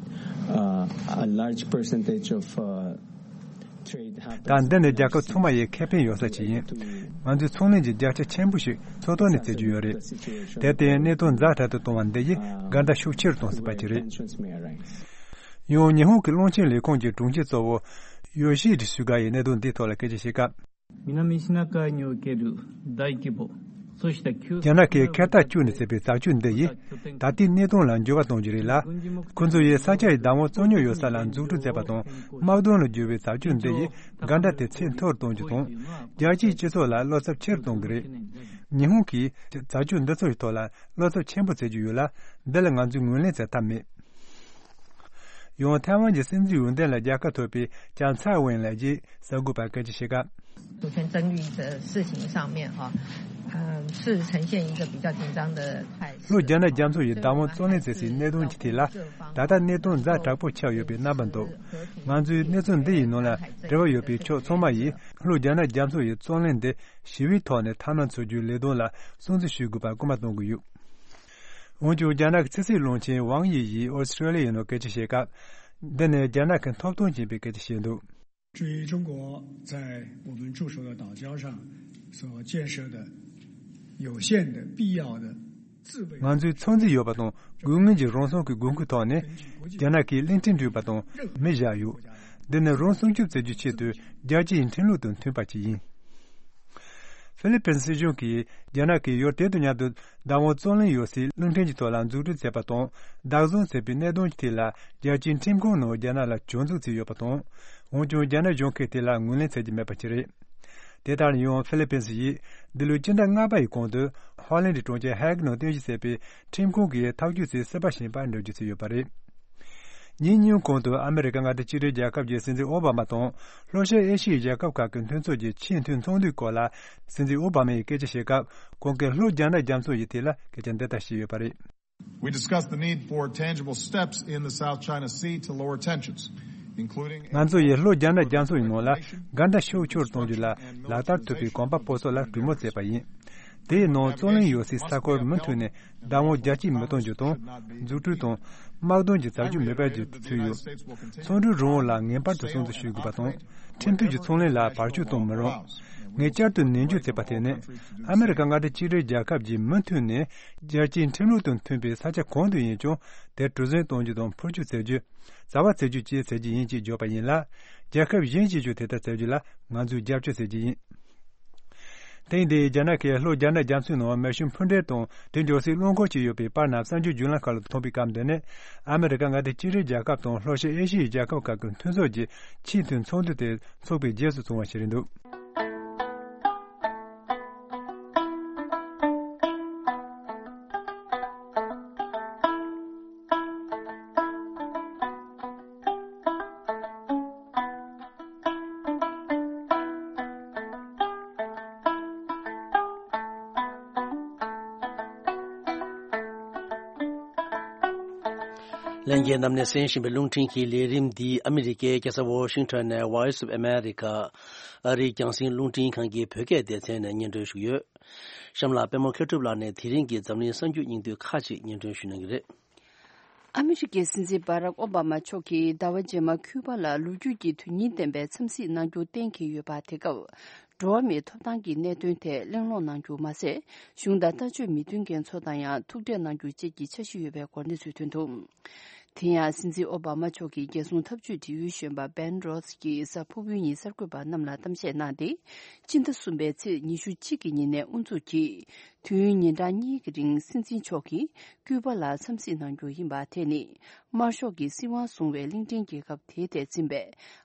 uh, a large percentage of, uh, trade happens. ད་འདི་ནི་རྒྱལ་ཁབ་ཚང་མ་ཡི་ཁེ་ཕན་ཡོད་ས་ཅིག་ཡིན། ང་ཚོས་ཚོང་ལས་ཀྱི་རྒྱལ་ཆ་ཆེན་པོ་ཞིག་མཚོ་ཐོག་ནས་བཙལ་རྒྱུ་ཡོད་རེད། དེར་བརྟེན་གནད་དོན་ཛ་དྲག་ཏུ་གཏོང་བ་འདི་ཡིས་འགལ་ཟླ་ཤུགས་ཆེ་རུ་གཏོང་སྲིད་པ་ཅིག་རེད། ཡང་ཉི་ཧོང་གི་རླུང་ཆེན་ལས་ཁུངས་ཀྱི་དྲུང་ཆེ་གཙོ་བོ་ཡོ་ཤི་ཧི་ཌི་སུ་ག་ཡིས་གནད་དོན་འདིའི་ཐོག་ལ་སྐད་ཆ་བཤད་སྐབས། 南シナ海における大規模、組織的強 རྒྱ་ནག་གིས་ཁེ་ཐག་གཅོད་ནས་བྱས་པའི་རྩ་བཅོས་འདི་ཡིས་ད་ལྟའི་གནད་དོན་ལ་འགྱུར་བ་གཏོང་རྒྱུ་རེད་ལ། ཁོ་ཚོ་ཡིས་ས་ཆ་ཡི་བདག་དབང་རྩོད་རྙོག་ཡོད་ས་ལ་འཛུགས་སྐྲུན་བྱས་པ་དང་། དམག་དོན་ལ་བསྒྱུར་བའི་རྩ་བཅོས་འདི་ཡིས་འགལ་ཟླ་དེ་ཚད་མཐོ་རུ་གཏོང་རྒྱུ་དང་། རྒྱལ་སྤྱིའི་སྤྱི་ཚོགས་ལ་བློ་འཚབ་ཆེ་རུ་གཏོང་གི་རེད། ཉི་ཧོང་གིས་རྩ་བཅོས་འདི་ཚོ་ཡི་ཐོག་ལ་བློ་འཚབ་ཆེན་པོ་བྱེད་ཀྱི་ཡོད་ལ། འདི་ལ་ང་ཚོས་ངོས་ལེན་བྱེད་ཐབས་མེད། ཡང་ཐའེ་ཝན་གྱི་སྲིད་འཛིན་འོས་འདེམས་ལ་རྒྱལ་ཁ་ཐོབ་པའི་ལྕམ་ཚའེ་ཝེན་ལགས་ཀྱིས་གསར་འགོད་པར་སྐད་ཆ་བཤད་སྐབས། 主权争议的事情上面，哈，嗯，是呈现一个比较紧张的态势。 ལྷོ་རྒྱ་ནག་རྒྱ་མཚོ་ཡི་བདག་དབང་རྩོད་གླེང་བྱེད་སའི་གནད་དོན་གྱི་ཐད་ལ། ད་ལྟ་གནད་དོན་ཛ་དྲག་པོ་ཆགས་ཡོད་པའི་རྣམ་པ་འདུག། ང་ཚོས་གནས་ཚུལ་འདི་ཡི་ནང་ལ་འབྲེལ་བ་ཡོད་པའི་ཕྱོགས་ཚང་མ་ཡིས་ལྷོ་རྒྱ་ནག་རྒྱ་མཚོ་ཡི་རྩོད་གླེང་འདི་ཞི་བའི་ཐོག་ནས་ཐབས་ལམ་འཚོལ་རྒྱུའི་ལས་དོན་ལ་སྲུང་བརྩི་ཞུ་དགོས་པར་སྐུལ་མ་གཏོང་གི་ཡོད། འོན་ཀྱང་། རྒྱ་ནག་གི་ཕྱི་སྲིད་བློན་ཆེན་ཝང་དབྱི་ཡིས་ཨོ་སི་ཀྲེ་ལི་ཡའི་ནང་སྐད་ཆ་བཤད་སྐབས། འདི་ནི་རྒྱ་ནག་གི་ཐོབ་ཐང་ཡིན་པའི་སྐད་ཆ་བཤད་འདུག། 至于中国在我们驻守的岛礁上所建设的有限的必要的 ང་ཚོས་ཚོད་འཛིན་ཡོད་པ་དང་། དགོས་ངེས་ཀྱི་རང་སྲུང་གི་དགོས་མཁོའི་ཐོག་ནས། རྒྱ་ནག་གིས་གླིང་ཕྲན་བསྐྲུན་པ་དང་མེ་བཞག་ཡོད། འདི་ནི་རང་སྲུང་སྐྱོབ་བྱེད་རྒྱུའི་ཆེད་དུ་རྒྱལ་སྤྱིའི་ཁྲིམས་ལུགས་དང་མཐུན་པ་ཞིག་ཡིན། ཧྥི་ལི་པིན་སྲིད་གཞུང་གིས་རྒྱ་ནག་གིས་ཡུལ་དེ་དང་མཉམ་དུ་བདག་དབང་རྩོད་གླེང་ཡོད་སའི་གླིང་ཕྲན་གྱི་ཐོག་ལ་འཛུགས་སྐྲུན་བྱས་པ་དང་བདག་བཟུང་བྱས་པའི་གནད་དོན་གྱི་ཐད་ལ། རྒྱལ་སྤྱིའི་ཁྲིམས་ཁང་ནང་རྒྱ་ནག་ལ་སྐྱོན་འཛུགས་བྱས་ཡོད་པ་དང་། འོན་ཀྱང་རྒྱ་ནག་གཞུང་གིས་དེ་ལ་ངོས་ལེན་བྱེད་ཀྱི་མེད་པ་ཞིག་རེད། དེ་ལྟར་ཡང་ཧྥི་ལི་པིན་སི་ཡིས་འདི་ལོའི་སྤྱི་ཟླ་ལྔ་པ་ཡི་གོང་དུ་ཧོ་ལན་ཌི་གྲོང་ཁྱེར་ཧེག་ནང་རྟེན་གཞི་བྱས་པའི་ཁྲིམས་ཁང་གི་ཐག་གཅོད་ཚོའི་སྲིད་པ་བཞིན་པ་འགྲེལ་བརྗོད་བྱས་ཡོད་པ་རེད། ཉིན་གཉིས་གོང་དུ་ཨ་མི་རི་ཀ་མངའ་སྡེ་གཅིག་སྒྲིལ་རྒྱལ་ཁབ་ཀྱི་སྲིད་འཛིན་ཨོ་བྷ་མ་དང་ལྷོ་ཤར་ཨེ་ཤི་ཡའི་རྒྱལ་ཁབ་ཁག་གི་མཐུན་ཚོགས་ཀྱི་ཆེས་མཐོའི་ཚོགས་འདུའི་སྐོར་ལ་སྲིད་འཛིན་ཨོ་བྷ་མ་ཡིས་སྐད་ཆ་བཤད་སྐབས། ཁོང་གིས་ལྷོ་རྒྱ་ནག་རྒྱ་མཚོ་ཡི་ཐད་ལ་སྐད་ཆ་འདི་ལྟར་བཤད་ཡོད་པ་རེད། We discussed the need for tangible steps in the South China Sea to lower tensions, including ང་ཚོ་ཡིས་ལྷོ་རྒྱ་ནག་རྒྱ་མཚོ་ཡི་ནང་ལ་འགལ་ཟླ་ཤུགས་ཆེ་རུ་གཏོང་རྒྱུ་ལ་ལག་བསྟར་ཐུབ་པའི་གོམ་པ་སྤོ་ཚོགས་ལ་གྲོས་མོལ་བྱས་པ་ཡིན། དེའི་ནང་རྩོད་གླེང་ཡོད་སའི་ས་ཁུལ་མུ་མཐུད་ནས་བདག་དབང་རྒྱ་སྐྱེད་མི་གཏོང་རྒྱུ་དང་། འཛུགས་སྐྲུན་དང་། དམག་དོན་གྱི་བྱ་སྤྱོད་མི་སྤེལ་རྒྱུ་ཚུད་ཡོད། ཚོང་འབྲེལ་རང་དབང་ལ་ངེས་པར་དུ་སྲུང་བརྩི་ཞུ་དགོས་པ་དང་། ཁྲིམས་མཐུན་གྱི་ཚོང་ལས་ལ་བར་ཆད་གཏོང་མི་རུང་། ངས་བསྐྱར་དུ་ནན་བརྗོད་བྱས་པ་དེ་ནི། ཨ་མི་རི་ཀ་མངའ་སྡེ་གཅིག་སྒྲིལ་རྒྱལ་ཁབ་ཀྱིས་མུ་མཐུད་ནས་རྒྱལ་སྤྱིའི་ཁྲིམས་ལུགས་དང་མཐུན་པའི་ས་ཆ་གང་དུ་ཡིན་ཀྱང་དེར་གྲུ་གཟིངས་གཏོང་རྒྱུ་དང་འཕུར་སྐྱོད་བྱེད་རྒྱུ། བྱ་བ་བྱེད་རྒྱུ་བཅས་བྱེད་རྒྱུ་ཡིན་ཅེས་བརྗོད་པ་ཡིན་ལ། རྒྱལ་ཁབ་གཞན་གྱིས་ཀྱང་དེ་ལྟར་བྱེད་རྒྱུ་ལ་ང་ཚོས་རྒྱབ་སྐྱོར་བྱེད་རྒྱུ་ཡིན། ཐེངས་འདིའི་རྒྱ་ནག་གིས་ལྷོ་རྒྱ་ནག་རྒྱ་མཚོའི་ནང་མེ་ཤུགས་འཕུར་འགྲེམས་དང་དེ་འཇོག་སའི་རླངས་འཁོར་བཅས་ཡོད་པའི་པར་རྣམས་གསར་འགྱུར་བརྒྱུད་ལམ་ཁག་ལ་ཐོན་པའི་སྐབས་འདི་ནི། ཨ་མི་རི་ཀ་མངའ་སྡེ་གཅིག་སྒྲིལ་རྒྱལ་ཁབ་དང་ལྷོ་ཤར་ཨེ་ཤི་ཡའི་རྒྱལ་ཁབ་ཁག་གི་མཐུན་ཚོགས་ཀྱི་ཆེས་མཐོའི་ཚོགས་འདུ་དེ་འཚོགས་པའི་རྗེས་སུ་བྱུང་བ་ཞིག་རེད་འདུག་ལྷན་རྒྱས་རྣམས་ནས་གསན་བཞིན་པའི་རླུང་འཕྲིན་གྱི་ལས་རིམ་འདི་ཨ་མི་རི་ཀའི་རྒྱལ་ས་ཝོ་ཤིང་ཊོན་ནས་Voice of America ཨ་རིའི་རྒྱང་སྲིང་རླུང་འཕྲིན་ཁང་གི་བོད་སྐད་སྡེ་ཚན་ནས་སྙན་སྒྲོན་ཞུས་ཡོད། གཤམ་ལ་པད་མ་མཁས་གྲུབ་ལགས་ནས་དེ་རིང་གི་འཛམ་གླིང་གསར་འགྱུར་སྙིང་བསྡུས་ཁག་ཅིག་སྙན་སྒྲོན་ཞུ་གནང་གི་རེད། ཨ་མི་རི་ཀའི་སྲིད་འཛིན་སྦ་རག་ཨོ་བྷ་མ་མཆོག་གིས་ཟླ་བ་རྗེས་མ་ཁུ་པ་ལ་ལོ་རྒྱུས་ཀྱི་དོན་སྙིང་ལྡན་པའི་འཚམས་གཟིགས་གནང་རྒྱུ་གཏན་འཁེལ་ཡོད་པ། དེ་སྐབས་འགྲོ་བ་མིའི་ཐོབ་ཐང་གི་གནད་དོན་ཐད་གླེང་སློང་གནང་རྒྱུ་མ་ཟད། གཞུང་དང་ལྟ་སྤྱོད་མི་མཐུན་མཁན་ཚོ་དང་ཡང་ཐུག་འཕྲད་གནང་རྒྱུ་བཅས་ཀྱི་འཆར་གཞི་ཡོད་པའི་སྐོར་གནས་ཚུལ་ཐོན་འདུག་དེ་ཡང་སྲིད་འཛིན་ཨོ་བྷ་མ་མཆོག་གི་རྒྱལ་སྲུང་འཐབ་ཇུས་དྲི་ཡུལ་གཞོན་པ་བན་རོས་ཀྱིས་གཟའ་ཕུར་བུའི་ཉིན་གསར་འགོད་པ་རྣམས་ལ་གཏམ་བཤད་གནང་སྟེ། སྤྱི་ཟླ་གསུམ་པའི་ཚེས་ཉི་ཤུ་གཅིག་གི་ཉིན་ནས་དབུ་འཛུགས་ཀྱིས། དུས་ཡུན་ཉིན་གྲངས་གཉིས་ཀྱི་རིང་སྲིད་འཛིན་མཆོག་གིས་ཀུའུ་པ་ལ་འཚམས་གཟིགས་གནང་རྒྱུ་ཡིན་པ། དེ་ནི་དམར་ཤོག་གིས་སྲིད་དབང་བཟུང་བའི་གླིང་ཕྲན་རྒྱལ་ཁབ་དེའི་ཐད་འཛིན་པའི་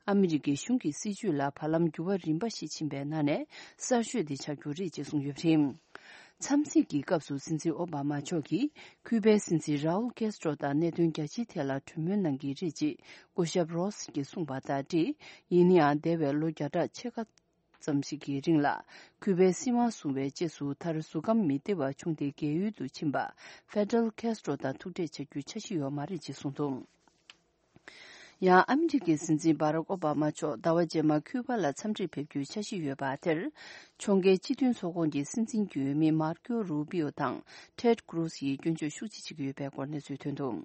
ཨ་མི་རི་ཀའི་གཞུང་གི་སྲིད་བྱུས་ལ་བར་ལམ་འགྱུར་བ་རིམ་པ་ཞིག་ཕྱིན་པའི་ནང་ནས་གསར་ཤོས་དེ་ཆགས་རྒྱུ་རེད་ཅེས་གསུངས་ཡོད་པ་རེད། འཚམས་གཟིགས་ཀྱི་སྐབས་སུ་སྲིད་འཛིན་ཨོ་བྷ་མ་མཆོག་གིས་ཁུ་པའི་སྲིད་འཛིན་རའུལ་ཀེ་སི་ཏྲོ་དང་གནད་དོན་རྒྱ་ཆེའི་ཐད་ལ་གྲོས་མོལ་གནང་གི་རེད་ཅེས་སྐུ་ཞབས་རོས་ཀྱིས་གསུངས་པ་དང་འབྲེལ། ཡིན་ནའང་འདས་པའི་ལོ་བརྒྱ་ཕྲག་ཕྱེད་ཀ་ཙམ་ཞིག་གི་རིང་ལ་ཁུ་པའི་སྲིད་དབང་བཟུང་བའི་རྗེས་སུ་མཐར་གཟུགས་ཁམས་མི་བདེ་བ་བྱུང་སྟེ་རྒས་ཡོལ་དུ་ཕྱིན་པ་ཧྥེ་ཌེལ་ཁེ་སི་ཏྲོ་དང་ཐུག་འཕྲད་བྱ་རྒྱུའི་འཆར་གཞི་ཡོད་མ་རེད་ཅེས་གསུངས་འདུག་ཡང་ཨ་མི་རི་ཀའི་སྲིད་འཛིན་སྦ་རག་ཨོ་བྷ་མ་མཆོག་ཟླ་བ་རྗེས་མར་ཁུ་པ་ལ་འཚམས་འདྲིར་ཕེབས་རྒྱུའི་འཆར་གཞི་ཡོད་པ་དེར། ཕྱོགས་འགལ་སྤྱི་མཐུན་ཚོགས་ཁོངས་ཀྱི་སྲིད་འཛིན་གྱི་འོས་མི་མར་ཀོ་རུ་པིའོ་དང་ཊེད་ཀྲུ་ཛི་ཡིས་སྐྱོན་བརྗོད་ཤུགས་ཆེ་བྱེད་ཀྱི་ཡོད་པའི་སྐོར་གནས་ཚུལ་ཐོན་འདུག་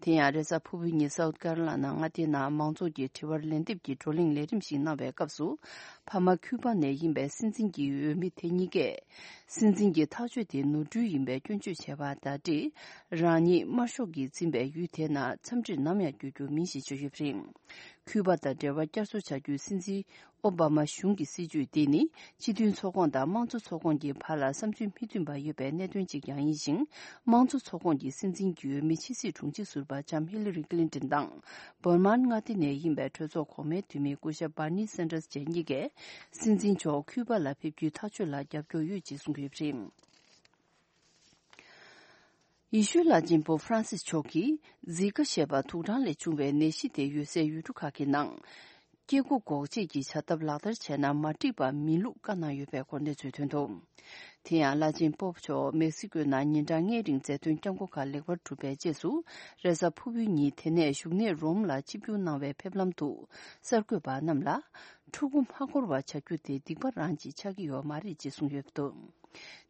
དེ་ཡང་རེས་གཟའ་ཕུར་བུའི་ཉིན་སའུ་ཐི་ཀེ་རོ་ལ་ན་མངའ་སྡེའི་ནང་མང་ཚོགས་ཀྱི་དྲི་བར་ལན་འདེབས་ཀྱི་བགྲོ་གླེང་ལས་རིམ་ཞིག་གནང་བའི་སྐབས་སུ། ཕ་མ་ཁུ་པ་ནས་ཡིན་པའི་སྲིད་འཛིན་གྱི་འོས་མི་དེ་གཉིས་ཀས། སྲིད་འཛིན་གྱི་ཐག་གཅོད་དེ་ནོར་འཁྲུལ་ཡིན་པའི་སྐྱོན་བརྗོད་བྱས་པ་དང་འབྲེལ། རང་ཉིད་དམར་ཤོག་གིས་འཛིན་པའི་ཡུལ་དེའི་ནང་འཚམས་འདྲིར་ནམ་ཡང་འགྱོ་རྒྱུ་མིན་ཞེས་བརྗོད་ཡོད་པ་རེད། ཁུ་པ་དང་འབྲེལ་བ་བསྐྱར་གསོ་བྱ་རྒྱུའི་སྲིད་འཛིན་ཨོ་བྷ་མ་གཞུང་གི་སྲིད་བྱུས་དེ་ནི་སྤྱི་མཐུན་ཚོགས་ཁོངས་དང་དམངས་གཙོ་ཚོགས་ཁོངས་ཀྱི་བར་ལ་བསམ་ཚུལ་མི་མཐུན་པ་ཡོད་པའི་གནད་དོན་ཅིག་ཀྱང་ཡིན་ཞིང་། དམངས་གཙོ་ཚོགས་ཁོངས་ཀྱི་སྲིད་འཛིན་གྱི་འོས་མི་ཕྱི་སྲིད་དྲུང་ཆེ་ཟུར་པ་ལྕམ་ཧི་ལ་རི་ཀི་ལིན་ཏོན་དང་། འབར་མ་མངའ་སྡེ་ནས་ཡིན་པའི་གྲོས་ཚོགས་གོང་མའི་འཐུས་མི་སྐུ་ཞབས་བྷར་ནི་སན་ཏར་སི་བཅས་གཉིས་ཀས་སྲིད་འཛིན་མཆོག་ཁུ་པ་ལ་ཕེབས་རྒྱུའི་ཐག་གཅོད་ལ་རྒྱབ་སྐྱོར་ཡོད་ཅེས་གསུངས་ཡོད་པ་རེད། ཡེ་ཤུའི་བླ་ཆེན་པོབ་ཧྥ་རན་སིས་མཆོག་གིས་ཛི་ཀ་ཞེས་པ་དུག་སྦྲང་ལས་བྱུང་བའི་ནད་གཞི་དེ་ཡོད་སའི་ཡུལ་གྲུ་ཁག་གི་ནང་། སྐྱེ་སྒོ་འགོག་བཅོས་ཀྱི་བྱ་ཐབས་ལག་བསྟར་བྱས་ན་མ་འགྲིག་པ་མིན་ལུགས་བཀའ་གནང་ཡོད་པའི་སྐོར་གནས་ཚུལ་ཐོན་འདུག་དེ་ཡང་བླ་ཆེན་པོབ་མཆོག་མེག་སི་ཀོའི་ནང་ཉིན་གྲངས་ལྔའི་རིང་མཛད་དོན་བསྐྱངས་འགོ་ཁག་ལེགས་པར་གྲུབ་པའི་རྗེས་སུ། རེས་གཟའ་ཕུར་བུའི་ཉིན་དེ་ནས་བཞུགས་གནས་རོམ་ལ་ཆིབས་བསྒྱུར་གནང་བའི་ཕེབས་ལམ་དུ། གསར་འགོད་པ་རྣམས་ལ། ཕྲུ་གུ་མ་འཁོར་བ་བྱ་རྒྱུ་དེ་སྡིག་པ་རང་ཅིག་ཆགས་ཀྱི་ཡོད་མ་རེད་ཅེས་གསུངས་ཡོད་འདུག་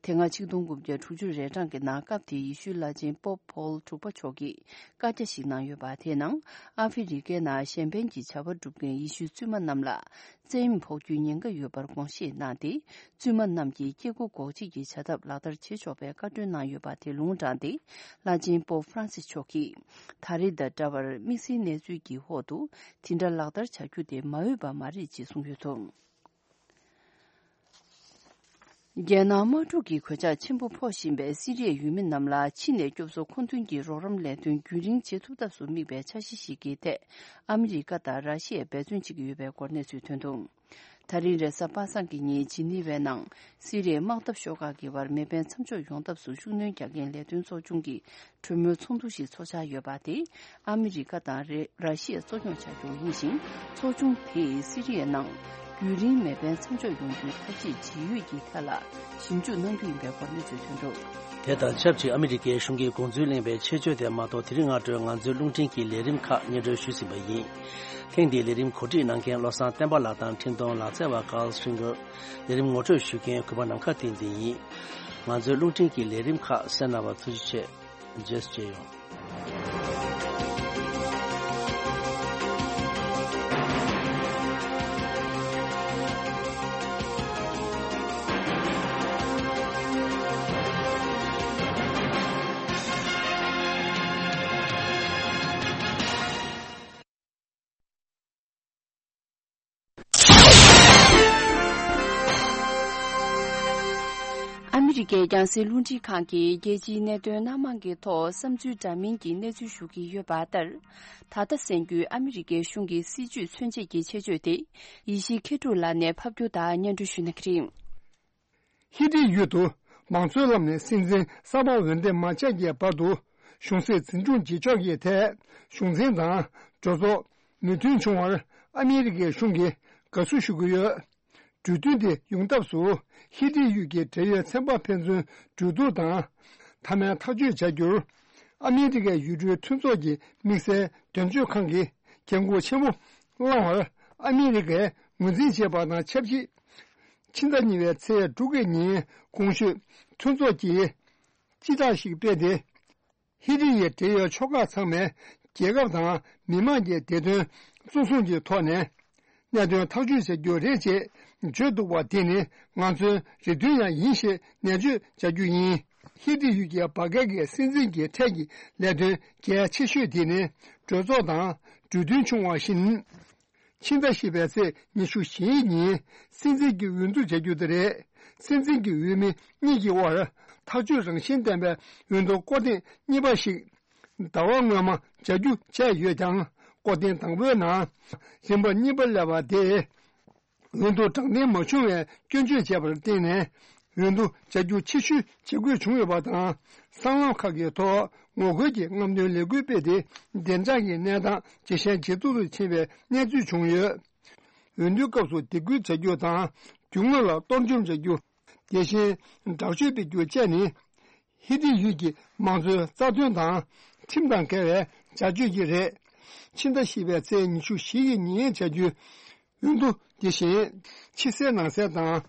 དེ་སྔ་ཆིག་སྟོང་དགུ་བརྒྱ་དྲུག་ཅུ་རེ་གྲངས་ཀྱི་ནང་སྐབས་དེའི་ཡེ་ཤུའི་བླ་ཆེན་པོབ་པོལ་དྲུག་པ་མཆོག་གིས་བཀའ་རྒྱ་ཞིག་གནང་ཡོད་པ། དེའི་ནང་ཨ་ཧྥེ་རི་ཁའི་ནང་གཞན་ཕན་གྱི་བྱ་བ་སྒྲུབ་མཁན་ཡེ་ཤུའི་བཙུན་མ་རྣམས་ལ་བཙན་གཡེམ་ཕོག་རྒྱུའི་ཉེན་ཁ་ཡོད་པར་དགོངས་བཞེས་གནང་སྟེ། བཙུན་མ་རྣམས་ཀྱིས་སྐྱེ་སྒོ་འགོག་བྱེད་ཀྱི་བྱ་ཐབས་ལག་བསྟར་བྱེད་ཆོག་པའི་བཀའ་འཁྲོལ་གནང་ཡོད་པ་དེ་ལུང་དྲངས་ཏེ། བླ་ཆེན་པོབ་ཧྥ་རན་སིས་མཆོག་གིས་ད་རེས་དང་འདྲ་བར་དམིགས་བསལ་གནས་ཚུལ་གྱི་འོག་ཏུ་དེ་འདྲ་ལག་བསྟར་བྱ་རྒྱུ་དེ་མ་འོས་པ་མ་རེད་ཅེས་གསུངས་ཡོད་འདུག། རྒྱལ་ནང་དམག་འཁྲུག་གི་གོད་ཆག་ཆེན་པོ་ཕོག་བཞིན་པའི་སི་རི་ཡའི་ཡུལ་མི་རྣམས་ལ་ཕྱི་ནས་སྐྱོབ་གསོ་མཁོ་འདོན་གྱི་རོགས་རམ་ལས་དོན་རྒྱུན་རིང་བྱེད་ཐུབ་ཐབས་སུ་དམིགས་པའི་འཆར་གཞི་ཞིག་གི་ཐད། ཨ་མི་རི་ཀ་དང་ར་ཤི་ཡས་འབད་བརྩོན་བྱེད་ཀྱི་ཡོད་པའི་སྐོར་གནས་ཚུལ་ཐོན་འདུག། ད་རིང་རེས་གཟའ་པ་སངས་ཀྱི་ཉིན་ཇི་ནི་ཝའི་ནང་སི་རི་ཡའི་དམག་འཐབ་ཤོག་ཁག་གི་བར་མེ་འཕེན་མཚམས་འཇོག་ཡོང་ཐབས་སུ་ཤུགས་སྣོན་རྒྱག་མཁན་ལས་དོན་ཚོགས་ཆུང་གི་གྲོས་མོལ་ཚོགས་འདུ་ཞིག་འཚོགས་འཆར་ཡོད་པ་དེ་ཨ་མི་རི་ཀ་དང་རེ་ར་ཤི་ཡས་གཙོ་སྐྱོང་བྱ་རྒྱུ་ཡིན་ཞིང་། ཚོགས་ཆུང་དེས་སི་རི་ཡའི་ནང་རྒྱུན་རིང་མེ་འཕེན་མཚམས་འཇོག་ཡོང་རྒྱུའི་ཐབས་ཤེས་ཇི་ཡོད་ཀྱི་ཐད་ལ་ཞིབ་འཇུག་གནང་རྒྱུ་ཡིན་པའི་སྐོར་གནས་ཚུལ་ཐོན་འདུག། དེ་དང་ཆབས་ཅིག་ཨ་མི་རི་ཀའི་གཞུང་གིས་དགོངས་ཚུལ་གླེང་བའི་ཆེད་བརྗོད་དེ་མ་གཏོགས། དེ་རིང་སྔ་དྲོའི་ང་ཚོའི་རླུང་འཕྲིན་གྱི་ལས་རིམ་ཁག་སྙན་སྒྲོན་ཞུས་ཟིན་པ་ཡིན། ཐེངས་འདིའི་ལས་རིམ་གོ་སྒྲིག་གནང་མཁན་བློ་བཟང་བསྟན་པ་ལགས་དང་འཕྲིན་གཏོང་ལག་རྩལ་བ་ཀཱལ་སི་ཀྲིན་གར། ལས་རིམ་ངོ་སྤྲོད་ཞུ་མཁན་གུས་པ་ནམ་མཁའ་བསྟན་འཛིན་ཡིན། ང་ཚོའི་རླུང་འཕྲིན་གྱི་ལས་རིམ་ཁག་གསན་གནང་བར་ཐུགས་རྗེ་ཆེ། རྗེས་སུ་མཇལ་ཡོང་། ཨ་མི་རི་ཀའི་རྒྱང་སྲིང་རླུང་འཕྲིན་ཁང་གིས་རྒྱལ་སྤྱིའི་གནད་དོན་སྣ་མང་གི་ཐོག་བསམ་ཚུལ་འདྲ་མིན་གྱི་གནས་ཚུལ་ཞུ་གི་ཡོད་པ་ལྟར། ད་ལྟ་གསན་རྒྱུའི་ཨ་མི་རི་ཀའི་གཞུང་གི་སྲིད་ཇུས་མཚོན་བྱེད་ཀྱི་ཆེད་བརྗོད་དེ་ཡེ་ཤེས་མཁས་གྲུབ་ལགས་ནས་ཕབ་སྒྱུར་དང་སྙན་སྒྲོན་ཞུ་གནང་གི་རེད། ཧི་ཏི་ཡུལ་དུ་མང་གཙོའི་ལམ་ནས་སྲིད་འཛིན་གསར་པ་འོས་འདེམས་མ་བྱས་ཀྱི་བར་དུ་གཞུང་སྲིད་འཛིན་སྐྱོང་བྱེད་ཕྱོགས་ཀྱི་ཐད་གཞུང་འཛིན་དང་གྲོས་ཚོགས་མོས་མཐུན་བྱུང་བར་ཨ་མི་རི་ཀའི་གཞུང་གིས་དགའ་བསུ་ཞུ་གི་ཡོད། གྲོས་མཐུན་དེ་ཡོང་ཐབས་སུ་ཧི་ཏི་ཡུལ་གྱི་བགྲེས་ཡོལ་ཚན་པ་ཕན་ཚུན་གྲོས་བསྡུར་དང་མཐའ་མའི་ཐག་གཅོད་བྱ་རྒྱུར་ཨ་མི་རི་ཀའི་ཡུལ་གྲུའི་མཐུན་ཚོགས་ཀྱི་དམིགས་བསལ་དོན་གཅོད་ཁང་གིས་འགན་འཁུར་ཆེན་པོ་བླངས་བར་ཨ་མི་རི་ཀས་ངོས་འཛིན་བྱས་པ་དང་ཆབས་ཅིག་ཕྱི་ཟླ་གཉིས་པའི་ཚེས་དྲུག་གི་ཉིན་གོང་ཞུས་མཐུན་ཚོགས་ཀྱིས་སྤྱི་བསྒྲགས་ཤིག་སྤེལ་ཏེ། ཧི་ཏི་ཡི་བགྲེས་ཡོལ་ཆོལ་ཁ་ཚང་མས་རྒྱལ་ཁབ་དང་མི་དམངས་ཀྱི་བདེ་དོན་གཙོ་བཟུང་གི་ཐོག་ནས་གནད་དོན་ཐག་གཅོད་བྱ་རྒྱུ་རེད་ཅེས་བརྗོད་འདུག་པ་དེ་ནི་ང་ཚོའི་རེ་འདུན་ཡང་ཡིན་ཞེས་ནན་བརྗོད་བྱ་རྒྱུ་ཡིན། ཧི་ཏི་ཡུལ་གྱི་བར་བརྒལ་གྱི་སྲིད་འཛིན་གྱི་ཐད་ཀྱི་ལས་དོན་གལ་ཆེ་ཤོས་དེ་ནི་གྲོས་ཚོགས་དང་གྲོས་མཐུན་བྱུང་བ་བཞིན། ཕྱི་ཟླ་བཞི་པའི་ཚེས་ཉི་ཤུ་བཞིའི་ཉིན་སྲིད་འཛིན་གྱི་འོས་བསྡུ་བྱ་རྒྱུ་དེ་རེད། སྲིད་འཛིན་གྱི་འོས་མི་གཉིས་ཀྱི་དབར་ཐག་གཅོད་རང་བཞིན་ལྡན་པའི་འོས་བསྡུ་སྐོར་ཐེངས་གཉིས་པ་ཞིག་ཟླ་བ་སྔོན་མ་བྱ་རྒྱུ་བྱས་ཡོད་ཀྱང་། སྐོར་ཐེངས་དང་པོའི་ནང་རིམ་པ་གཉིས་པ་སླེབས་པ་དེས་འོས་བསྡུ་དྲང་བདེན་མ་བྱུང་བའི་སྐྱོན་བརྗོད་བྱས་པར་བརྟེན་ནས། འོས་བསྡུ་བྱ་རྒྱུ་ཕྱིར་བཤོལ་བྱེད་དགོས་བྱུང་ཡོད་པ་དང་། སྲང་ལམ་ཁག་གི་ཐོག་ངོ་རྒོལ་གྱི་རྔམ་སྟོན་ལས་འགུལ་སྤེལ་ཏེ། བདེ་འཇགས་ཀྱི་གནས་སྟངས་ཇེ་ཞན་ཇེ་སྡུག་ཏུ་ཕྱིན་པའི་གནས་ཚུལ་བྱུང་ཡོད། འོས་བསྡུའི་སྐབས་སུ་སྡིགས་སྐུལ་བྱ་རྒྱུ་དང་། རྒྱུ་དངོས་ལ་གཏོར་བཅོམ་བྱ་རྒྱུ། དེ་བཞིན་དྲག་སྤྱོད་སྤེལ་རྒྱུ་བཅས་ནི། ཧི་ཏི་ཡུལ་གྱི་མང་གཙོའི་རྩ་དོན་དང་ཁྲིམས་དང་འགལ་བའི་བྱ་སྤྱོད་ཅིག་རེད། ཕྱི་ཟླ་བཞི་པའི་ཚེས་ཉི་ཤུ་བཞི་ཡི་ཉིན་བྱ་རྒྱུའི་འོས་བསྡུ་དེ་བཞིན་ཕྱི་གསལ་ནང་གསལ་དང་།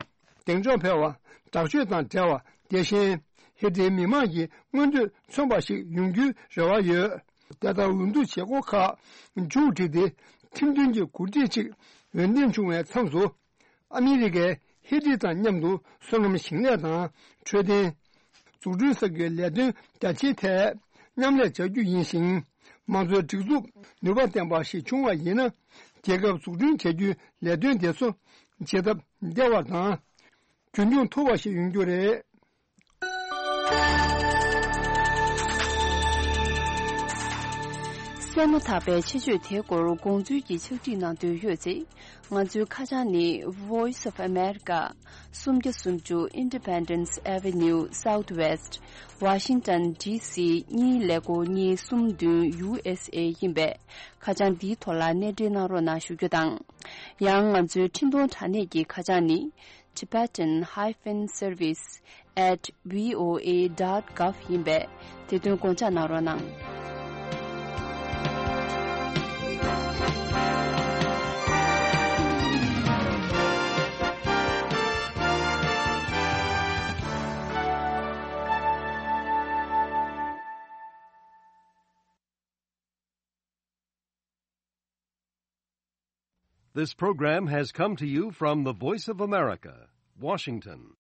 གདེང་འཇོག་འཕེར་བ། དྲག་སྤྱོད་དང་བྲལ་བ། དེ་བཞིན་ཧི་ཏིའི་མི་དམངས་ཀྱི་མངོན་འདོད་མཚོན་པ་ཞིག་ཡོང་རྒྱུའི་རེ་བ་ཡོད། དེ་ལྟར་འོས་བསྡུ་བྱེད་སྒོ་ཁག་མཇུག་བསྒྲིལ་ཏེ། ཁྲིམས་མཐུན་གྱི་འགོ་ཁྲིད་ཅིག་འོས་འདེམས་བྱུང་བའི་མཚམས་སུ། ཨ་མི་རི་ཀས་ཧི་ཏི་དང་མཉམ་དུ་སོ་ནམ་ཞིང་ལས་དང་འཕྲོད་བསྟེན། འཛུགས་སྐྲུན་ས་ཁུལ་ལས་དོན་རྒྱ་ཆེའི་ཐད་མཉམ་ལས་བྱ་རྒྱུ་ཡིན་ཞིང་། མང་གཙོའི་སྒྲིག་འཛུགས་ནུས་པ་ལྡན་པ་ཞིག་བྱུང་བ་ཡིན་ན། རྒྱལ་ཁབ་འཛུགས་སྐྲུན་བྱ་རྒྱུའི་ལས་དོན་དེ་ཚོ་བྱེད་ཐབས་བདེ་བ་དང་། རྒྱུན་འཁྱོངས་ཐུབ་པ་ཞིག་ཡོང་རྒྱུ་རེད། གསན་མ་ཐག་པའི་ཆེད་བརྗོད་དེའི་སྐོར་དགོངས་ཚུལ་གྱི་ཕྱག་བྲིས་གནང་འདོད་ཡོད་ཚེ། ང་ཚོའི་ཁ་བྱང་ནི། Voice of America། སུམ་བརྒྱ་སུམ་ཅུ། Independence Avenue Southwest། Washington D C གཉིས་ཀླད་ཀོར་གཉིས་གསུམ་བདུན། U S A ཡིན་པས། ཁ་བྱང་འདིའི་ཐོག་ལ་གནས་འབྲེལ་གནང་རོགས་གནང་ཞུ་རྒྱུ་དང་། ཡང་ང་ཚོའི་འཕྲིན་གཏོང་དྲ་གནས་ཀྱི་ཁ་བྱང་ནི། Tibetan hyphen service at V O A dot gov ཡིན་པས། དེ་དོན་དགོངས་འཇགས་གནང་རོགས་གནང་། This program has come to you from the Voice of America, Washington.